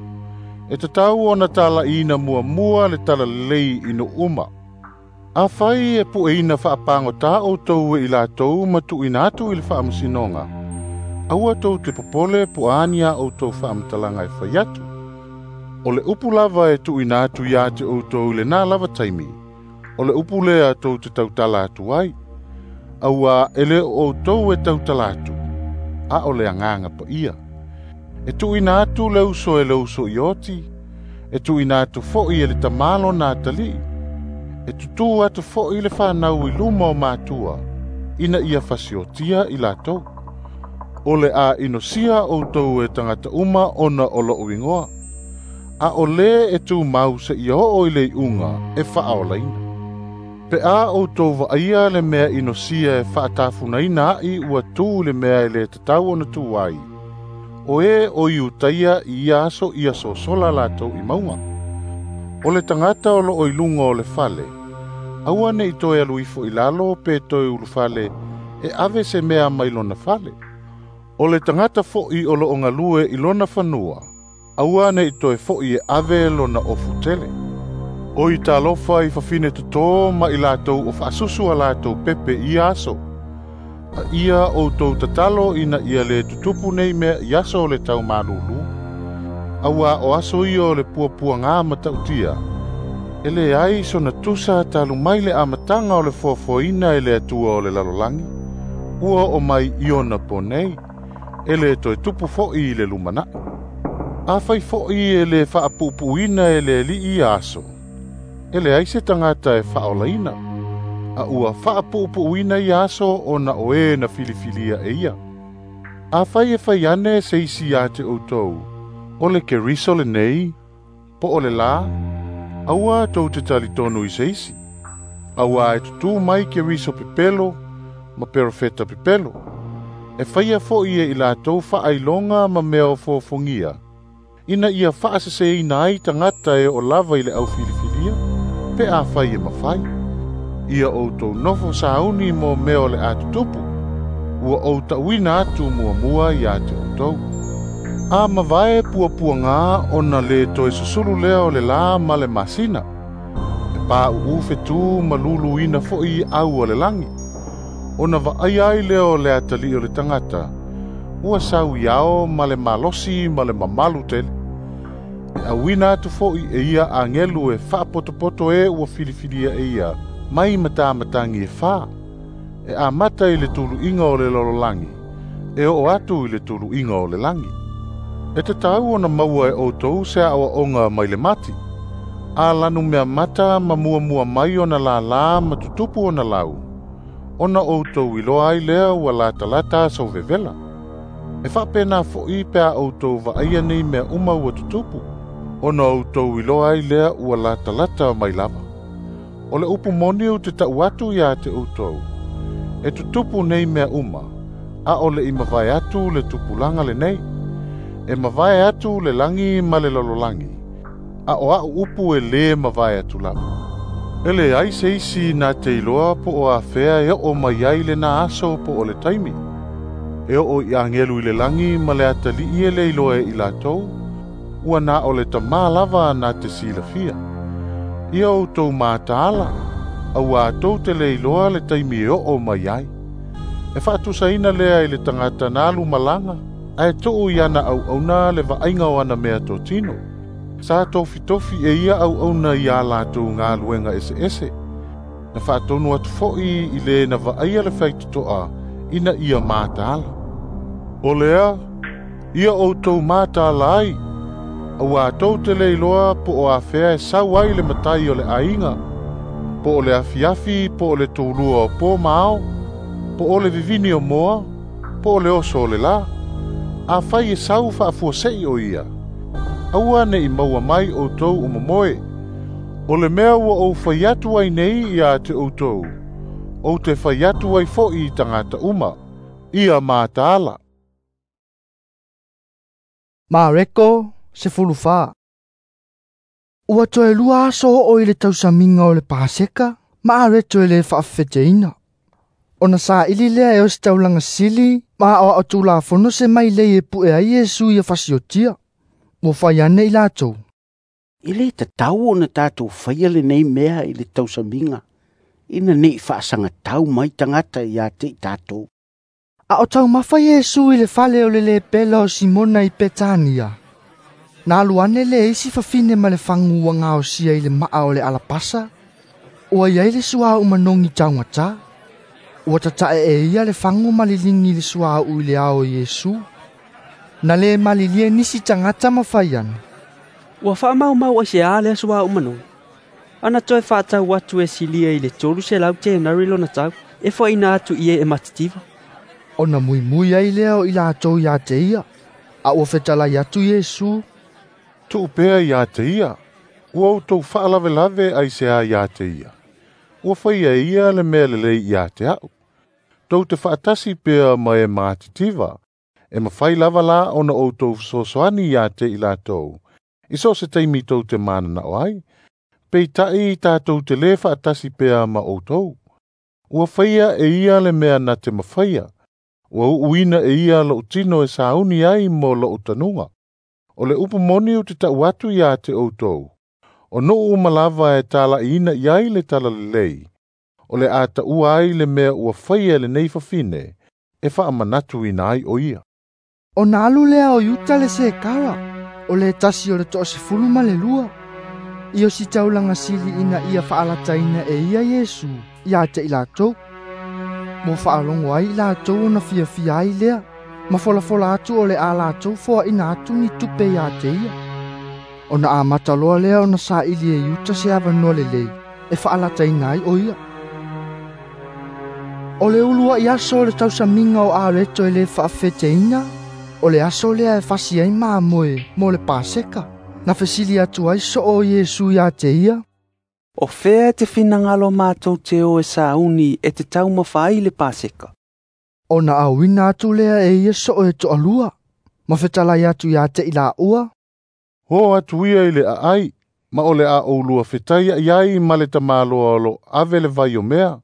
Speaker 5: E tatau ona talaʻiina muamua le talalelei i nuu uma. Afai e pueina faapagotā outou e i latou ma tuuina atu i le faamasinoga, aua tou te popole po a ni a outou faamatalaga e fai atu. O le upu lava e tuuina atu iā te outou i lenā lava taimi, o le upu lea tou te tautala atu ai. Auā e le o outou e tautala atu, a o le Agaga Paia. E tuuina atu le uso e le uso i oti, e tuuina atu foʻi e le tamā lona atalii, e tutū atu foʻi le fanau i luma o matua, ina ia fasiotia i latou. O le a inosia outou e tagata uma ona o loʻu igoa. A o lē e tumau seia oo i le iʻuga e faaolaina. Pe a outou vaaia le mea inosia e faatafunaina aʻi ua tū i le mea e lē tatau ona tu ai. O e o Iutaia i ia aso ia sosola latou i mauga. O le tagata o loo i luga o le fale, aua ne i toe alu ifo i lalo pe toe ulufale e ave se mea mai lona fale. O le tagata fo'i o loo galue i lona fanua, aua ne i toe fo'i e ave lona ofu tele. O i talofa i fafine totō ma i latou o faasusu a latou pepe i ia aso. A ia outou tatalo ina ia le tutupu nei mea i aso o le taumalūlū. Auā o aso ia o le puapuagā matautia, e leai sona tusa talu mai le amataga o le foafoaina e le Atua o le lalolagi, ua oo mai i ona po nei, e le toe tupu fo'i i le lumana'i. Afai fo'i e le faapuupuuina e le Alii ia aso, e leai se tagata e faaolaina, a ua faapuupuuina ia aso ona o e na filifilia e ia. Afai e fai ane se isi ia te outou, o le Keriso lenei, po o le lā, aua tou te talitonu i se isi. Auā e tutū mai Keriso pepelo ma perofeta pepelo. E faia fo'i e i latou faailoga ma mea o fofogia, ina ia faaseseina ai tagata e oo lava i le aufilifilia, pe afai e mafai. Ia outou nofo sauni mo mea o le a tutupu, ua ou ta'uina atu muamua iā te outou. A mavae puapuagā ona lē toe susulu lea o le lā ma le masina, e pāuʻu fetū ma luluina fo'i au o le lagi, ona vaaia ai lea o le atalii o le tagata, ua sau i ao ma le malosi ma le mamalu tele. E auina atu fo'i e ia agelu e faapotopoto e ua filifilia e ia mai matamatagi e fā, e amata i le tuluiga o le lalolagi, e oo atu i le tuluiga o le lagi. E tatau ona maua e outou se aoaoga mai le mati. A lanu mea mata ma muamua mai ona lālā ma tutupu ona lau, ona outou iloa ai lea ua latalata aso vevela. E faapena fo'i pe a outou vaaia nei mea uma ua tutupu, ona outou iloa ai lea ua latalata mai lava. O le upu moni ou te ta'u atu iā te outou, e tutupu nei mea uma, a o le i mavae atu le tupulaga lenei. E mavae atu le lagi ma le lalolagi, a o a'u upu e lē mavae atu lava. E leai se isi na te iloa po o afea e oo mai ai lenā aso po o le taimi. E oo i agelu i le lagi ma le atalii e le iloa e i latou, ua na o le tamā lava na te silafia. Ia outou mataala, auā tou te le iloa le taimi e oo mai ai. E faatusaina lea i le tagata na alu malaga, ae tuu i ana auauna le vaaiga o ana mea totino. Sa tofitofi e ia auauna ia latou galuega eseese. Na faatonu atu fo'i i le na vaaia le faitotoa ina ia mataala. O lea, ia outou mataala ai, auā tou te le iloa po o afea e sau ai le matai o le aiga, po o le afiafi, po o le toulua o pō ma ao, po o le vivini o moa, po o le oso o le lā. Afai e sau faafuase'i o ia, aua ne i maua mai outou o momoe. O le mea ua ou fai atu ai nei iā te outou, ou te fai atu ai fo'i i tagata uma, ia mataala.
Speaker 1: Mareko 14. Ua toe lua aso oo i le tausamiga o le Paseka, ma areto e le faafefeteina. Ona saili lea e o se taulaga sili ma aoao tulafono se mailei e pu'e ai Iesu ia fasiotia. Ua fai ane i latou.
Speaker 20: E lē tatau ona tatou faia lenei mea i le tausamiga, ina ne'i faasagatau mai tagata iā te i tatou.
Speaker 1: A o taumafa Iesu i le fale o le lepela o Simona i Petania. Na alu ane le isi fafine ma le fagu ua gaosia i le maa o le alapasa, ua iai le suauu manogi taugatā. Ua tata'e e ia le fagu ma liligi le suauu i le ao o Iesu. Na lē malilie nisi tagata ma fai ane.
Speaker 21: Ua faamaumau aiseā lea suauu manogi. Ana toe faatau atu e silia i le 300 tenari lona tau, e foaina atu i e e matitiva.
Speaker 1: Ona muimui ai lea o i latou iā te ia, a ua fetalai atu Iesu.
Speaker 5: Tuu pea iā te ia, ua outou faalavelave aiseā iā te ia. Ua faia e ia le mea lelei iā te a'u. Tou te faatasi pea ma e matitiva, E mafai lava la ona outou fesoasoani iā te i latou, i so o se taimi tou te mananao ai, peitaʻi tatou te lē faatasi pea ma outou. Ua faia e ia le mea na te mafaia, ua uuina e ia loʻu tino e sauni ai mo loʻu tanuga. O le upu moni ou te taʻu atu iā te outou, o nuu uma lava e talaʻiina i ai le talalelei, o le a taʻua ai le mea ua faia e lenei fafine, e faamanatuina ai o ia.
Speaker 1: Ona alu lea o Iuta le Sekara, o le tasi o le 12, i o si taulaga sili ina ia faalataina e ia Iesu ia te i latou. Mo faalogo ai i latou ona fiafia ai lea, ma folafola atu o le a latou foaina atu ni tupe ia te ia. Ona amata loa lea ona saili e Iuta se avanoa lelei e faalataina ai o ia. O le uluai aso o le tausamiga o Areto e lē faafeteina, o le aso lea e fasi ai mamoe mo le Paseka, na fesili atu ai soo o Iesu iā te ia.
Speaker 8: O fea e te finagalo matou te o e sauni e te taumafa ai le Paseka.
Speaker 1: Ona auina atu lea e ia soo e toalua, ma fetalai atu iā te i laua.
Speaker 5: O atu ia i le aai, ma o le a oulua fetaiaʻi ai ma le tamāloa o lo ave le vai o mea,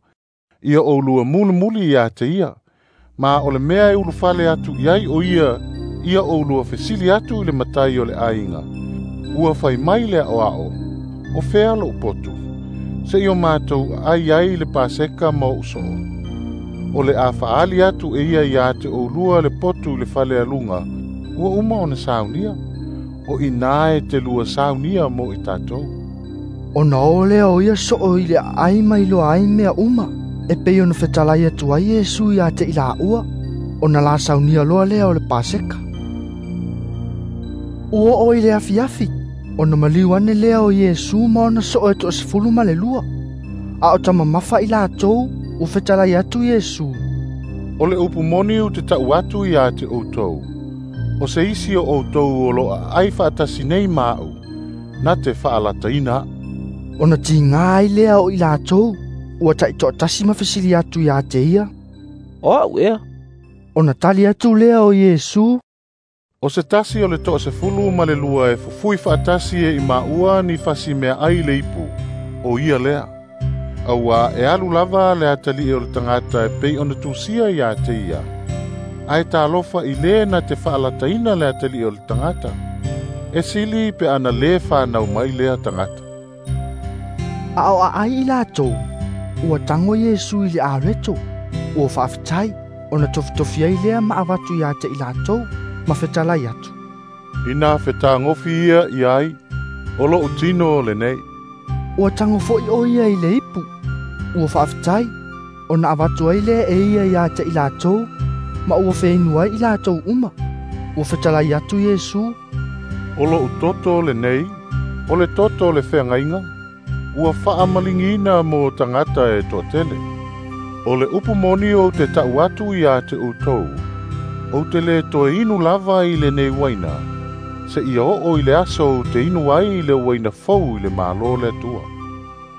Speaker 5: ia oulua mulimuli iā te ia, ma o le mea e ulufale atu i ai o ia, ia oulua fesili atu i le matai o le aiga. Ua fai mai le aʻoaʻo, o fea loʻu potu, seʻi o matou aai ai le Paseka ma oʻu soo. O le a faali atu e ia iā te oulua le potu i le fale aluga, ua uma ona saunia, o inā e te lua saunia mo i tatou.
Speaker 1: Ona o lea o ia soo i le aai mai loa ai mea uma, e pei ona fetalai atu ai Iesu iā te i laua, ona la saunia loa lea o le Paseka. Ua oo i le afiafi, ona maliu ane lea o Iesu ma ona soo e 12, a o tamamafa i latou, ua fetalai atu Iesu.
Speaker 5: O le upu moni ou te taʻu atu iā te outou, o se isi o outou o lo aai faatasi nei ma aʻu, na te faalataina aʻu.
Speaker 1: Ona tigā ai lea o i latou, ua taitoatasi ma fesili atu iā te ia.
Speaker 14: O aʻu ea?
Speaker 1: Ona tali atu lea o Iesu.
Speaker 5: O se tasi o le 12 e fufui faatasi e i maua ni fasi mea ai le ipu, o ia lea. Auā e alu lava le atalii o le tagata e pei ona tusia iā te ia, ae talofa i lē na te faalataina le atalii o le tagata, e sili pe ana lē fanau mai lea tagata.
Speaker 1: A o aai i latou, ua tago Iesu i le areto, ua faafetai, ona tofitofi ai lea ma avatu iā te i latou, ma fetalai atu.
Speaker 5: Ina fetagofi ia i ai, o loʻu tino lenei.
Speaker 1: Ua tago foʻi o ia i le ipu, ua faafetai, ona avatu ai lea e ia iā te i latou, ma ua feinu ai i latou uma. Ua fetalai atu Iesu.
Speaker 5: O loʻu toto lenei, o le toto o le feagaiga, ua faamaligiina mo tagata e toatele. O le upu moni ou te taʻu atu iā te outou, ou te lē toe inu lava i lenei uaina, seʻia oo i le aso ou te inu ai i le uaina fou i le Mālō le Atua.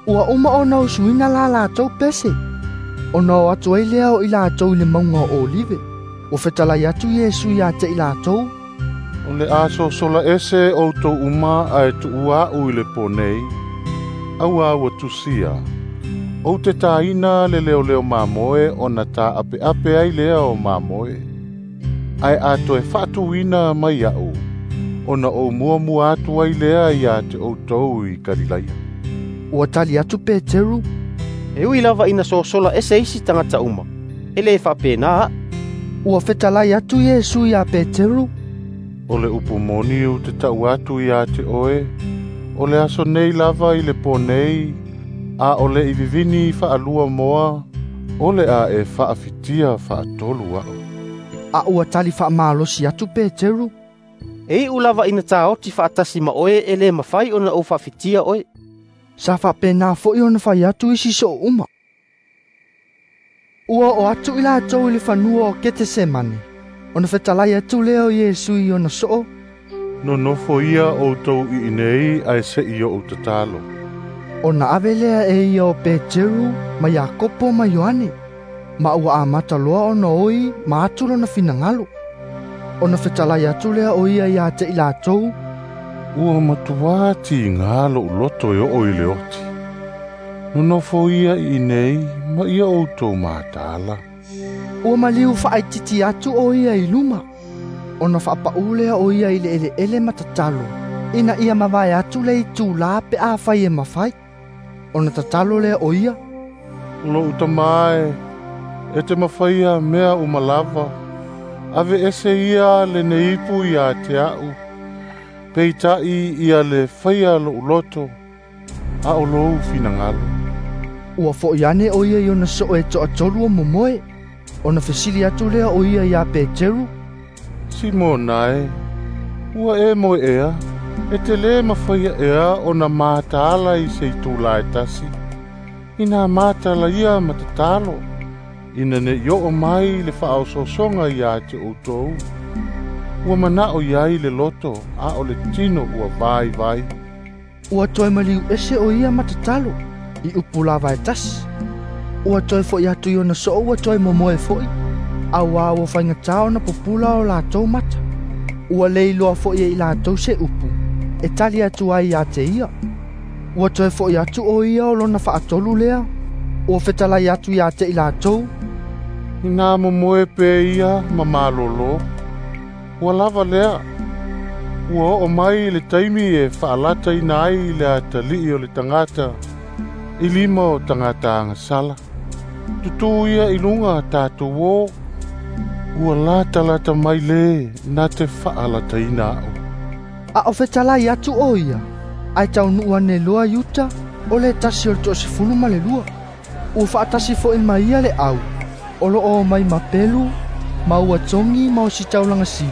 Speaker 1: Ua uma ona usuina la latou pese, ona o atu ai lea o i latou i le mauga o Olive. Ua fetalai atu Iesu iā te i latou.
Speaker 5: O le a sosola ese outou uma ae tuua aʻu i le pō nei, auā ua tusia, ou te tāina le leoleo mamoe ona tāʻapeʻape ai lea o mamoe. Ae a toe faatuina mai aʻu, ona ou muamua atu ai lea iā te outou i Kalilaia.
Speaker 1: Ua tali atu Peteru.
Speaker 15: E ui lava ina sosola ese isi tagata uma, e lē faapena aʻu.
Speaker 1: Ua fetalai atu Iesu iā Peteru.
Speaker 5: O le upu moni ou te taʻu atu iā te oe, o le aso nei lava i le pō nei, a o le i vivini faalua moa, o le a e faafitia faatolu aʻu.
Speaker 1: A ua tali faamalosi atu Peteru.
Speaker 15: E iʻu lava ina taoti faatasi ma oe e lē mafai ona ou faafitia oe.
Speaker 1: Sa faapenā foʻi ona fai atu isi soo uma. Ua oo atu i latou i le fanua o Ketesemane, ona fetalai atu lea o Iesu i ona soo.
Speaker 5: Nonofo ia outou i inei ae seʻi oʻu tatalo.
Speaker 1: Ona ave lea e ia o Peteru ma Iakopo ma Ioane, ma ua amata loa ona oi ma atu lona finagalo. Ona fetalai atu lea o ia ia te i latou,
Speaker 5: Ua matuā tigā lo'u loto e oo i le oti. Nonofo ia i inei ma ia outou mataala.
Speaker 1: Ua maliu faaititi atu o ia i luma. Ona faapaʻu lea o ia i le eleele ma tatalo, ina ia mavae atu le itulā pe afai e mafai. Ona tatalo lea o ia,
Speaker 5: Lo'u Tamā e, e te mafaia mea uma lava, aveese ia lenei ipu ia te a'u, peita'i ia le faia lo'u loto, a o lou finagalo.
Speaker 1: Ua fo'i ane o ia i ona soo e toatolu o momoe. Ona fesili atu lea o ia iā Peteru,
Speaker 5: Simona e, ua e moe ea, e te lē mafaia ea ona mataala i se itulā e tasi, ina matala ia ma tatalo, ina ne'i oo mai le faaosoosoga iā te outou. Ua mana'o iai le loto, a o le tino ua vaivai.
Speaker 1: Ua toe maliu ese o ia ma tatalo, i upu lava e tasi. Ua toe fo'i atu i ona soo ua toe momoe fo'i, auā ua faigatā ona pupula o latou mata. Ua le iloa fo'i e i latou se upu, e tali atu ai ia te ia. Ua toe fo'i atu o ia o lona faatolu lea, ua fetalai atu ia te i latou,
Speaker 5: Inā momoe pea ia ma malōlō, ua lava lea. Ua oo mai le taimi e faalataina ai le atalii o le tagata i lima o tagata agasala. Tutū ia i luga tatou o, ua latalata mai lē na te faalataina a'u.
Speaker 1: A o fetalai atu o ia, ae taunuu ane loa Iuta, o le tasi o le 12. Ua faatasi fo'i ma ia le au, o loo omai ma pelu, ma ua togi ma ositaulaga sili,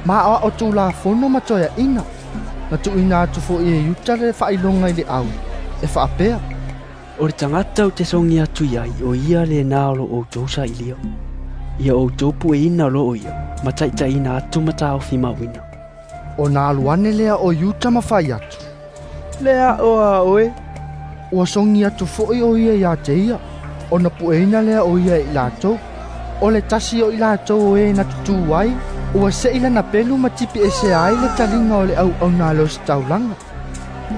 Speaker 1: ma aoao tulafono ma toeaʻina. Na tuuina atu fo'i e Iuta le faailoga i le au, e faapea,
Speaker 21: O le tagata ou te sogi atu i ai o ia lenā o loo outou sailia. Ia outou pueina loo ia, ma taʻitaʻina atu ma taofimauina.
Speaker 1: Ona alu ane lea o Iuta ma fai atu,
Speaker 8: Le a'o a oe.
Speaker 1: Ua sogi atu fo'i o ia iā te ia, ona pueina lea o ia e i latou. O le tasi o i latou o e na tutū ai, ua se'i lana pelu ma tipi ese ai le taliga o le auauna a le ositaulaga.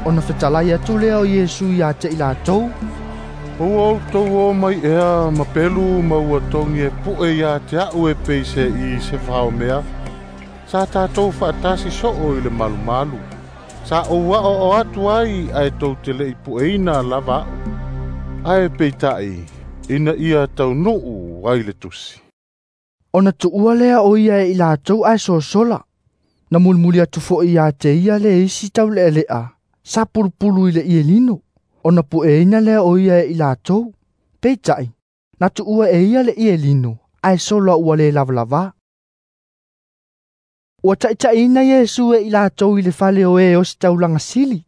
Speaker 1: Ona fetalai atu lea o Iesu iā te i latou,
Speaker 5: Ua outou o mai ea ma pelu ma ua togi e pu'e iā te a'u e pei se'i se faomea. Sa tatou faatasi soo i le malumalu. Sa ou a'oa'o atu ai ae tou te le'i pu'eina lava a'u. Ae peita'i, ina ia taunuu ai le tusi.
Speaker 1: Ona tuua lea o ia e i latou ae sosola. Na mulimuli atu fo'i ia te ia le isi taule'ale'a, sa pulupulu i le ielino. Ona pu'eina lea o ia e i latou. Peita'i, na tuua e ia le ielino, ae sola ua lē lavalavā. Ua taʻitaʻiina Iesu e i latou i le fale o e ositaulaga sili.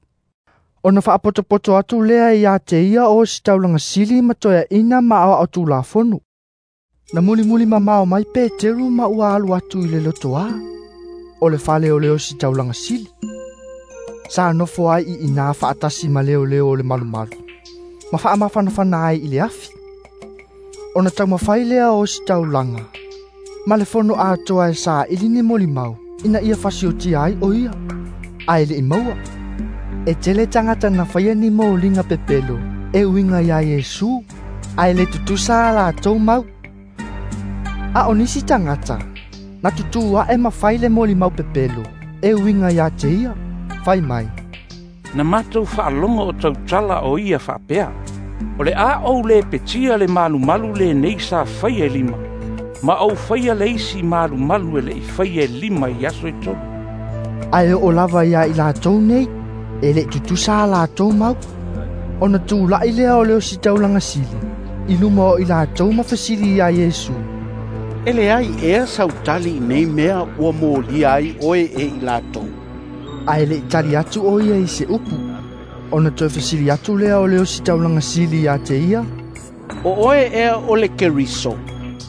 Speaker 1: Ona faapotopoto atu lea ia te ia o ositaulaga sili ma toeaʻina ma aoao tulafono. Na mulimuli mamao mai Peteru ma ua alu atu i le lotoā, o le fale o le ositaulaga sili. Sa nofo ai i inā faatasi ma leoleo o le malumalu, ma faamafanafana ai i le afi. Ona taumafai lea o ositaulaga, ma le fono atoa e saili ni molimau, ina ia fasiotia ai o ia, ae leʻi maua. E tele tagata na faia ni moliga pepelo, e uiga iā Iesu, ae le tutusa a latou mau. A o nisi tagata, na tutū aʻe ma fai le molimau pepelo, e uiga iā te ia, fai mai,
Speaker 11: Na matou faalogo o tautala o ia faapea, O le a ou lē petia le malumalu lenei sa faia e lima, ma ou faia le isi malumalu e leʻi faia e lima i aso e tolu.
Speaker 1: Ae oo lava iā i latou nei, e leʻi tutusa a latou mau. Ona tulaʻi lea o le ositaulaga sili, i luma o i latou ma fesili iā Iesu,
Speaker 20: E leai ea sau tali i nei mea ua molia ai oe e i latou.
Speaker 1: Ae leʻi tali atu o ia i se upu. Ona toe fesili atu lea o le ositaulaga sili iā te ia,
Speaker 20: O oe ea o le Keriso,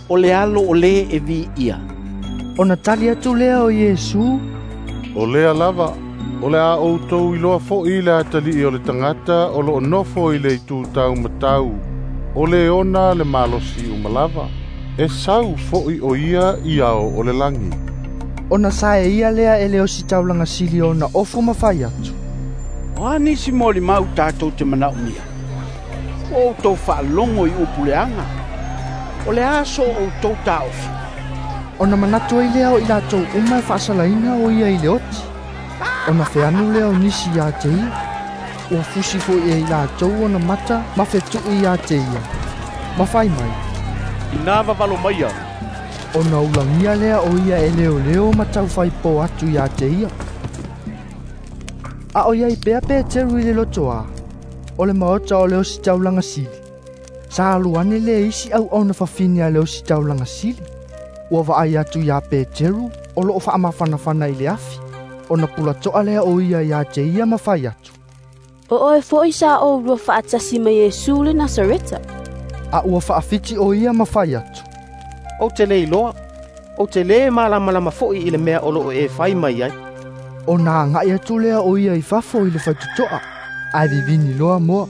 Speaker 20: o le alo o lē e viia.
Speaker 1: Ona tali atu lea o Iesu,
Speaker 5: O lea lava, o le a outou iloa fo'i le atalii o le tagata o loo nofo i le itu taumatau, o le ona le malosi uma lava. E sau fo'i o ia i ao o le lagi.
Speaker 1: Ona sae ia lea e le ositaulaga sili ona ofu ma fai atu.
Speaker 10: O a nisi molimau tatou te manaomia? Ua outou faalogo i upu leaga. O le a so outou taofi?
Speaker 1: Ona manatu ai lea o i latou uma e faasalaina o ia i le oti. Ona feanu lea o nisi ia te ia. Ua fusi foi e i latou ona mata ma fetu'i ia te ia. Ma fai mai,
Speaker 12: Ina vavalo maia.
Speaker 1: Ona ulagia lea o ia e leoleo ma taufaipo atu ia te ia. A o iai pea Peteru i le lotoa, o le maota o le ositaulaga sili. Sa alu ane le isi auauna fafine a le ositaulaga sili. Ua vaai atu ia Peteru o loo faamafanafana i le afi. Ona pulatoa lea o ia ia te ia ma fai atu.
Speaker 18: O oe fo'i sa oulua faatasi ma Iesu le Nasareta.
Speaker 1: A ua faafiti o ia ma fai atu.
Speaker 15: Ou te le iloa, ou te lē malamalama fo'i i le mea o loo e fai mai ai.
Speaker 1: Ona agai atu lea o ia i fafo i le faitotoa, ae vivini loa moa.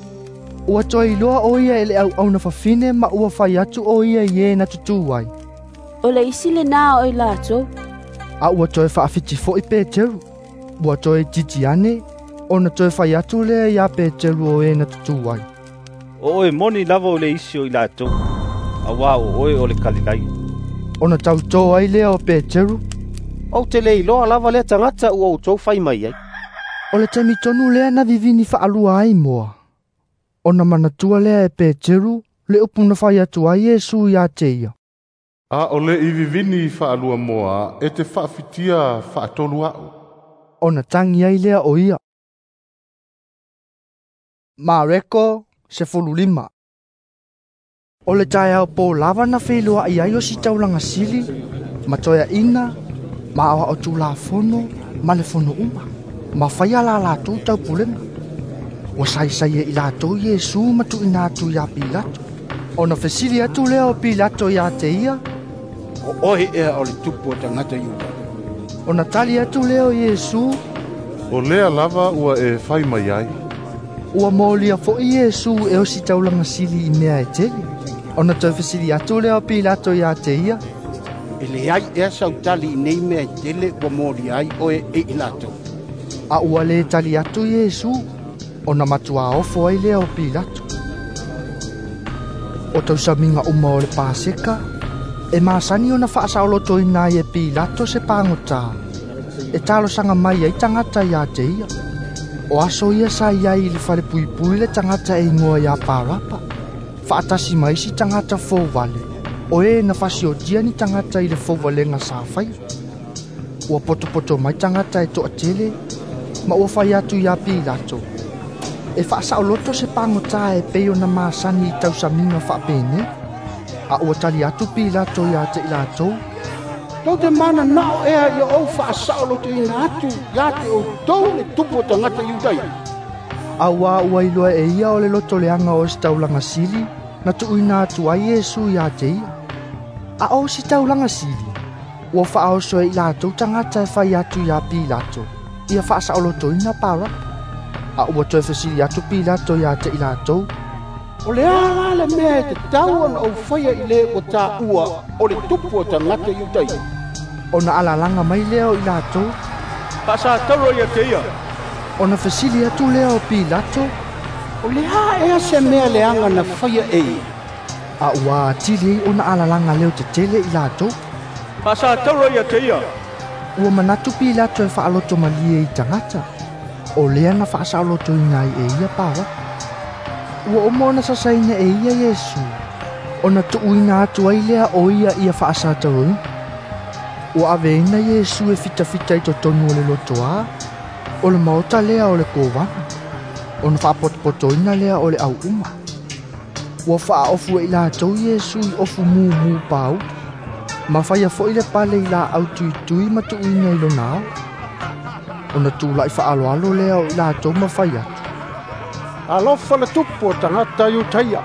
Speaker 1: Ua toe iloa o ia e le auauna fafine ma ua fai atu o ia i e na tutū ai.
Speaker 18: O le isi lenā o i latou.
Speaker 1: A ua toe faafiti fo'i Peteru. Ua toe titi ane, ona toe fai atu lea ia Peteru o e na tutū ai.
Speaker 7: O oe moni lava o le isi o i latou, auā o oe o le Kalilaia.
Speaker 1: Ona tautō ai lea o Peteru.
Speaker 15: Ou te le iloa lava lea tagata ua outou fai mai ai.
Speaker 1: O le taimi tonu lea na vivini faalua ai moa. Ona manatua lea e Peteru le upu na fai atu ai Iesu ia te ia.
Speaker 5: A o le i vivini faalua moa e te faafitia faatolu a'u.
Speaker 1: Ona tagi ai lea o ia. Mareko 15. O le taeao pō lava na feiloa'i ai o sitaulaga sili, ma toeaʻina, ma aoao tulafono, ma le fono uma, ma faia la latou taupulega. Ua saisai e i latou Iesu ma tuuina atu iā Pilato. Ona fesili atu lea o Pilato iā te ia,
Speaker 10: O oe ea o le tupu o tagata Iuta?
Speaker 1: Ona tali atu lea o Iesu,
Speaker 5: O lea lava ua e fai mai ai.
Speaker 1: Ua molia fo'i Iesu e ositaulaga sili i mea e tele. Ona toe fesili atu lea o Pilato iā te ia,
Speaker 10: E leai ea sautali i nei mea e tele ua molia ai oe e i latou.
Speaker 1: A ua lē tali atu Iesu, ona matuā ofo ai lea o Pilato. O tausamiga uma o le Paseka, e masani ona faasaolotoina ai e Pilato se pagotā, e talosaga mai ai tagata iā te ia. O aso ia sa iai i le falepuipui le tagata e igoa iā Parapa, faatasi ma isi tagata fouvale, o e na fasiotia ni tagata i le fouvalega sa faia. Ua potopoto mai tagata e toatele, ma ua fai atu iā Pilato. E faasaoloto se pagotā e pei ona masani i tausamiga faapenei. A ua tali atu Pilato iā te i latou.
Speaker 10: Tou te mananao ea ia ou faasaolotoina atu ia te outou le tupu o tagata Iutaia.
Speaker 1: Auā ua iloa e ia o le lotoleaga o sitaulaga sili na tuuina atu ai Iesu ia te ia. A o sitaulaga sili, ua faaoso e i latou tagata e fai atu iā Pilato, ia faasaolotoina Parapa. A ua toe fesili atu Pilato ia te i latou.
Speaker 10: O le a la le mea e tatau ona ou faia i le ua taua o le tupu o tagata Iutaia?
Speaker 1: Ona alalaga mai lea o i latou.
Speaker 12: Faasatauro ia te ia.
Speaker 1: Ona fesili atu lea o Pilato.
Speaker 10: O le a ea se mea leaga na faia e ia?
Speaker 1: A ua atili ai ona alalaga leo tetele i latou.
Speaker 12: Faasatauro ia te ia.
Speaker 1: Ua manatu Pilato e faaloto malie i tagata. O lea na faasaolotoina ai e ia Parapa. Ua uma ona sasaina e ia Iesu. Ona tuuina atu ai lea o ia ia faasataroina. Ua aveina Iesu e fitafita i totonu o le lotoā, o le maota lea o le kovana. Ona faapotopotoina lea o le auuma. Ua faaofu e i latou Iesu i ofu mumu pauli. Ma faia fo'i le pale i laau tuitui ma tuuina i lona ao. Ona tula'i faaloalo lea o i latou ma fai atu.
Speaker 3: Alofa le tupu o tagata Iutaia.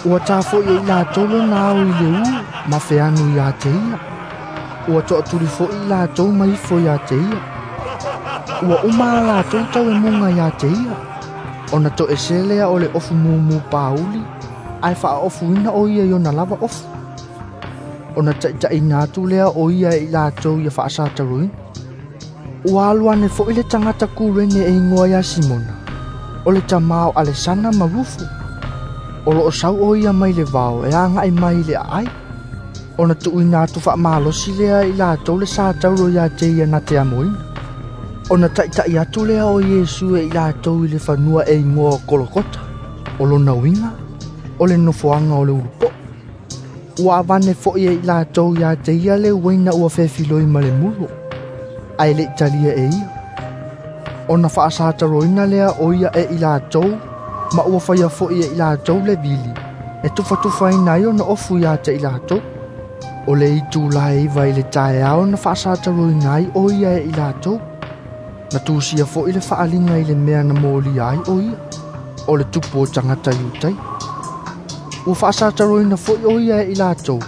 Speaker 1: Ua tafo'i e i latou lona ao i le ū ma feanu iā te ia. Ua toatuli fo'i i latou ma ifo iā te ia. Ua uma a latou tauemuga iā te ia. Ona toese lea o le ofu mumu pauli, ae faaofuina o ia i ona lava ofu. Ona taʻitaʻina atu lea o ia e i latou ia faasataloina. Ua alu ane foʻi le tagata Kurene e igoa ia Simona, o le tamā o Alesana ma Rufu. O loo sau o ia mai le vao e agaʻi mai i le aai. Ona tuuina atu faamalosi lea i latou le sataulo ia te ia na te amoina. Ona taʻitaʻi atu lea o Iesu e i latou i le fanua e igoa o Kolokota. O lona uiga, o le nofoaga o le ulupoʻo. Ua avane foʻi e i latou ia te ia le uaina ua fefiloi ma le mulo, ae leʻi talia e ia. Ona faasataloina lea o ia e i latou, ma ua faia foʻi e i latou le vili, e tufatufaina ai ona ofu ia te i latou. O le itulā e 9 i le taeao na faasataloina ai o ia e i latou. Na tusia foʻi le faaliga i le mea na molia ai o ia, o le tupu o tagata Iutai. Ua faasataloina foʻi o ia e i latou,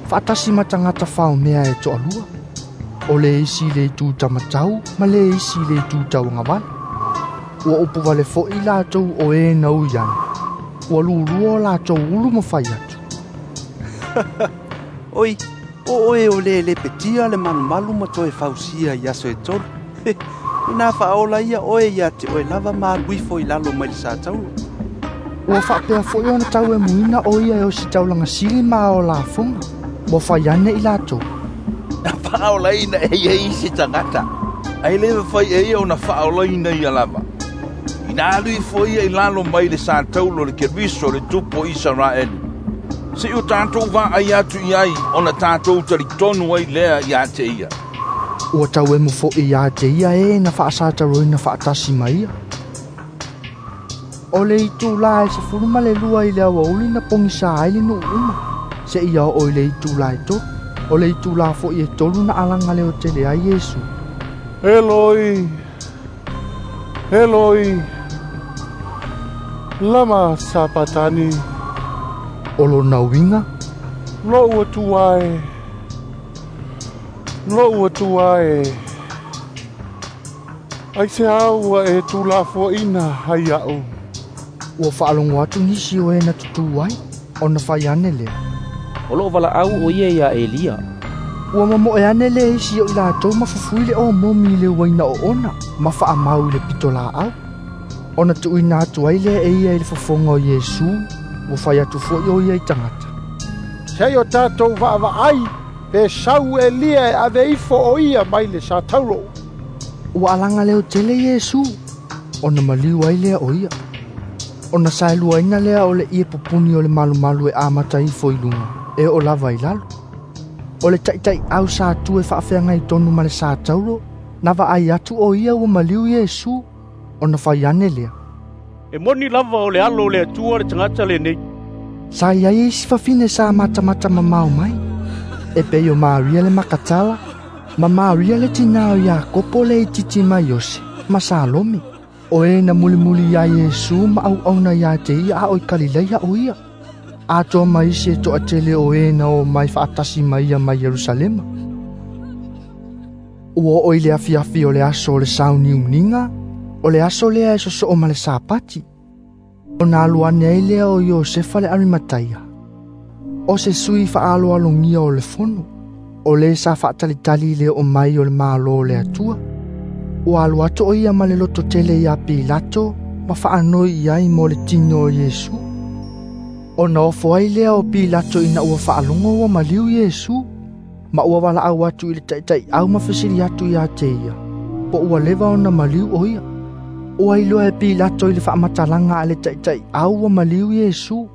Speaker 1: faatasi ma tagata faomea e toalua. O le isi le itu tamatau ma le isi le itu tauagavale. Ua upu vale foʻi latou o e na ui ane. Ua lulua o latou ulu ma fai atu.
Speaker 8: Oi, o oe o le lepetia le malumalu ma toe fausia i aso e tolu. Ina faaola ia oe ia te oe lava ma alu ifo i lalo mai le sataulo.
Speaker 1: Ua faapea foʻi ona tauemuina o ia e o se taulaga sili ma ao lafoga. Ua fai ane i latou.
Speaker 9: Na faaolaina e ia isi tagata, ae le mafai e ia ona faaolaina ia lava. Ina alu ifo ia i lalo mai le sataulo le Keriso le tupu o Isaraelu. Seʻi o tatou vaai atu i ai ona tatou talitonu ai lea ia te ia.
Speaker 1: Ua tauemu foʻi ia te ia e na faasataloina faatasi ma ia. O le itulā e 12 i le aoauli na pogisa ai le nuu uma, seia oo i le itulā e 3. O le itulā foʻi e 3 na alaga leotele ai Iesu.
Speaker 5: Eloi, Eloi, lama sapatani.
Speaker 1: O lona uiga,
Speaker 5: Loʻu Atua e, loʻu Atua e, aiseā ua e tulafoaʻina ai aʻu.
Speaker 1: Ua faalogo atu nisi o e na tutū ai, ona fai ane lea.
Speaker 14: O loo valaau o ia ia Elia.
Speaker 1: Ua mamoe ane le isi o i latou ma fufui le omomi i le uaina oona, ma faamau i le pitolaau. Ona tuuina atu ai lea e ia i le fofoga o Iesu, ua fai atu foʻi o ia i tagata.
Speaker 3: Seʻi o tatou vaavaai, pe sau Elia e ave ifo o ia mai le sataulo.
Speaker 1: Ua alaga leotele Iesu, ona maliu ai lea o ia. Ona saeluaina lea o le ie pupuni o le malumalu e amata ifo i luga, e oo lava i lalo. O le taʻitaʻiau sa tu e faafeagai tonu ma le sataulo, na vaai atu o ia ua maliu Iesu, ona fai ane lea.
Speaker 12: E moni lava o le alo o le Atua le tagata lenei.
Speaker 1: Sa iai isi fafine sa matamata mamao mai. E pei o Maria le Makatala, ma Maria le tinā o Iakopo le itiiti ma Iose, ma Salome. O e na mulimuli ia Iesu ma auauna ia te ia a o i Kalileia o ia. Atoa ma isi e toatele o e na o mai faatasi ma ia mai Ierusalema. Ua oo i le afiafi o le aso o le sauniuniga, o le aso lea e sosoo ma le Sapati. Ona alu ane ai lea o Iosefa le Arimataia. O se sui faaloalogia o le fono, o le sa faatalitali i le oo mai o le Malo o le Atua. Ua alu atu o ia ma le loto tele ia Pilato ma faanoi i ai mo le tino o Iesu. Ona ofo ai lea o Pilato ina ua faalogo ua maliu Iesu, ma ua valaau atu i le taʻitaʻiau ma fesili atu ia te ia, po ua leva ona maliu o ia. Ua iloa e Pilato i le faamatalaga a le taʻitaʻiau ua maliu Iesu.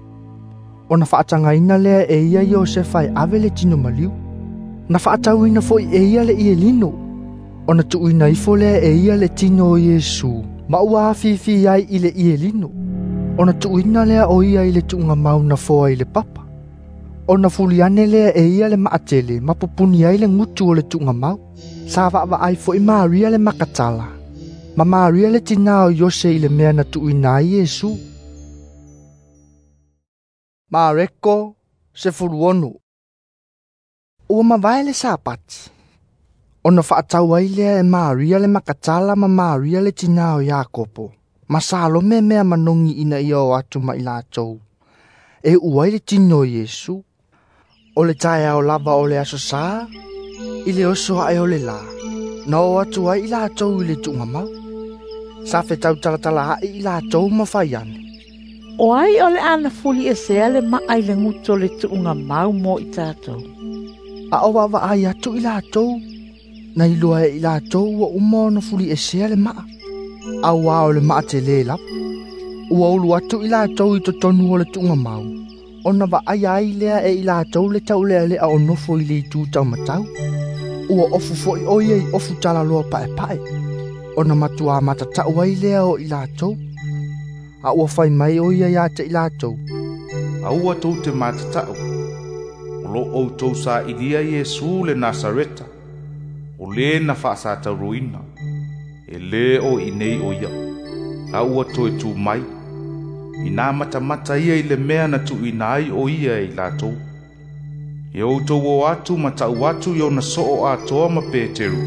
Speaker 1: Ona faatagaina lea e ia Iosefa e ave le tino maliu. Na faatauina foʻi e ia le ielino. Ona tuuina ifo lea e ia le tino o Iesu, ma ua afifi ai i le ielino. Ona tuuina lea o ia i le tuugamau na foa i le papa. Ona fuli ane lea e ia le maatele ma pupuni ai le gutu o le tuugamau. Sa vaavaai foʻi Maria le Makatala, ma Maria le tinā o Iose i le mea na tuuina ai Iesu. Mareko 16. Ua mavae le Sapati. Ona faatau ai lea e Maria le Makatala ma Maria le tinā o Iakopo, ma Salome mea manogi ina ia o atu ma i latou. E ua ai le tino o Iesu. O le taeao lava o le aso Sā, i le oso aʻe o le lā, na o atu ai i latou i le tuugamau. Sa fetautalatalaʻi i latou ma fai ane.
Speaker 16: O ai o le ana fuli e sea le maa i le guto le tuugamau mo i tatou.
Speaker 1: A o vaavaai atu i latou, na iloa e i latou ua uma ona fuliʻesea le maa, auā o le maa telē lava. Ua ulu atu i latou i totonu o le tuugamau, ona vaaia ai lea e i latou le taulealea o nofo i le itu taumatau. Ua ofu foʻi o ia i ofu talaloa paepae, ona matuā matatau ai lea o i latou. A ua fai mai o ia iā te i latou.
Speaker 11: Aua tou te matatau, o loo outou saʻilia Iesu le Nasareta, o lē na faasatauroina, e lē o iinei o ia, a ua toe tū mai, inā matamata ia i le mea na tuuina ai o ia e i latou. E outou o atu ma taʻu atu i ona soo atoa ma Peteru,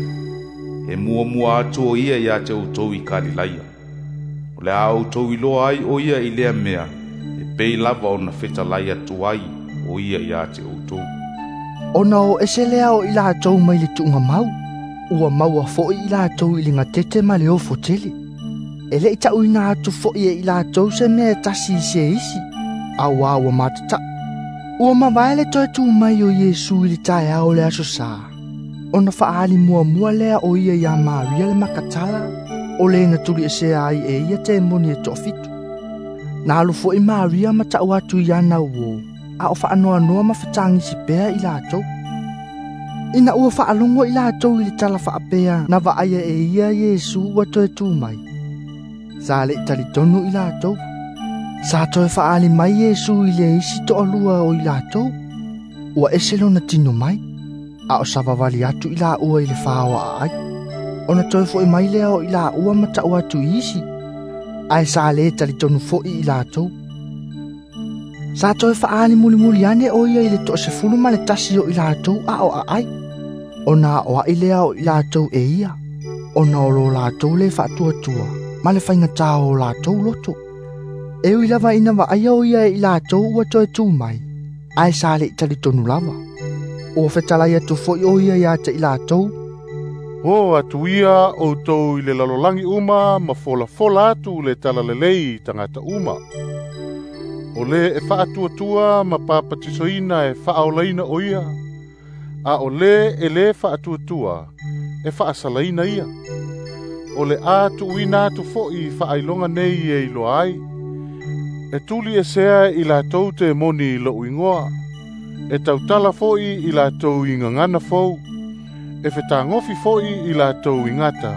Speaker 11: e muamua atu o ia iā te outou i Kalilaia. O le a outou iloa ai o ia i lea mea, e pei lava ona fetalai atu ai o ia iā te outou.
Speaker 1: Ona o ese lea o i latou mai le tuugamau, ua maua foʻi i latou i le gatete ma le ofo tele. E leʻi taʻuina atu foʻi e i latou se mea e tasi i se isi, auā ua matataʻu. Ua mavae le toe tū mai o Iesu i le taeao o le aso Sā, ona faaali muamua lea o ia iā Maria le Makatala, o lē na tuliʻesea ai e ia temoni e toafitu. Na alu foʻi Maria ma taʻu atu i ana uō, a o faanoanoa ma fetagisi pea i latou. Ina ua faalogo i latou i le tala faapea na vaaia e ia Iesu ua toe tū mai. Sa leʻi talitonu i latou. Sa toe faaali mai Iesu i le isi toalua o i latou. Ua ese lona tino mai, a o savavali atu i laua i le faoaʻa ai. Ona toe foʻi mai lea o i laua ma taʻu atu i isi, ae sa lē talitonu foʻi i latou. Sa toe faaali mulimuli ane o ia i le 11 o i latou a o aʻai. Ona aʻoaʻi lea o i latou e ia, ona o lo latou lē faatuatua, ma le faigatā o latou loto. E ui lava ina vaaia o ia e i latou ua toe tū mai, ae sa leʻi talitonu lava. Ua fetalai atu foʻi o ia iā te i latou.
Speaker 5: O atu ia outou i le lalolagi uma ma folafola atu le talalelei i tagata uma. O lē e faatuatua ma papatisoina e faaolaina o ia, a o lē e lē faatuatua e faasalaina ia. O le a tuuina atu foʻi faailoga nei e iloa ai. E tuli esea i latou temoni i loʻu igoa, e tautala foʻi i latou i gagana fou, e fetagofi foʻi i latou i gata,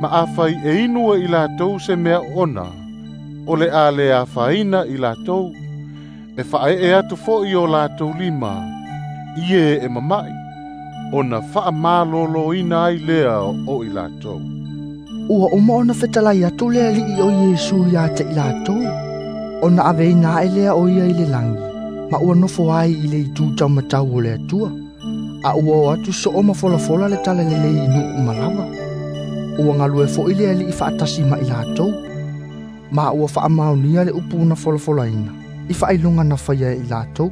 Speaker 5: ma afai e inu e i latou se mea ona, o le a le afaina i latou, e faaee atu foʻi o latou lima, i e e mamaʻi, ona faamalōlōina ai lea o i latou.
Speaker 1: Ua uma ona fetalai atu le Alii o Iesu iā te i latou, ona aveina aʻe lea o ia i le lagi, ma ua nofo ai i le itu taumatau o le Atua, a ua o atu soo ma folafola le talalelei i nuu uma lava. Ua galue foʻi le Alii faatasi ma i latou, ma ua faamaonia le upu na folafolaina, i faailoga na faia e i latou.